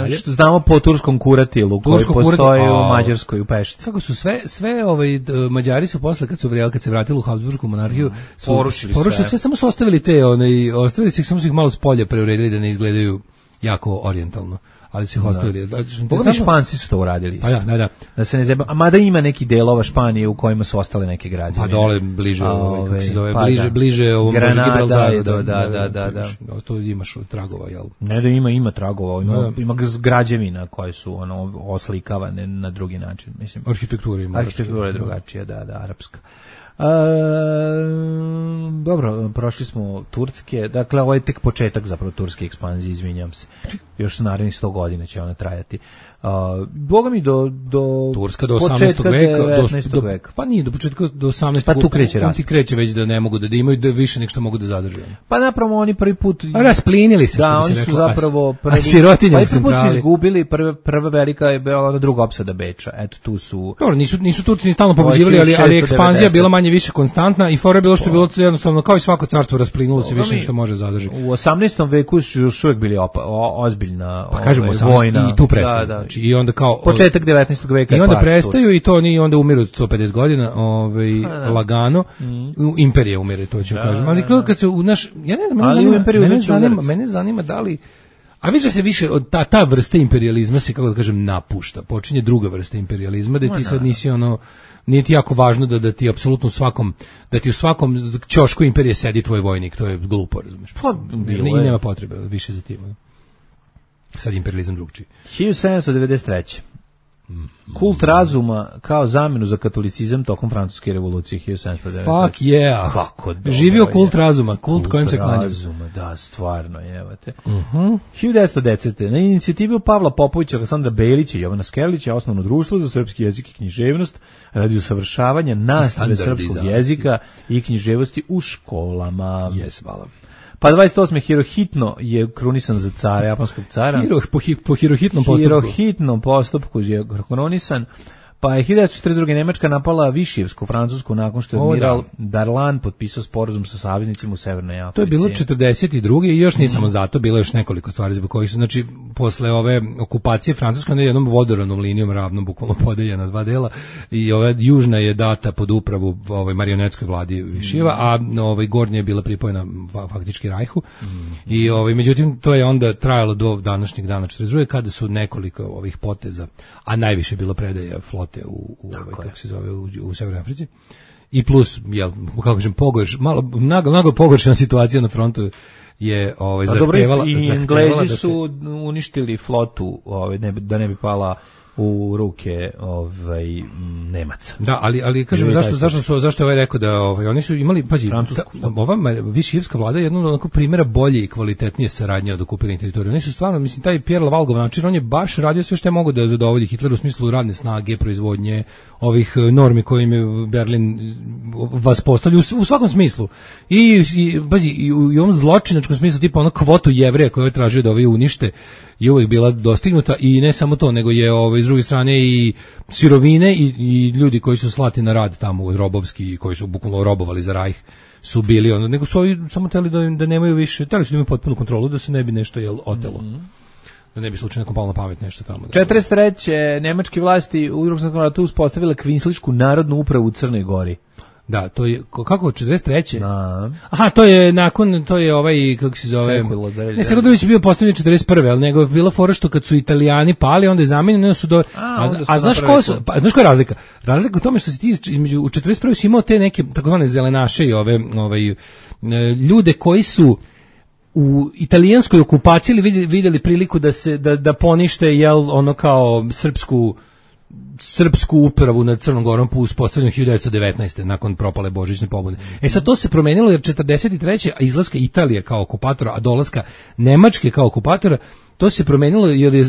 je. Što znamo po turskom kuratilu koji postoji u Mađarskoj, u Pešti. Kako su sve Mađari su posle kad se vratili u Habsburgsku monarhiju porušili sve, samo su ostavili ostavili su ih, samo su ih malo s polja preuredili da ne izgledaju jako orijentalno. Ali su ih ostavili. Pogledaj, Španci su to uradili. Da se ne zeba. A mada ima neki delova Španije u kojima su ostale neke građevine. Pa dole bliže, kako se zove, bliže ovom Granada, da. To imaš tragova, jel? Ne da ima tragova, ima građevina koje su oslikavane na drugi način, mislim. Arhitektura je drugačija, da, arapska. Dobro, prošli smo Turske, dakle ovo je tek početak zapravo turske ekspanzije, izvinjam se, još narednih 100 godina će ona trajati. Boga mi do Turska do 18. veka, 19. veka. Pa nije do početka, do 18. Pa tu kreće rast. On ti kreće već da ne mogu da imaju više nek što mogu da zadrže. Pa napravo oni prvi put rasplinili se, što bi se reklo. Da, oni su zapravo sirotinjom prvi put su izgubili, prva velika je bila ona druga opsada Beča. Eto tu su. Dobro, nisu Turci ni stalno pobeđivali, ali ekspanzija bila manje više konstantna i fora je bilo što je bilo jednostavno kao i svako carstvo rasplinulo se više što može zadrži. U 18. veku su još uvijek bili ozbiljna vojna i tu prestaju. I onda kao početak 19. veka i onda prestaju i to oni onda umiru 150 godina, lagano. Imperija umire, to ću kažem. Ali kad se mene zanima da li, a više od ta vrsta imperijalizma se, kako da kažem, napušta. Počinje druga vrsta imperijalizma, da ti sad nisi nije ti jako važno da ti apsolutno u svakom ćošku imperije sedi tvoj vojnik, to je glupo, razumiješ? I nema potrebe više za tim. Sad imperijalizam drugčiji. 1793. Kult razuma kao zamenu za katolicizam tokom francuske revolucije 1793. Fuck yeah. Kako dobro. Živio kult razuma, kult kojem se klanjam. Razuma, da, stvarno, jevate. 1910. Na inicijativu Pavla Popovića, Aleksandra Belića i Jovana Skerlića osnovno društvo za srpski jezik i književnost radi usavršavanja nastave srpskog jezika i književnosti u školama. Hvala. Pa 28. Hirohito je krunisan za cara, japanskog cara. Po hirohitnom postupku. Hirohitnom postupku je krunisan. Pa je 1942. Nemačka napala Višijevsku Francusku nakon što je admiral Darlan potpisao sporazum sa saveznicima u Severnoj Africi. To je bilo 42. i još nije samo zato, bilo još nekoliko stvari zbog kojih su, znači, posle ove okupacije Francuska na jednom vodoravnom linijom ravno bukvalno podeljena dva dela i ova južna je data pod upravu marionetskoj vladi Višijeva, a gornja je bila pripojena faktički Rajhu. I međutim to je onda trajalo do današnjeg dana 42. kada su nekoliko ovih poteza, a najviše je bilo predaja flote kako se zove u Severnoj Africi. I plus, kako kažem, mnogo pogoršana situacija na frontu je zahtevala. I Englezi su uništili flotu da ne bi pala u ruke Nemaca. Da, ali kažem zašto je rekao da oni su imali, pazi, ova Višijevska vlada je jedno onako primjera bolje i kvalitetnije saradnje od okupiranih teritorija. Oni su stvarno, mislim, taj Pierre Laval način, on je baš radio sve što je mogo da zadovolji Hitler u smislu radne snage, proizvodnje, ovih normi kojim je Berlin vas postavlja u svakom smislu. I pazi, i u ovom zločinačkom smislu, tipa ono kvotu Jevreja koju je tražio da ovi unište, je uvijek bila dostignuta i ne samo to, nego je s druge strane i sirovine i ljudi koji su slati na rad tamo u robovski i koji su bukvalno robovali za Rajh su bili nego su ovi samo htjeli da nemaju više, htjeli su da imaju potpunu kontrolu, da se ne bi nešto otelo. Da ne bi slučajno nekom palo na pamet nešto tamo. 43. nemačke vlasti u Drugom svjetskom ratu uspostavile kvinsličku narodnu upravu u Crnoj Gori. Da, to je kako 43. Da. Aha, to je nakon, to je ovaj kako se zove. Sekulović je bio postavljen 41. al nego je bila fora što kad su Italijani pali, onda je zamenjeni su do a znaš ko su, pa znaš koja je razlika? Razlika u tome što se ti između u 41. si imao te neke takozvane zelenaše i ove ljude koji su u italijanskoj okupaciji vidjeli priliku da ponište ono kao srpsku upravu nad Crnom Gorom po uspostavljanju 1919. nakon propale božićne pobune. Sad to se promenilo jer 43. a izlaska Italije kao okupatora, a dolaska Nemačke kao okupatora, to se promenilo jer je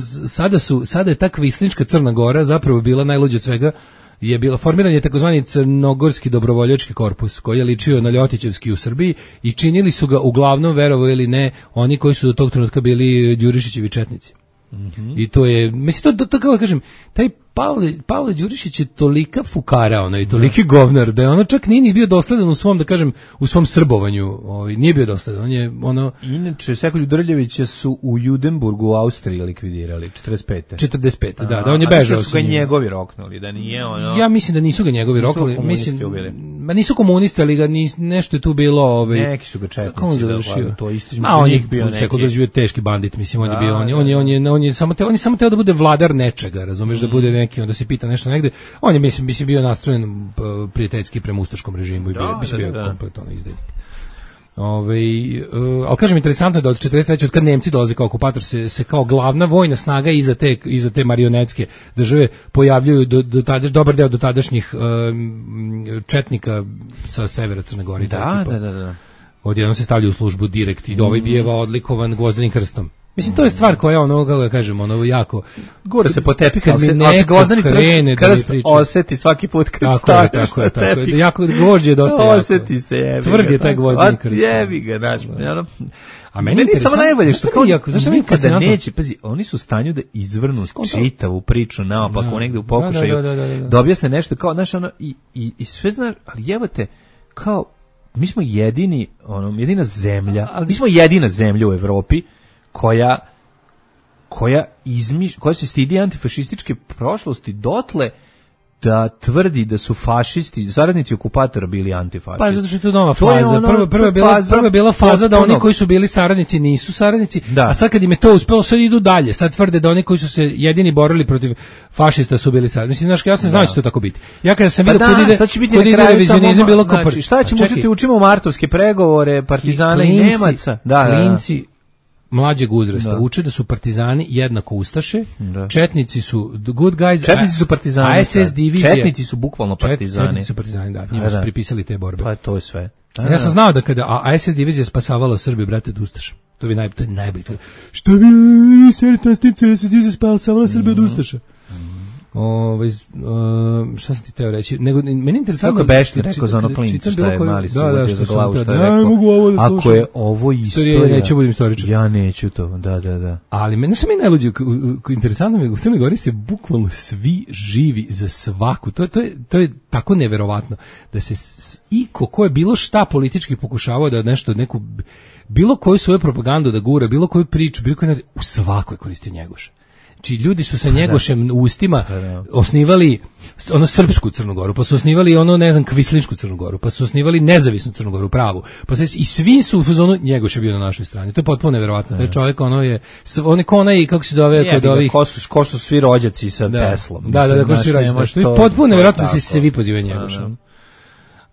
sada je ta kvislinška Crna Gora zapravo bila najluđa od svega. Je bila formiran je takozvani crnogorski dobrovoljački korpus koji je ličio na Ljotićevski u Srbiji i činili su ga uglavnom, verovo ili ne, oni koji su do tog trenutka bili Đurišićevi četnici. I to je, mislim, to kako kažem, taj Pavle Đurišić je tolika fukara, i toliki govnar, da je ono čak nije bio dosledan u svom, da kažem, u svom srbovanju, nije bio dosledan, on je Inače, Sekolju Drljevića su u Judenburgu u Austriji likvidirali, 45. Da, on je bežao. A su ga njegovi roknuli, da nije Ja mislim da nisu ga njegovi roknuli, nisu komunisti, ali ga nešto je tu bilo, neki su ga četnici, to isto on je bio neki teški bandit, mislim, on je bio, on je samo teo da bude vladar nečega, razumeš, da bude neki, onda se pita nešto negde. On je mislim bio nastrojen prijateljski prema ustaškom režimu i bio kompletno izdajnik. Ali kažem, interesantno je da od 43. od kad Nemci dolaze kao okupator se kao glavna vojna snaga iza te marionetske države pojavljuju dobar deo dotadašnjih četnika sa severa Crne Gore. Da. Odjednom se stavlja u službu direkt i ovaj bijeva odlikovan Gvozdenim krstom. Mislim, to je stvar koja kako da kažem, jako gura se po tepih, kad se Gvozdeni krst oseti svaki put kad stavljaš. Tako je. Jako gvožđe je dosta jako. Oseti se, jebi ga. Tvrd je taj Gvozdeni krst. Jebi ga, znaš. A meni je samo najbolje što kao zašto mi kada neće, pazi, oni su u stanju da izvrnu čitavu priču naopako negde u pokušaju da objasne nešto kao, znaš, i sve znaš, ali jebate, kao, mi smo jedina zemlja, mi smo jedina zemlja u Evropi koja se stidi antifašističke prošlosti dotle da tvrdi da su fašisti, saradnici okupatora bili antifašisti. Pa zato što je to nova faza. Prva je bila faza da oni koji su bili saradnici nisu saradnici, a sad kad im je to uspelo, sad idu dalje. Sad tvrde da oni koji su se jedini borili protiv fašista su bili saradnici. Mislim, znaš, ja sam znao da će to tako biti. Ja kada sam vidio kod ide revizionizam bilo kopar. Šta ćemo učiti? Učimo martovske pregovore, partizana i Nemaca. Klinci mlađeg uzrasta uče da su partizani jednako ustaše, četnici su good guys, četnici su partizani, a SS divizija, četnici su bukvalno partizani. Četnici su partizani, da, njima su pripisali te borbe. Pa to je sve. Ja sam znao da kada SS divizija spasavala Srbiju, brate, od ustaša. To je najbolje. Što bi SS divizija spasavala Srbiju od ustaša? Šta sam ti teo reći? Meni je interesantno... Kako Bešti rekao za ono klincu, šta je mali suvođe za glavu, šta je rekao? Ako je ovo istorija... Neću budem istoričar. Ja neću to, da. Ali meni su mi najluđe, interesantno mi, u Crnoj Gori se bukvalno svi živi za svaku. To je tako neverovatno da se ko je bilo šta politički pokušavao da nešto, bilo koju svoju propagandu da gura, bilo koju priču, bilo koju u svakoj koristio Njegoš. Znači, ljudi su sa Njegošem u ustima osnivali srpsku Crnu Goru, pa su osnivali kvislinšku Crnu Goru, pa su osnivali nezavisnu Crnu Goru, pravu. I svi su u fazonu, Njegoš je bio na našoj strani. To je potpuno neverovatno. Taj čovjek, kako se zove kod ovih... Ko su svi rođaci sa Teslom. Da, ko su svi rođaci. To je potpuno neverovatno da se svi pozivaju Njegoša.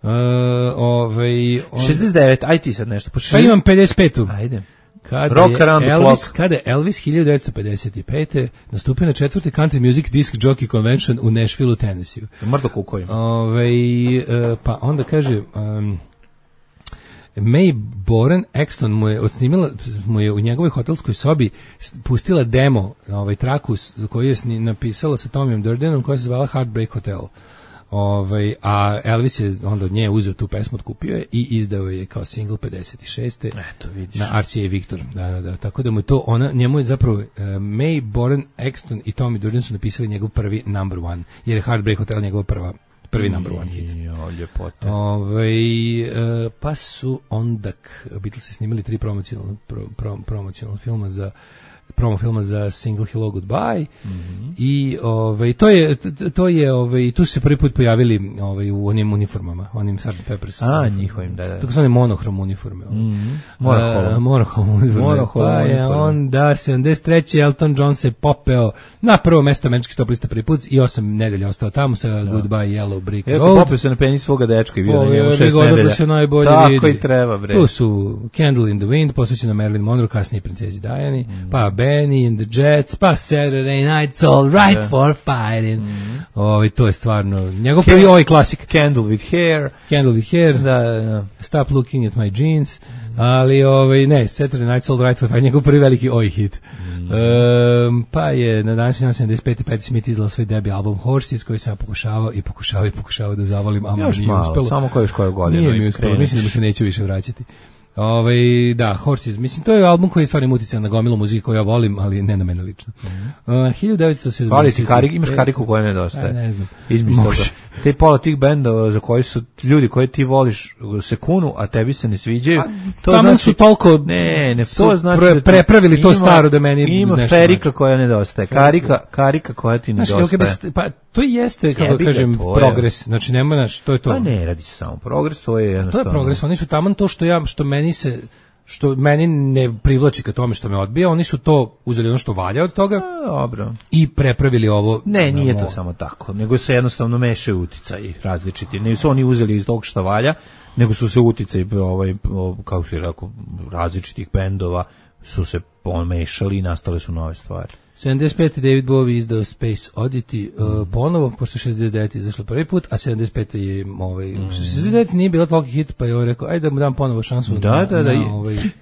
69, aj ti sad nešto. Pa imam 55. Ajde. Kada je Elvis 1955. nastupio na 4. Country Music Disc Jockey Convention u Nashville, Tennessee. Mrdo kukoju. Pa onda kaže... May Boren Exton mu je u njegovoj hotelskoj sobi pustila demo traku koju je napisala sa Tomijom Durdenom, koja se zvala Heartbreak Hotel. A Elvis je onda od nje uzeo tu pesmu, otkupio je i izdao je kao single 56. Eto, vidiš. Na RCA Victor. Da. Tako da mu je to, njemu je zapravo May Boren Exton i Tommy Durden su napisali njegov prvi number one, jer je Heartbreak Hotel njegov prvi number one hit. Ljepote. Pa su onda Beatlesi snimali 3 promocionalna filma za promo filma za Single Hello Goodbye. I to je tu su se prvi put pojavili u onim uniformama, onim Sgt. Pepper's. Njihovim, da. Tako su one monohrom uniforme. Monohrom uniforme. Pa je onda 73. Elton John se popeo na prvo mesto američkih top lista prvi put i 8 nedelja ostao tamo sa Goodbye Yellow Brick Road. Popeo se na penis svoga dečka i bio na njemu 6 nedelja. Da se najbolje tako vidi. I treba, bre. Tu su Candle in the Wind, posvećena Marilyn Monroe, kasnije princezi Diani, pa Benny and the Jets, pa Saturday Night's All Right for Fighting. To je stvarno njegov prvi klasik. Candle with Hair. Da. Stop Looking at My Jeans. Ali ne, Saturday Night's All Right for Fighting, njegov prvi veliki hit. Pa je na današnji dan 75. Patti Smith izdala svoj debi album Horses, koji sam ja pokušavao da zavolim, a još nije malo, uspelo. samo koju godinu. Nije mi uspelo, mislim da mu se neću više vraćati. Da, Horses, mislim, to je album koji je stvarno utican na gomilu muzike koju ja volim, ali ne na mene lično. 1970. Hvali ti imaš kariku koja nedostaje. Ne znam. Između toga. Te pola tih bendova za koji su ljudi koje ti voliš se kunu, a tebi se ne sviđaju. To znači su toliko to znači prepravili to staro da meni ima ferika koja nedostaje. Karika koja ti nedostaje. Pa to jeste, kako kažem, progres. Znači nema to je to. Pa ne radi se samo progres, to je jednostavno. To je progres, oni su taman to što meni ne privlači ka tome što me odbija, oni su to uzeli ono što valja od toga. Dobro. I prepravili ovo. Ne, nije to samo tako, nego se jednostavno mešaju uticaji različiti. Ne su oni uzeli iz tog što valja, nego su se uticaji kako se rekao, različitih bendova su se pomešali i nastale su nove stvari. 75. David Bowie izdao Space Oddity ponovo, pošto 69. izašlo prvi put, a 75. je 69. nije bilo toliki hit, pa je rekao, ajde da mu dam ponovo šansu. Da.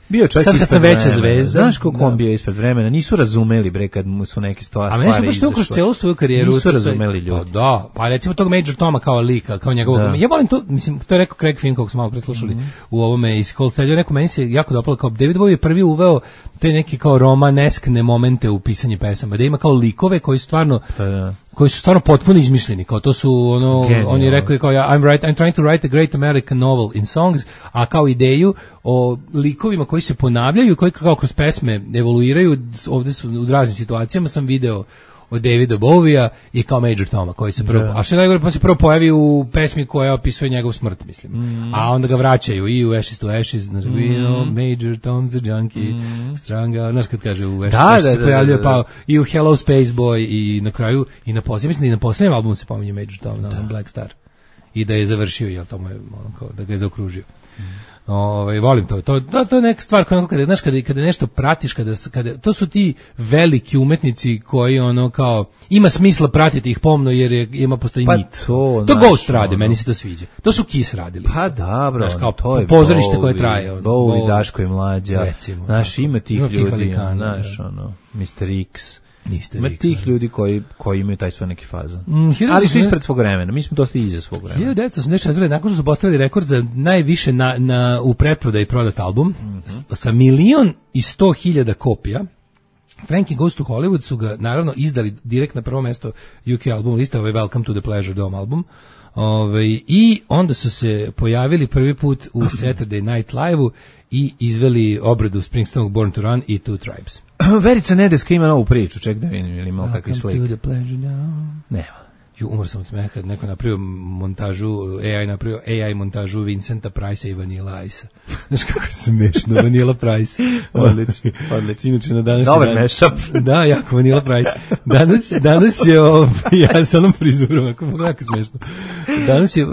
Bio čak sad kad sam veća zvezda. Znaš koliko on bio ispred vremena, nisu razumeli bre kad mu su neke stvari izašle. A meni su kroz celu svoju karijeru. Nisu razumeli ljudi. Da, pa recimo tog Major Toma kao lika, kao njegovog. Ja volim to, mislim, to je rekao Craig Finn, kog smo malo preslušali u ovome iz Cold Side. Rekao, meni se jako dopalo, kao David Bowie je prvi uveo te neki kao romaneskne momente u pisanju pesama, da ima kao likove koji su stvarno potpuno izmišljeni, kao to su on je rekao kao I'm trying to write a great American novel in songs, a kao ideju o likovima koji se ponavljaju, koji kao kroz pesme evoluiraju, ovdje su u raznim situacijama sam video od Davida Bowie-a i kao Major Toma koji se prvo, a što najgore, pa se prvo pojavi u pesmi koja opisuje njegov smrt, mislim. A onda ga vraćaju i u Ashes to Ashes, Major Tom's a junkie, stranga, znaš kad kaže u Ashes to Ashes se pojavljuje, pa i u Hello Space Boy i na kraju, i na posljednjem, mislim da i na posljednjem albumu se pominje Major Tom, na Black Star. I da je završio, jel to mu je, da ga je zaokružio. Volim to je neka stvar kada znaš kada nešto pratiš, kada to su ti veliki umetnici koji kao ima smisla pratiti ih pomno jer ima postoji nit. To Ghost rade, meni se to sviđa. To su Kiss radili. Pa dobro, to je pozorište koje traje. Bowie, Daško i Mlađa. Znaš, ima tih ljudi, znaš, Mr. X. Ima tih ljudi koji imaju taj svoj neki fazon. Ali su ispred svog vremena, mi smo dosta iza svog vremena. 1984. nakon što su postavili rekord za najviše u pretprodaji prodat album, sa 1.100.000 kopija, Frankie Goes to Hollywood su ga naravno izdali direkt na prvo mesto UK album lista, Welcome to the Pleasure Dome album. I onda su se pojavili prvi put u Saturday Night Live-u i izveli obradu Springsteenog Born to Run i Two Tribes. Verica Nedeska ima novu priču, ček da vidim ili imao kakvi slik. Welcome to the Pleasure Dome. Nema. Umor sam od smeha, neko napravio AI montažu Vincenta Price i Vanilla Ice-a. Znaš kako smešno, Vanilla Price. Odlično. Inače, na današnji dobar mashup. Da, jako Vanilla Price. Danas je, ja sa onom frizurom, jako smešno.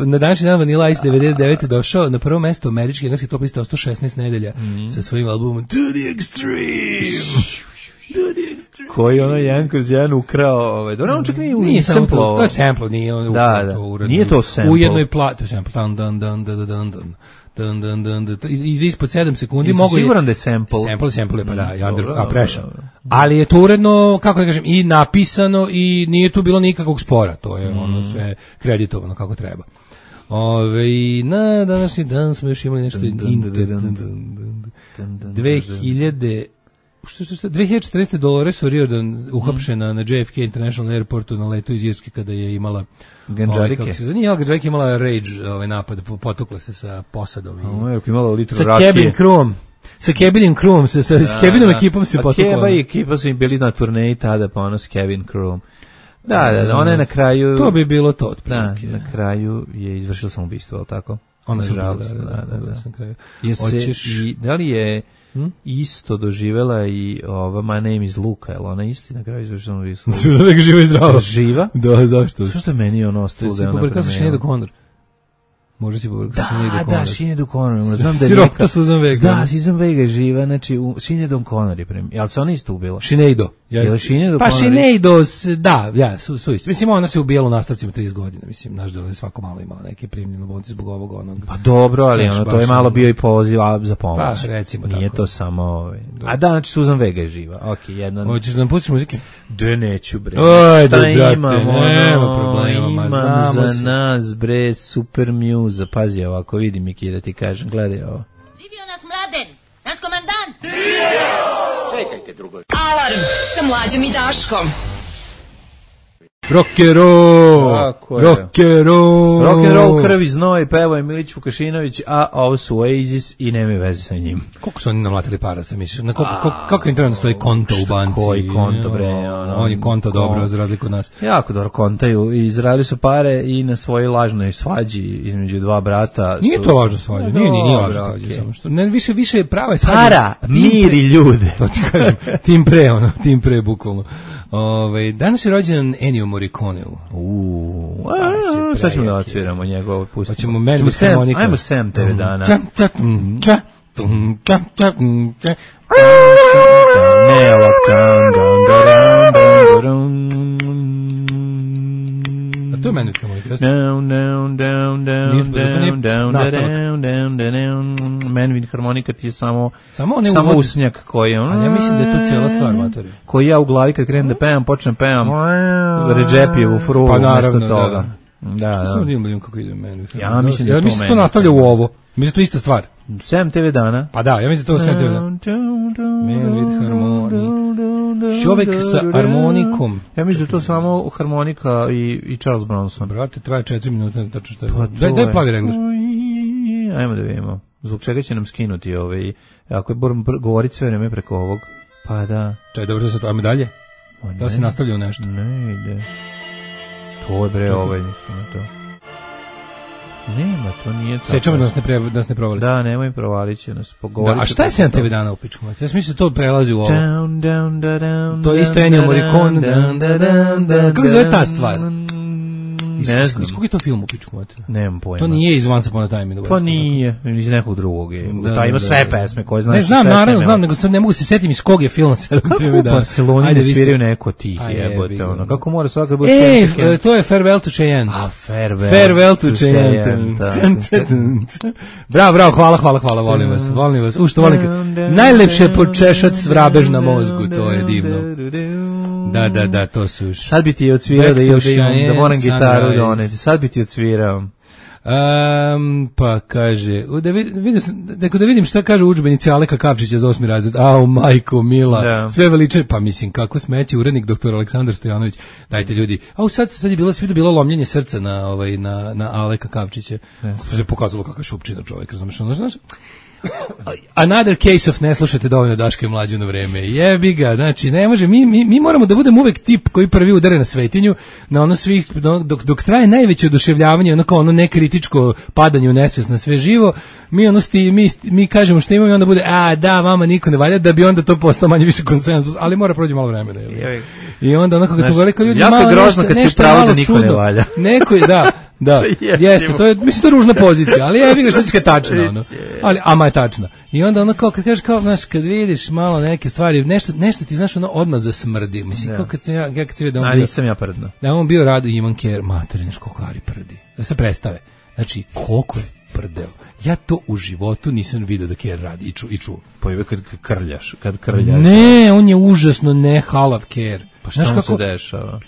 Na današnji dan Vanilla Ice 99. došao na prvo mesto američki engleski top liste 116 nedelja sa svojim albumom To the Extreme. Koji jedan kroz jedan ukrao, dobro, on čak nije sample. To je sample, nije on ukrao. Nije to sample. U jednoj to je sample, i ispod 7 sekundi mogu je... Siguran da je sample. Sample je, pa da, a prešao. Ali je to uredno, kako da kažem, i napisano i nije tu bilo nikakvog spora, to je ono sve kreditovano kako treba. Na današnji dan smo još imali nešto 2014. Dolores O'Riordan uhapšena na JFK International Airportu na letu iz Irske kada je imala ganđarike. Ganđarike imala rage napad, potukla se sa posadom i imala litru sa rakije. cabin crewom. Sa Kevinim Crewom, sa Kevinom ekipom se potukla. Keva i ekipa su im bili na turneji tada, pa ono s Kevin Crewom. Da, ona je na kraju... To bi bilo to, otprilike. Da, na kraju je izvršila samoubistvo, ali tako? Ona se da. Da li je isto doživela i ova My Name is Luka, jel ona isti na kraju izvršila samoubistvo? Suza Vega živa i zdrava. Živa? Da, zašto? Što je meni ono ostalo da je ona pobrkala sa Sinead O'Connor. Može si pobrkati Sinead O'Connor. Da, Sinead O'Connor. Znam da je Sirota Susan Vega. Da, Susan Vega je živa, znači Sinead O'Connor je premijer. Jel se ona isto ubila? Sinead. Pa Sinead, da, ja, su isti. Mislim, ona se ubijala u nastavcima 30 godina. Mislim, naš da je svako malo imala neke primljene bolnice zbog ovog onog. Pa dobro, ali ono, to je malo bio i poziv za pomoć. Pa, recimo nije tako. To samo... A da, znači Susan Vega je živa. Okej, jedno... Hoćeš da nam pustiš muzike? Da, neću, bre. Ajde, brate, nema problema. Imam za nas, bre, super mjuza. Pazi ovako, vidi Miki da ti kažem, gledaj ovo. Živio nas Mladen, naš komandant. Čekajte drugo. Alarm sa Mlađom i Daškom. Rock'n'roll, krvi, znoj, pevo je Milić Vukašinović, a ovo su Oasis i nema veze sa njim. Koliko su oni namlatili para, sam misliš? Kako im trenutno stoji konto u banci? Koji konto, bre? Oni konto dobro, za razliku od nas. Jako dobro kontaju i izradili su pare i na svojoj lažnoj svađi između dva brata. Nije to lažna svađa, nije lažna svađa. Samo što, ne, više je prava svađa. Para, mir i ljude. To ti kažem, tim pre, bukvalno. Danas je rođen Ennio Morricone. Šta ćemo da odsviramo njegovo? Hoćemo Man with Harmonica. Ajmo Sam TV dana. Ne ovak to je Man with Harmonica. Man with Harmonica ti je samo usnjak koji je... Ali ja mislim da je to cijela stvar, matori. Koji ja u glavi kad krenem da pevam, počnem pevam Redžepijevu frulu umjesto toga. Da. Što sam vidim kako ide Man with Harmonica? Ja mislim da to to nastavlja u ovo. Mislim to ista stvar. 7 TV dana. Pa da, ja mislim da to 7 TV dana. Man with Harmonica. Čovjek sa harmonikom. Ja mislim da to samo harmonika i Charles Bronson. Brate, traje 4 minuta, tačno što je. Daj plavi regler. Ajmo da vidimo. Zbog čega će nam skinuti ako je govoriti sve vreme preko ovog. Pa da. Čaj, dobro da se to, ajmo dalje. Da se nastavlja u nešto. Ne ide. To je bre mislim to. Nema, to nije tako. Sećamo da nas ne provali. Da, nemoj provalit će nas. A šta je 7 TV dana u pičku? Ja mislim da to prelazi u ovo. To je isto Ennio Morricone. Kako se zove ta stvar? Ne znam. Iz kog je to film u pičku? Nemam pojma. To nije iz Once Upon a Time. Pa nije, iz nekog drugog je. Ta ima sve pesme koje znaš. Ne znam, naravno znam, nego sad ne mogu se setiti iz kog je film 7 TV dana. Kako u Barceloni ne sviraju neko tih jebote, ono. Kako mora svaka bude... to je Farewell to Cheyenne. Farewell to Cheyenne. Bravo, hvala, volim vas. Što volim? Najlepše počešat svrabež na mozgu, to je divno. Da, to su još. Sad bi ti odsvirao da moram gitaru doneti. Sad bi ti odsvirao. Pa kaže, da vidim šta kaže udžbenici Aleka Kapčića za 8. razred. Au, majko, mila, sve veliče. Pa mislim, kako smeće urednik doktor Aleksandar Stojanović. Dajte ljudi. Sad je bilo lomljenje srca na Aleka Kapčića. Se pokazalo kakav šupčina čovjek, znaš? Another case of ne slušate dovoljno Daška i Mlađu na vreme. Jebi ga, znači ne može, mi moramo da budemo uvek tip koji prvi udare na svetinju, na ono svih, dok traje najveće oduševljavanje, ono nekritičko padanje u nesvest na sve živo, mi kažemo što imamo i onda bude, da, vama niko ne valja, da bi onda to postao manje više konsenzus, ali mora proći malo vremena. I onda onako kad su govorili kao ljudi, malo nešto je malo čudno. Neko je, da, jeste, to je, mislim, to je ružna pozicija, ali ja vidim što će tačna, ono. Ama je tačna. I onda ono kao, kad kažeš kao, znaš, kad vidiš malo neke stvari, nešto ti, znaš, ono, odmah zasmrdi. Mislim, kao kad sam ja kad se vidio da on bio... nisam ja prdno. Da on bio Rado Ivan Ker, mater, znaš, koliko Ari prdi. Da se predstave. Znači, koliko je prdeo. Ja to u životu nisam vidio da Ker radi i čuo. Pojave kad krljaš. Ne, on je užasno ne halav Ker. Pa šta mu se dešava?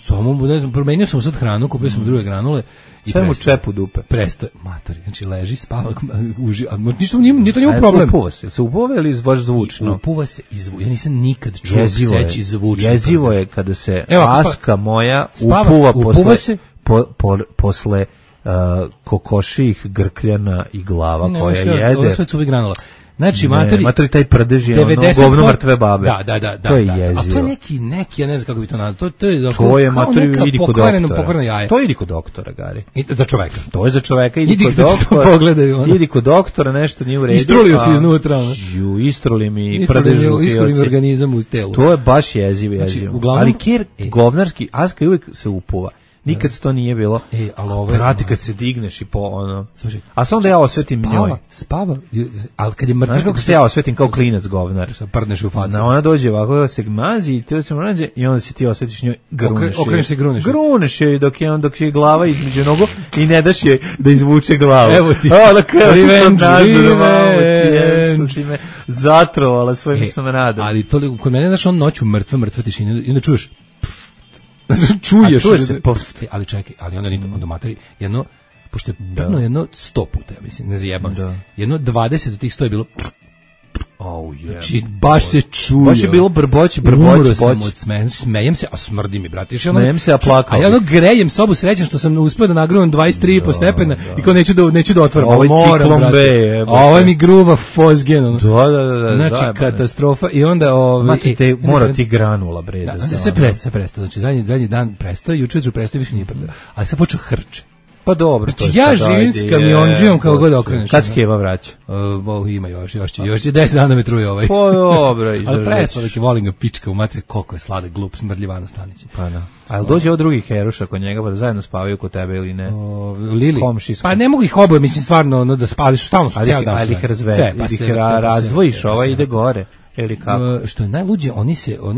Promenio sam sad hranu, kupio sam druge granule. Sve mu čep u dupe. Prestoje, matori, znači leži, spava, ništa nije to njemu problem. Upuva se upuva ili baš zvučno? Upuva se i zvučno, ja nisam nikad čuo seći zvučno. Jezivo je kada se Aska moja upuva posle kokoših grkljana i glava koja jede. Ovo sve cuvi granula. Znači, matori taj prdež je ono govno mrtve babe. Da. To je jezivo. A to je neki, ja ne znam kako bi to nazvao. To je matori, idi kod doktora. Jaje. To idi kod doktora, Gari. Za čoveka. To je za čoveka, idi kod doktora. Pogledaj, idi kod doktora, nešto nije u redu. Istrulio se iznutra. Istruli mi prdežu. Istruli mi organizam u telu. To je baš jezivo. Ali kir govnarski, Aska uvek se upuva. Nikad to nije bilo. Ali vrati kad se digneš i po ono. Slušaj, a samo da ja osvetim njoj. Spava. Al kad je mrtva, znaš kako se ja osvetim kao klinac govnar. Prdneš u facu. Ona dođe ovako se mazi i te se mrađe i onda se ti osvetiš njoj, gruneš. Okreneš se, gruneš. Gruneš je dok je glava između nogu i ne daš je da izvuče glavu. Evo ti. Revenge. Što si me zatrovala svojim samradom. Ali to kod mene znaš on noću mrtva tišina i onda čuješ čuješ se ali čekaj, ali onda materi jedno, pošto je pevno jedno 100 puta, ja mislim, ne zajebam se, jedno 20 od tih 100 je bilo znači baš se čuje, baš je bilo brboć sam od smejem se, a smrdi mi, brate, smejem se, a plakao, a ja grejem sobu srećan što sam uspeo da nagrunam 23,5 stepena i kao neću da otvorim, ovo je ciklon B, a ovo je mi gruva fosgen, znači katastrofa. I onda mora ti granula, bre, se prestao, znači zadnji dan prestao, juče prestao, više nije prestao, ali sad počeo hrče. Pa dobro, to znači, ja živim s kamionđijom kao god okreneš. Kad Skeva vraća? Ima još je 10 dana me truje ovaj. Pa dobro, ali presladak je, volim ga pička u materi, koliko je sladak, glup, smrdljivana Stanić. Pa da. Ali dođe od drugih heruša kod njega pa da zajedno spavaju kod tebe ili ne? Lili? Pa ne mogu ih oboje, mislim stvarno da spavaju, su stalno cijel dan. Ali ih razdvojiš, ide gore. Ili kako? Što je najluđe, oni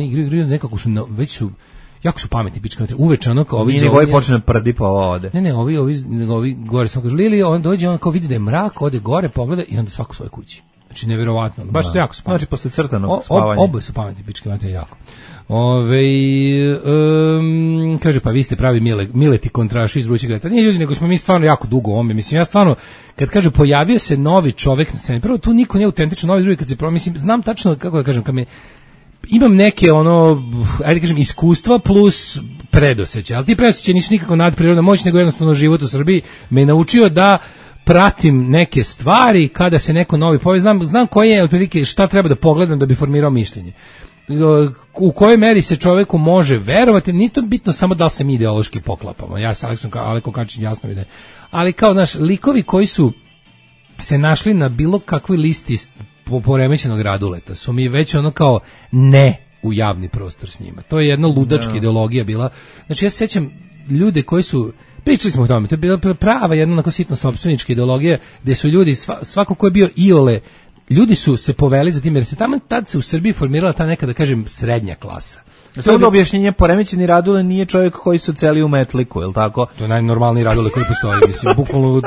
igraju nekako su, već su, jako su pametni pička, uveče ono kao ovi ovi počne prdi pa ode. Ne, ovi gore samo kažu Lili, on dođe, on kao vidi da je mrak, ode gore, pogleda i onda svako svoje kući. Znači neverovatno, baš su jako su pametni. Znači posle crtanog spavanja. Oboje su pametni pičke, znači jako. Kaže pa vi ste pravi mileti kontraši iz vrućeg leta. Nije ljudi, nego smo mi stvarno jako dugo ovome. Mislim, ja stvarno, kad kažu pojavio se novi čovek na sceni, prvo tu niko nije autentičan, novi drugi kad se mislim, znam tačno kako da kažem, kad me imam neke ajde kažem iskustva plus predosećaj, ali ti predosećaj nisu nikako nadprirodna moć, nego jednostavno život u Srbiji me naučio da pratim neke stvari kada se neko novi pojavi, znam koje je otprilike šta treba da pogledam da bi formirao mišljenje. U kojoj meri se čoveku može verovati, nije to bitno samo da li se mi ideološki poklapamo. Ja sam Aleko Kačić jasno vide. Ali kao naš likovi koji su se našli na bilo kakvoj listi poremećenog Raduleta su mi već ono kao ne u javni prostor s njima. To je jedna ludačka ideologija bila. Znači ja se sjećam ljude koji su, pričali smo o tome, to je bila prava jedna onako sitno sopstvenička ideologija gdje su ljudi, svako ko je bio iole, ljudi su se poveli za tim jer se tamo tad se u Srbiji formirala ta neka, da kažem, srednja klasa. Samo da objašnjenje, poremećeni Radule nije čovjek koji su celi u metliku, je li tako? To je najnormalniji Radule koji postoji, mislim, bukvalno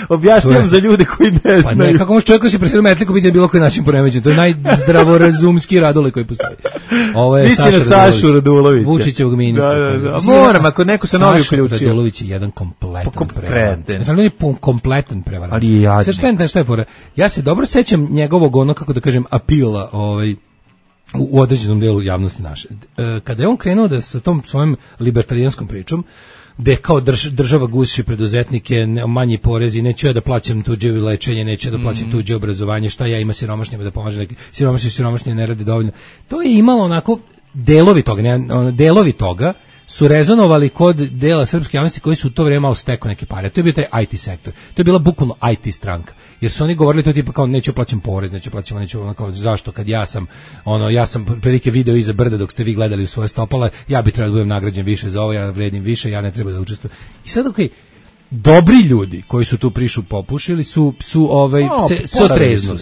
objašnjam za ljude koji ne znaju. Pa ne, kako može čovjek koji se preseli u metliku biti na bilo koji način poremećen, to je najzdravorazumski Radule koji postoji. Ovo je Saša Radulovića. Vučićevog ministra. Da. Moram, ako neko se novi uključio. Saša Radulović je jedan kompletan prevarant. Znači, on je kompletan prevarant. Ali je jadni. Šta je fora? Ja se dobro sećam njegovog, ono, kako da kažem, apila, u određenom delu javnosti naše. Kada je on krenuo da sa tom svojom libertarijanskom pričom, gde kao država guši preduzetnike, manji porezi, neću ja da plaćam tuđe lečenje, neću da plaćam tuđe obrazovanje, šta ja ima siromašnjima da pomaže, siromašni ne rade dovoljno. To je imalo onako delovi toga su rezonovali kod dela srpske javnosti koji su u to vrijeme malo stekao neke pare. To je bio taj IT sektor. To je bila bukvalno IT stranka. Jer su oni govorili to tipa kao neću plaćam porez, neću kao zašto kad ja sam prilike video iza brda dok ste vi gledali u svoje stopala, ja bi trebao da budem nagrađen više za ovo, ja vredim više, ja ne treba da učestvujem. I sad dobri ljudi koji su tu prišu popušili su se otreznuli.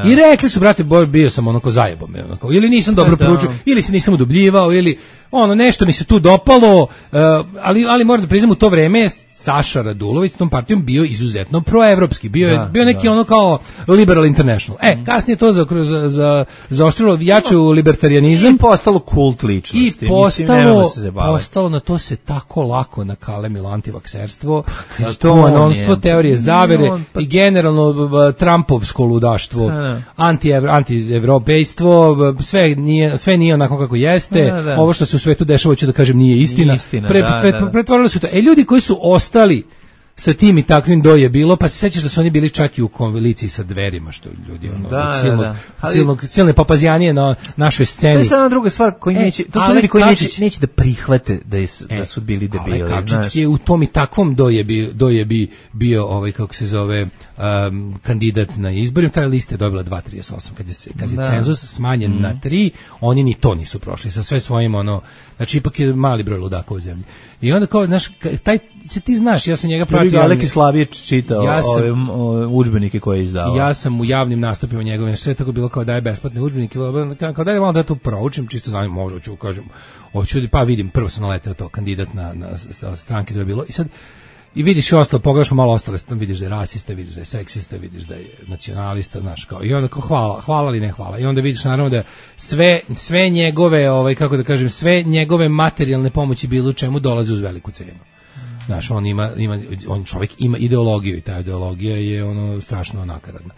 I rekli su, brate, bio sam onako zajebom, ili nisam dobro proučio, ili se nisam udubljivao, ili nešto mi se tu dopalo, ali moram da priznam, u to vreme Saša Radulović s tom partijom bio izuzetno proevropski, bio neki ono kao liberal international. Kasnije to zaoštrilo jaču libertarijanizam. I postalo kult ličnosti. I postalo na to se tako lako nakalemilo antivakserstvo, QAnonstvo, teorije zavere i generalno Trumpovsko ludaštvo, anti-evropejstvo, sve nije onako kako jeste, ovo što se u svetu dešava, ću da kažem, nije istina. Pretvorili su to. Ljudi koji su ostali sa tim i takvim do je bilo, pa se sećaš da su oni bili čak i u koaliciji sa Dverima, što ljudi silne papazjanije na našoj sceni. To je samo druga stvar koji neće, to su ljudi koji neće da prihvate da su bili debili. Ale Kapčić je u tom i takvom do je bio kako se zove kandidat na izborima, ta lista je dobila 2,38 kad je cenzus smanjen na 3, oni ni to nisu prošli sa sve svojim znači ipak je mali broj ludaka u zemlji. I onda kao, znaš, ti znaš, ja sam njega pratio. Aleki Slavić čitao ove udžbenike koje je izdavao. Ja sam u javnim nastupima njegovim, sve tako bilo kao daje besplatne udžbenike, kao daje malo da to proučim, čisto zanim, možda ću, kažem, pa vidim, prvo sam naleteo to, kandidat na stranke da je bilo, i sad, i vidiš i ostalo, pogledaš malo ostale, vidiš da je rasista, vidiš da je seksista, vidiš da je nacionalista, znaš, kao, i onda kao hvala ali ne hvala, i onda vidiš naravno da sve njegove, kako da kažem, sve njegove materijalne pomoći bilo u čemu dolaze uz veliku cenu. Znaš, on čovjek ima ideologiju i ta ideologija je strašno nakaradna.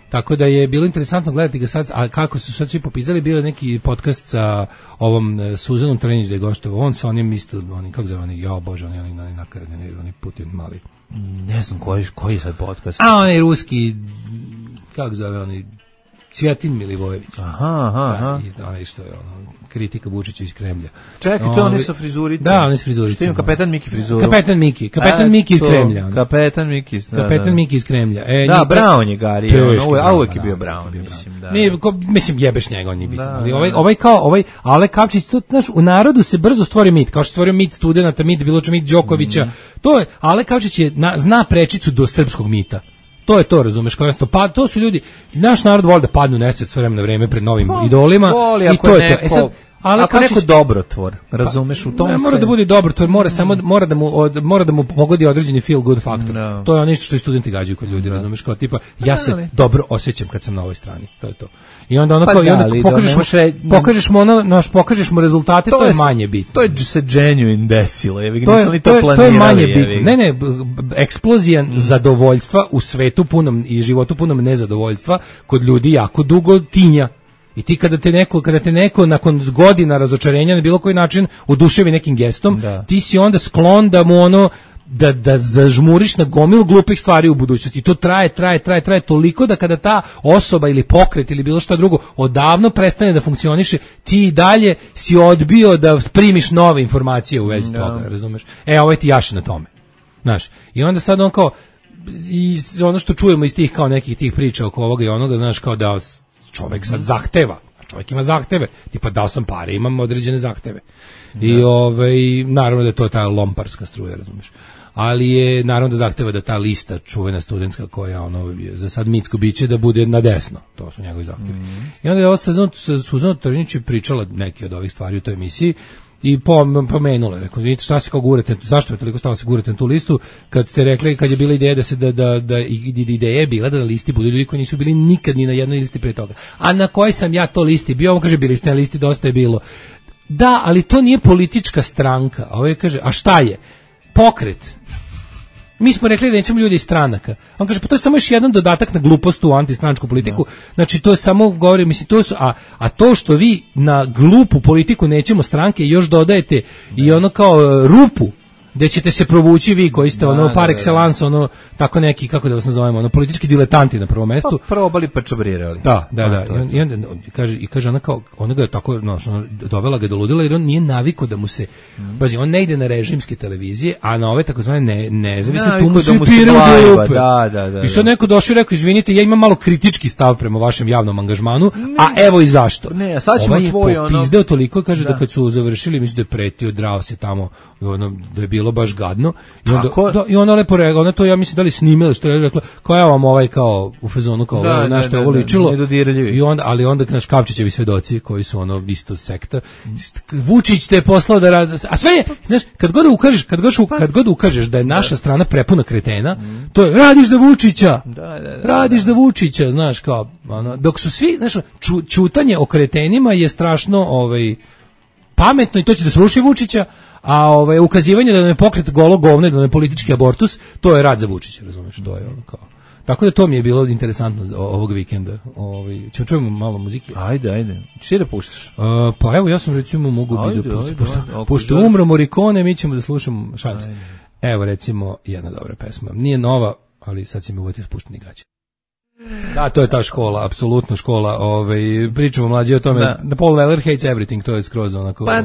Tako da je bilo interesantno gledati ga sad, a kako su sad svi popizali, bio je neki podcast sa ovom Suzanom Trenić da je goštovao, on sa onim isto, kako zove oni, jao Bože, oni nakaradni, oni Putin mali. Ne znam koji je sad podcast. A onaj ruski, kako zove oni, Cvjetin Milivojević. Aha. Onaj što je kritika Vučića iz Kremlja. Čekaj, to je onaj sa frizuricom. Da, onaj sa frizuricom. Što ima Kapetan Miki frizuru. Kapetan Miki iz Kremlja. Kapetan Miki iz Kremlja. Da, Brown je Gari, a uvek je bio Brown, mislim, da. Mislim, jebeš njega, on je bitan. Ali ovaj Ale Kapčić, to, znaš, u narodu se brzo stvori mit, kao što stvorio mit studenata, mit Biloča, mit Đokovića. To je, Ale Kapčić zna prečicu do srpskog mita. To je to, razumeš, kao pa to su ljudi, naš narod voli da padnu nesvest s vremena na vreme pred novim idolima i to je to. Ako neko dobrotvor, razumeš, u tom ne mora da bude dobrotvor, mora da mu pogodi određeni feel good faktor. To je ono što i studenti gađaju kod ljudi, razumeš, kao tipa ja se dobro osjećam kad sam na ovoj strani. To je to. I onda pokažeš mu rezultate, to je manje bitno. To je se genuine desilo, to je manje bitno. Ne, eksplozija zadovoljstva u svetu punom i životu punom nezadovoljstva kod ljudi jako dugo tinja. I ti kada te neko nakon godina razočarenja na bilo koji način oduševi nekim gestom, ti si onda sklon da mu da zažmuriš na gomilu glupih stvari u budućnosti. I to traje toliko da kada ta osoba ili pokret ili bilo šta drugo odavno prestane da funkcioniše, ti i dalje si odbio da primiš nove informacije u vezi toga, razumeš? Ovo ti jaše na tome. Znaš, i onda sad on kao, i ono što čujemo iz tih kao nekih tih priča oko ovoga i onoga, znaš, kao da čovjek sad zahteva, čovjek ima zahteve, tipa dao sam pare, imam određene zahteve. I naravno da je to ta lomparska struja, razumiješ. Ali je naravno da zahteva da ta lista čuvena studentska koja za sad mitsko biće da bude na desno, to su njegovi zahtevi. I onda je ovo Suzana Trnić pričala neke od ovih stvari u toj emisiji i pomenula, rekao, vidite šta se kao gurate, zašto je toliko stalo se gurate na tu listu, kad ste rekli, kad je bila ideja da ideja je bila da na listi budu ljudi koji nisu bili nikad ni na jednoj listi pre toga. A na kojoj sam ja to listi bio? On kaže, bili ste na listi, dosta je bilo. Da, ali to nije politička stranka. A ovaj kaže, a šta je? Pokret. Mi smo rekli da nećemo ljudi iz stranaka. On kaže, pa to je samo još jedan dodatak na glupost u antistranačku politiku. Znači, to je samo, govori, mislim, to su, a to što vi na glupu politiku nećemo stranke još dodajete i ono kao rupu, gde ćete se provući vi koji ste par excellence, tako neki, kako da vas nazovemo, politički diletanti na prvom mestu. Pa probali pa čabrirali. Da. I onda kaže ona kao, ona ga je tako, dovela ga do ludila jer on nije navikao da mu se, pazi, on ne ide na režimske televizije, a na ove takozvane nezavisne tu mu se piraju. Da. I sad neko došao i rekao, izvinite, ja imam malo kritički stav prema vašem javnom angažmanu, a evo i zašto. Ne, a sad ćemo tvoj popizdeo toliko, kaže da kad su završili, mislim da je pretio, drao se tamo, da je bilo baš gadno i onda lepo rekao, ona to ja mislim da li snimila što je rekla, kao ja vam kao u fazonu kao nešto ovo ličilo i onda naš Kapčićevi svedoci koji su isto sekta, Vučić te poslao da radi, a sve je, znaš, kad god ukažeš da je naša strana prepuna kretena, to je radiš za Vučića, radiš za Vučića, znaš, kao dok su svi, znaš, ćutanje o kretenima je strašno pametno i to će da sruši Vučića, a ukazivanje da nam je pokret golo govno, da nam je politički abortus, to je rad za Vučića, razumeš, to je kao. Tako da to mi je bilo interesantno ovog vikenda. Ćemo čujemo malo muzike. Ajde. Što da puštaš? Pa evo, ja sam recimo mogu biti da puštam. Pošto umro Morricone, mi ćemo da slušamo šansu. Evo recimo jedna dobra pesma. Nije nova, ali sad će mi uvoti spušteni gaće. Da, to je ta škola, apsolutno škola. Pričamo mlađi o tome. Da Paul Weller hates everything, to je skroz onako. Pa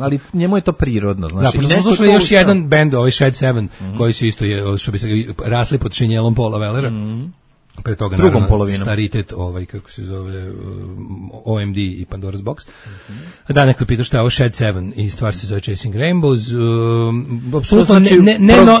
ali njemu je to prirodno, znači. Da, pošto smo slušali još jedan bend, Shed 7, koji su isto što bi se rasli pod šinjelom Paula Wellera. Pre toga drugom polovinom staritet, kako se zove, OMD i Pandora's Box. Da, neko je pitao šta je ovo Shed 7 i stvar se zove Chasing Rainbows. Apsolutno znači,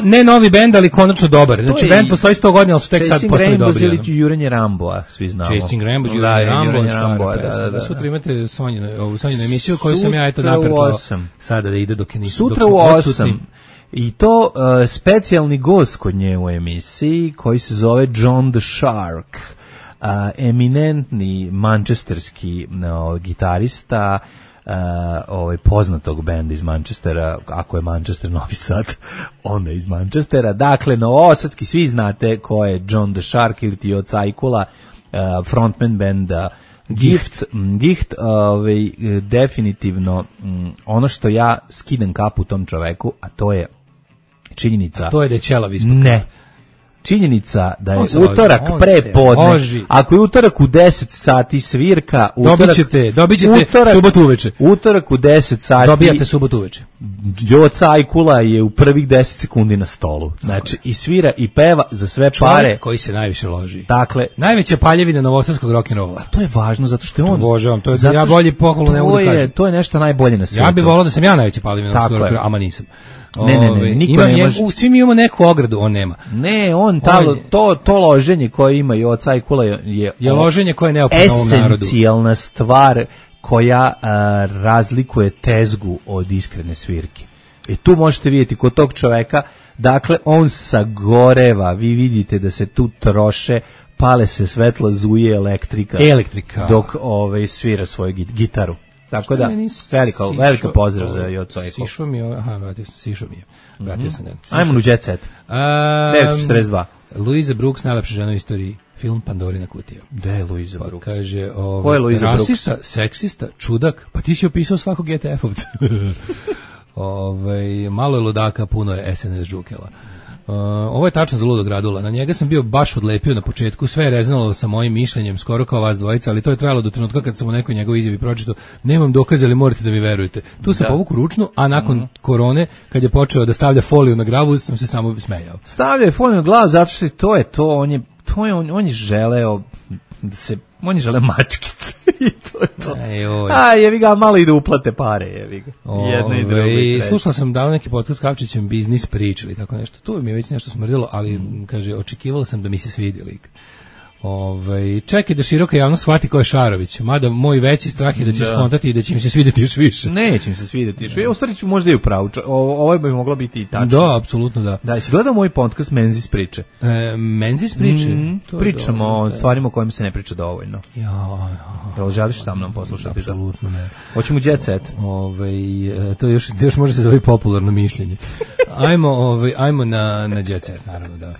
ne novi bend, ali konačno dobar. Znači, bend postoji 100 godina, ali su tek sad postali dobri. Chasing Rainbows ili Jurenje Ramboa, svi znamo. Chasing Rainbows, Jurenje Ramboa, da. Sutra imate Sonjinu emisiju koju sam ja napravila sada da ide dok je nisu. Sutra u 8. I to specijalni gost kod nje u emisiji koji se zove John the Shark, eminentni manchesterski gitarista poznatog benda iz Manchestera, ako je Manchester Novi Sad, onda iz Manchestera. Dakle, novosadski, svi znate ko je John the Shark ili ti od Cajkula, frontman benda Gift, definitivno ono što ja skidam kapu tom čoveku, a to je činjenica. A to je da je ćelav ispod. Ne. Činjenica da je utorak prepodne, ako je utorak u 10 sati svirka, dobit ćete subotu uveče. Utorak u 10 sati dobijate subotu uveče. Joca Ajkula je u prvih 10 sekundi na stolu. Znači, i svira i peva za sve pare. Čovjek koji se najviše loži. Dakle, najveća paljevina novosadskog rock'n'rolla. A to je važno zato što je on. Obožavam, to je ja bolje pohvalu ne mogu da kažem. To je nešto najbolje na svijetu. Ja bih volao da sam ja najveća paljevina novosadskog rock'n'rolla, ama nisam. Ne, niko ne može. Svi mi imamo neku ogradu, on nema. Ne, to loženje koje ima i Joca Ajkula je loženje koje je neophodno ovom narodu. Esencijalna stvar koja razlikuje tezgu od iskrene svirke. I tu možete vidjeti kod tog čoveka, dakle, on sagoreva, vi vidite da se tu troše, pale se svetla, zuje elektrika. Dok svira svoju gitaru. Tako da, velika pozdrav za Jocu Ajkulu. Sišo mi je. Vratio sam. Ajmo u Jet Set. 942. Louisa Brooks, najlepša žena u istoriji. Film Pandorina kutija. Gde je Louisa Brooks? Kaže, ko je Louisa Brooks? Rasista, seksista, čudak. Pa ti si opisao svakog GTF-ovca. Malo je ludaka, puno je SNS džukela. Ovo je tačno za ludog Radula. Na njega sam bio baš odlepio na početku, sve je rezonalo sa mojim mišljenjem, skoro kao vas dvojica, ali to je trajalo do trenutka kad sam u nekoj njegovoj izjavi pročitao, nemam dokaza, ali morate da mi verujete. Tu sam povuku ručnu, a nakon korone, kad je počeo da stavlja foliju na glavu, sam se samo smejao. Stavlja foliju na glavu zato što on je želeo da se, on je želeo mačkice. I to je to. Jevi ga, malo i da uplate pare, jevi ga. Jedno i drugo. Slušala sam davno neki podcast s Kavčićem, biznis pričali, tako nešto. Tu mi je već nešto smrdilo, ali, kaže, očekivala sam da mi se svidi lik. Čekaj da široka javnost shvati ko je Šarović, mada moj veći strah je da će skontati i da će im se svidjeti još više. Neće im se svidjeti još više. U stvari ću možda i upravo. Ovo bi moglo biti i tačno. Da, apsolutno da. Da, si gledao moj podcast Menzis priče? Menzis priče? Pričamo o stvarima o kojima se ne priča dovoljno. Ja. Želiš sa mnom poslušati? Apsolutno ne. Hoćemo Jet Set. To još može se zove popularno mišljenje. Ajmo na Jet Set, naravno, da.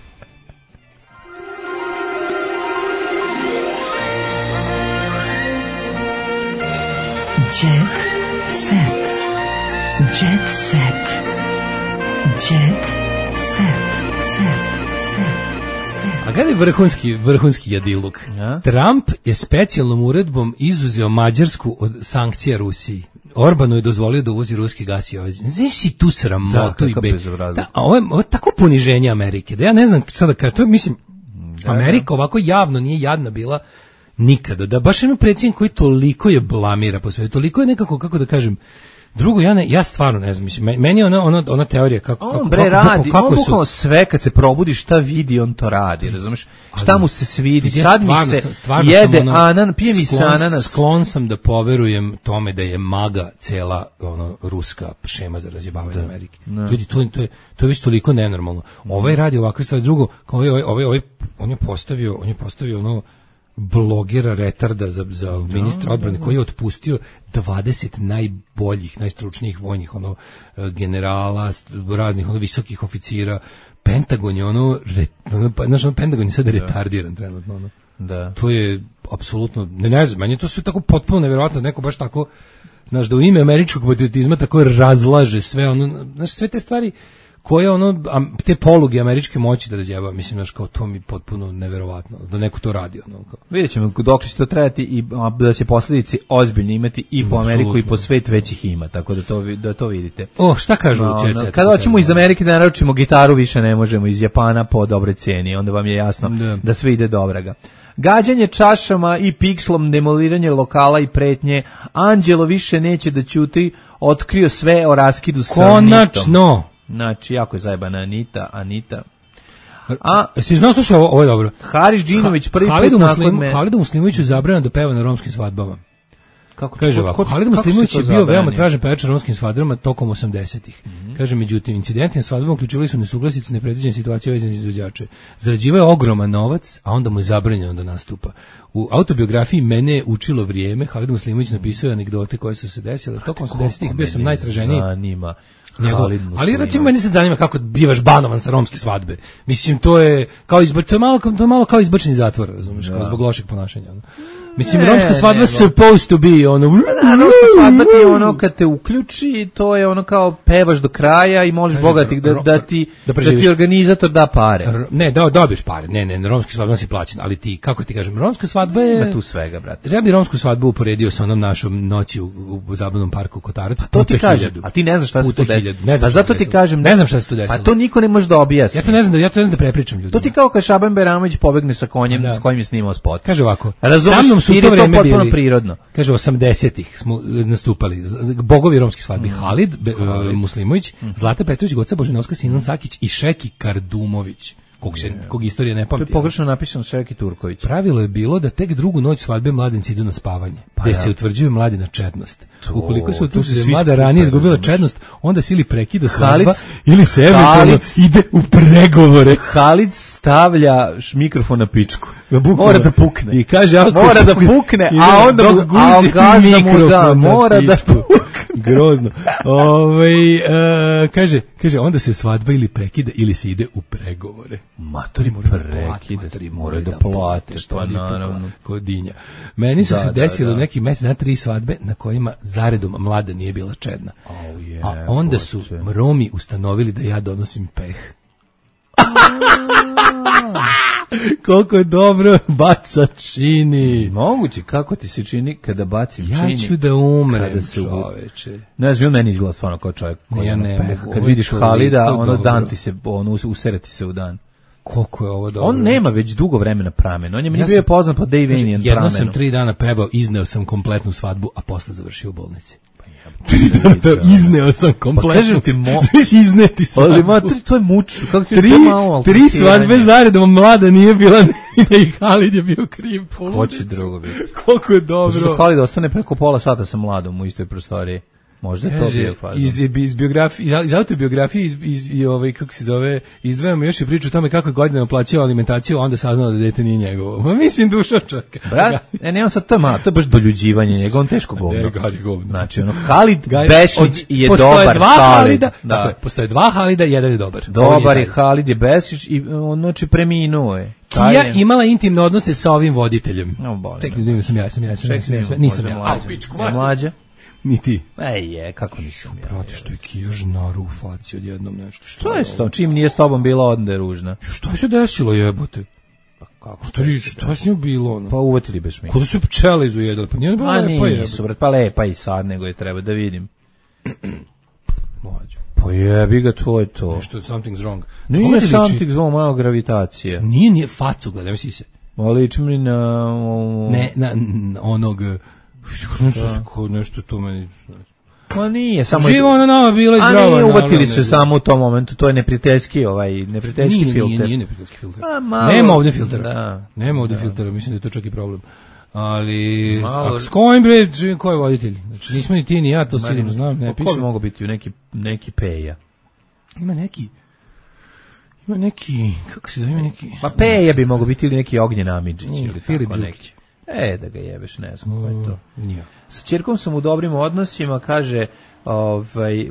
Jet set. Jet set. Jet set. A gledaj vrhunski jadiluk. Ja? Trump je specijalnom uredbom izuzeo Mađarsku od sankcija Rusiji. Orbanu je dozvolio da uvozi ruski gas i Znaš si tu sramotu i ovo je tako poniženje Amerike. Da ja ne znam sada to mislim, Amerika ovako javno nije jadna bila nikada, da baš ima predsjednik koji toliko je blamira po svetu, toliko je nekako, kako da kažem, drugo, ja stvarno ne znam, mislim, meni je ona teorija kako radi, on bukvalno sve kad se probudi šta vidi, on to radi, razumeš, šta mu se svidi, sad mi se jede pije mi se ananas. Sklon sam da poverujem tome da je MAGA cela ruska šema za razjebavanje Amerike. Ljudi, to je već toliko nenormalno. Ovaj radi ovakve stvari, drugo, on je postavio blogera retarda za ministra odbrane koji je otpustio 20 najboljih, najstručnijih vojnih generala, raznih visokih oficira. Pentagon je Pentagon je sada retardiran trenutno. Da. To je apsolutno, ne znam, meni je to sve tako potpuno nevjerojatno, neko baš tako, da u ime američkog patriotizma tako razlaže sve sve te stvari koje ono, te poluge američke moći da razjeba, mislim, znaš, kao to mi potpuno neverovatno, da neko to radi. Ono, kao. Vidjet ćemo dok će to trajati i da se posljedice ozbiljno imati i po Ameriku i po svet već ih ima, tako da to vidite. Šta kažu u Čece? Kada hoćemo iz Amerike da naručimo gitaru, više ne možemo, iz Japana po dobre cijeni, onda vam je jasno da sve ide dobraga. Gađanje čašama i pikslom, demoliranje lokala i pretnje, Anđelo više neće da ćuti, otkrio sve o raskidu sa Anitom. Konačno! Znači, jako je zajebana Anita. Jesi znao, slušaj, ovo je dobro. Haris Džinović prvi put nakon Halidu Muslimoviću zabranjeno da peva na romskim svadbama. Kako kaže ovako, Halid Muslimović je bio veoma tražen pevač na romskim svadbama tokom 80-ih. Kaže, međutim, incidenti na svadbama uključivali su nesuglasice, nepredviđene situacije vezane za izvođače. Zarađivao je ogroman novac, a onda mu je zabranjeno da nastupa. U autobiografiji Mene je učilo vrijeme, Halid Muslimović napisao anegdote koje su se desile. Tokom 80-ih bio sam najtraženiji. Zanima. Ali recimo meni se zanima kako bivaš banovan sa romske svadbe. Mislim, to je kao malo kao izbačeni zatvor, razumiješ, kao zbog lošeg ponašanja. Mislim, romska svadba supposed to be ono. Romska svadba ti je ono kad te uključi, to je ono kao pevaš do kraja i moliš Boga da ti organizator da pare. Ne, dobiješ pare. Ne, romska svadba si plaćen, ali ti, kako ti kažem, romska svadba je... Ima tu svega, brate. Ja bi romsku svadbu uporedio sa onom našom noći u zabavnom parku Kotarac. To ti kažem, a ti ne znaš šta se tu desilo. A zato ti kažem, ne znam šta se tu desilo. A to niko ne može da objasni. Ja to ne znam da prepričam ljudima. To ti kao kad Šaban Beramović pobegne sa konjem s kojim je snimao spot. Kaže ovako, sa mnom su to vreme bili prirodno. Kaže, 80-ih smo nastupali. Bogovi romskih svadbi. Halid Muslimović, Zlata Petrović, Goca Božinovska, Sinan Sakić i Šeki Kardumović. Kog istorija ne pamti. To je pogrešno napisano Šeki Turković. Pravilo je bilo da tek drugu noć svadbe mladenci idu na spavanje, gde se utvrđuje mladina čednost. Ukoliko se utvrđuje da mlada ranije izgubila čednost, onda se ili prekida svadba, ili se eventualno ide u pregovore. Halid stavlja mikrofon na pičku. Mora da pukne. I kaže, mora da pukne, a onda gazda mu da, mora da pukne. Grozno. Kaže, onda se svadba ili prekida ili se ide u pregovore. Matori prekida, mora da plate, pa naravno. Kodinja. Meni su se desilo neki mesec na 3 svadbe na kojima zaredom mlada nije bila čedna. A onda su Romi ustanovili da ja donosim peh. Koliko je dobro baca čini. Moguće, kako ti se čini kada bacim čini? Ja ću da umrem, čoveče. Ne znam, meni izgleda stvarno kao čovjek koji ima peh. Kad vidiš Halida, ono dan ti se, ono usereti se u dan. Koliko je ovo dobro. On nema već dugo vremena pramen. On je meni bio poznat po Davinian pramenu. Jedno sam 3 dana pevao, izneo sam kompletnu svadbu, a posle završio u bolnici. Izneo sam kompletno. Pa kažem ti, izneti svadbu. Ali to je muč. Tri svadbe zaredom, mlada nije bila i Halid je bio kriv. Hoće drugo biti. Koliko je dobro. Što Halid ostane preko pola sata sa mladom u istoj prostoriji. Možda je to bio fazon. Iz autobiografije, kako se zove, izdvajamo još i priču o tome kako je godinama plaćao alimentaciju, a onda saznao da dete nije njegovo. Ma mislim, duša čovjeka. Brat, nemam sad, to je baš doljuđivanje njega, on teško govno. Znači, Halid Bešić je dobar Halid. Tako je, postoje 2 Halida, jedan je dobar. Dobar je Halid je Bešić i on znači preminuo je. Kija imala intimne odnose sa ovim voditeljem. Čekaj, nisam ja. Mlađa. Ni ti. Kako nisam ja. Prati što je Kija žnaru u faci odjednom nešto. Što je s tom? Čim nije s tobom bila, onda je ružna. Što se desilo, jebote? Kako? Što s njom bilo ono? Pa uvatili beš mi. Kako su pčele izujedali? Pa nije bilo lepa je. Nisu, brat, pa lepa i sad, nego je treba da vidim. Mlađo. Pa jebi ga, to je to. Nešto, something's wrong. Nije something's wrong, malo gravitacija. Nije facu, gledaj, misli se. Liči mi na... Ne, na onog... Nešto to meni... Pa nije, samo... Živo ona nama bila i zdrava. A nije, uvatili su samo u tom momentu, to je neprijateljski filter. Nije neprijateljski filter. Nema ovdje filtera. Nema ovdje filtera, mislim da je to čak i problem. Ali... S kojim bre, ko je voditelj? Znači, nismo ni ti ni ja, to sigurno znam, ne piše. Ko bi mogu biti u neki Peja? Ima neki, kako se zove, ima neki... Pa Peja bi mogu biti ili neki Ognjen Amidžić ili tako neki. Da ga jebeš, ne znam ko je to. Nije. Sa ćerkom sam u dobrim odnosima, kaže,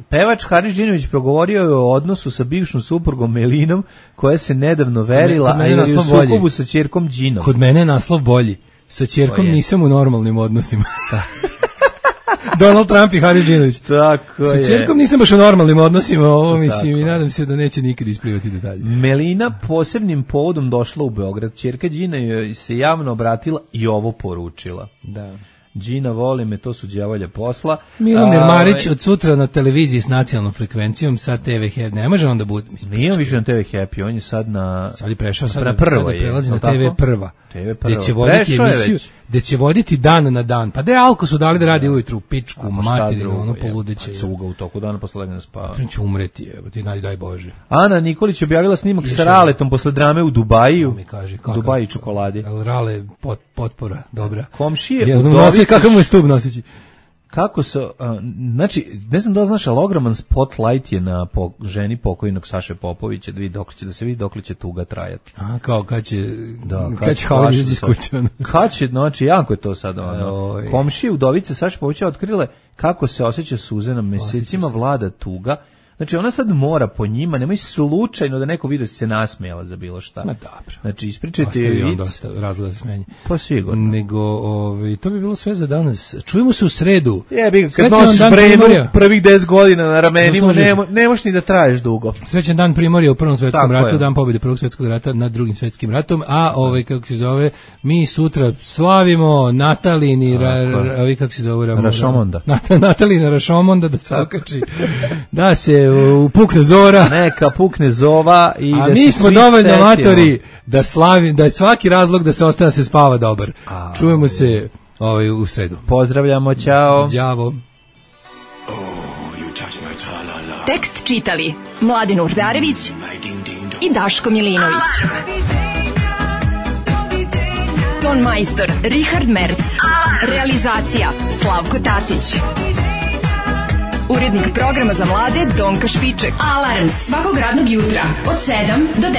pevač Haris Džinović progovorio je o odnosu sa bivšom suprugom Melinom, koja se nedavno verila, a je u sukobu sa ćerkom Džinom. Kod mene je naslov bolji. Sa ćerkom nisam u normalnim odnosima. Donald Trump i Haris Džinović. Tako je. Sa ćerkom nisam baš u normalnim odnosima, ovo mislim i nadam se da neće nikad isplivati detalje. Melina posebnim povodom došla u Beograd. Ćerka Đina joj se javno obratila i ovo poručila. Da. Đina, voli me, to su đavolje posla. Milomir Marić od sutra na televiziji s nacionalnom frekvencijom sa TV Happy. Ne može on da bude. Nije on više na TV Happy, on je sad na... Sad je prešao, sad prelazi na TV Prva. TV Prva. Gde će voditi emisiju, gde će voditi dan na dan. Pa da Alko su dali da radi ujutru, pičku, materinu, ono poludeće. Pa cuga u toku dana posle legne spava. Pa će umreti, evo ti daj Bože. Ana Nikolić objavila snimak sa Raletom posle drame u Dubaju. Dubaji čokoladi. Rale potpora, dobra. Komšije Udovice. Kakav mu je stub nosići? Kako se, znači, ne znam da li znaš, ali ogroman spotlight je na ženi pokojnog Saše Popovića, da se vidi dokle će tuga trajati. A, kao kad će Hvala iz kuće. Kad će, znači, jako je to sad, komšije udovice Saše Popovića otkrile kako se osjeća suze na mesecima, vlada tuga. Znači, ona sad mora po njima, nemoj slučajno da neko vidi da se nasmejala za bilo šta. Ma dobro. Znači, ispričajte je vic. Dosta razgleda se smenje. Pa sigurno. Nego, to bi bilo sve za danas. Čujemo se u sredu. Kad nosiš brenu prvih 10 godina na ramenima, nemoš ni da traješ dugo. Srećan dan Primorja u Prvom svetskom ratu, dan pobjede Prvog svetskog rata nad Drugim svetskim ratom, a kako se zove, mi sutra slavimo Natalini, kako se zove? Rašomonda. Natalina Rašomonda da se okači. Da se pukne zora. Neka pukne zova i a mi smo dovoljno amatori da slavim, da je svaki razlog da se ostane se spava dobar. Čujemo se u sredu. Pozdravljamo, ćao. Đavo. Tekst čitali Mladen Urdarević i Daško Milinović. Ton majstor Richard Merc. Realizacija Slavko Tatić. Urednik programa za mlade Donka Špiček. Alarms svakog radnog jutra od 7 do 10.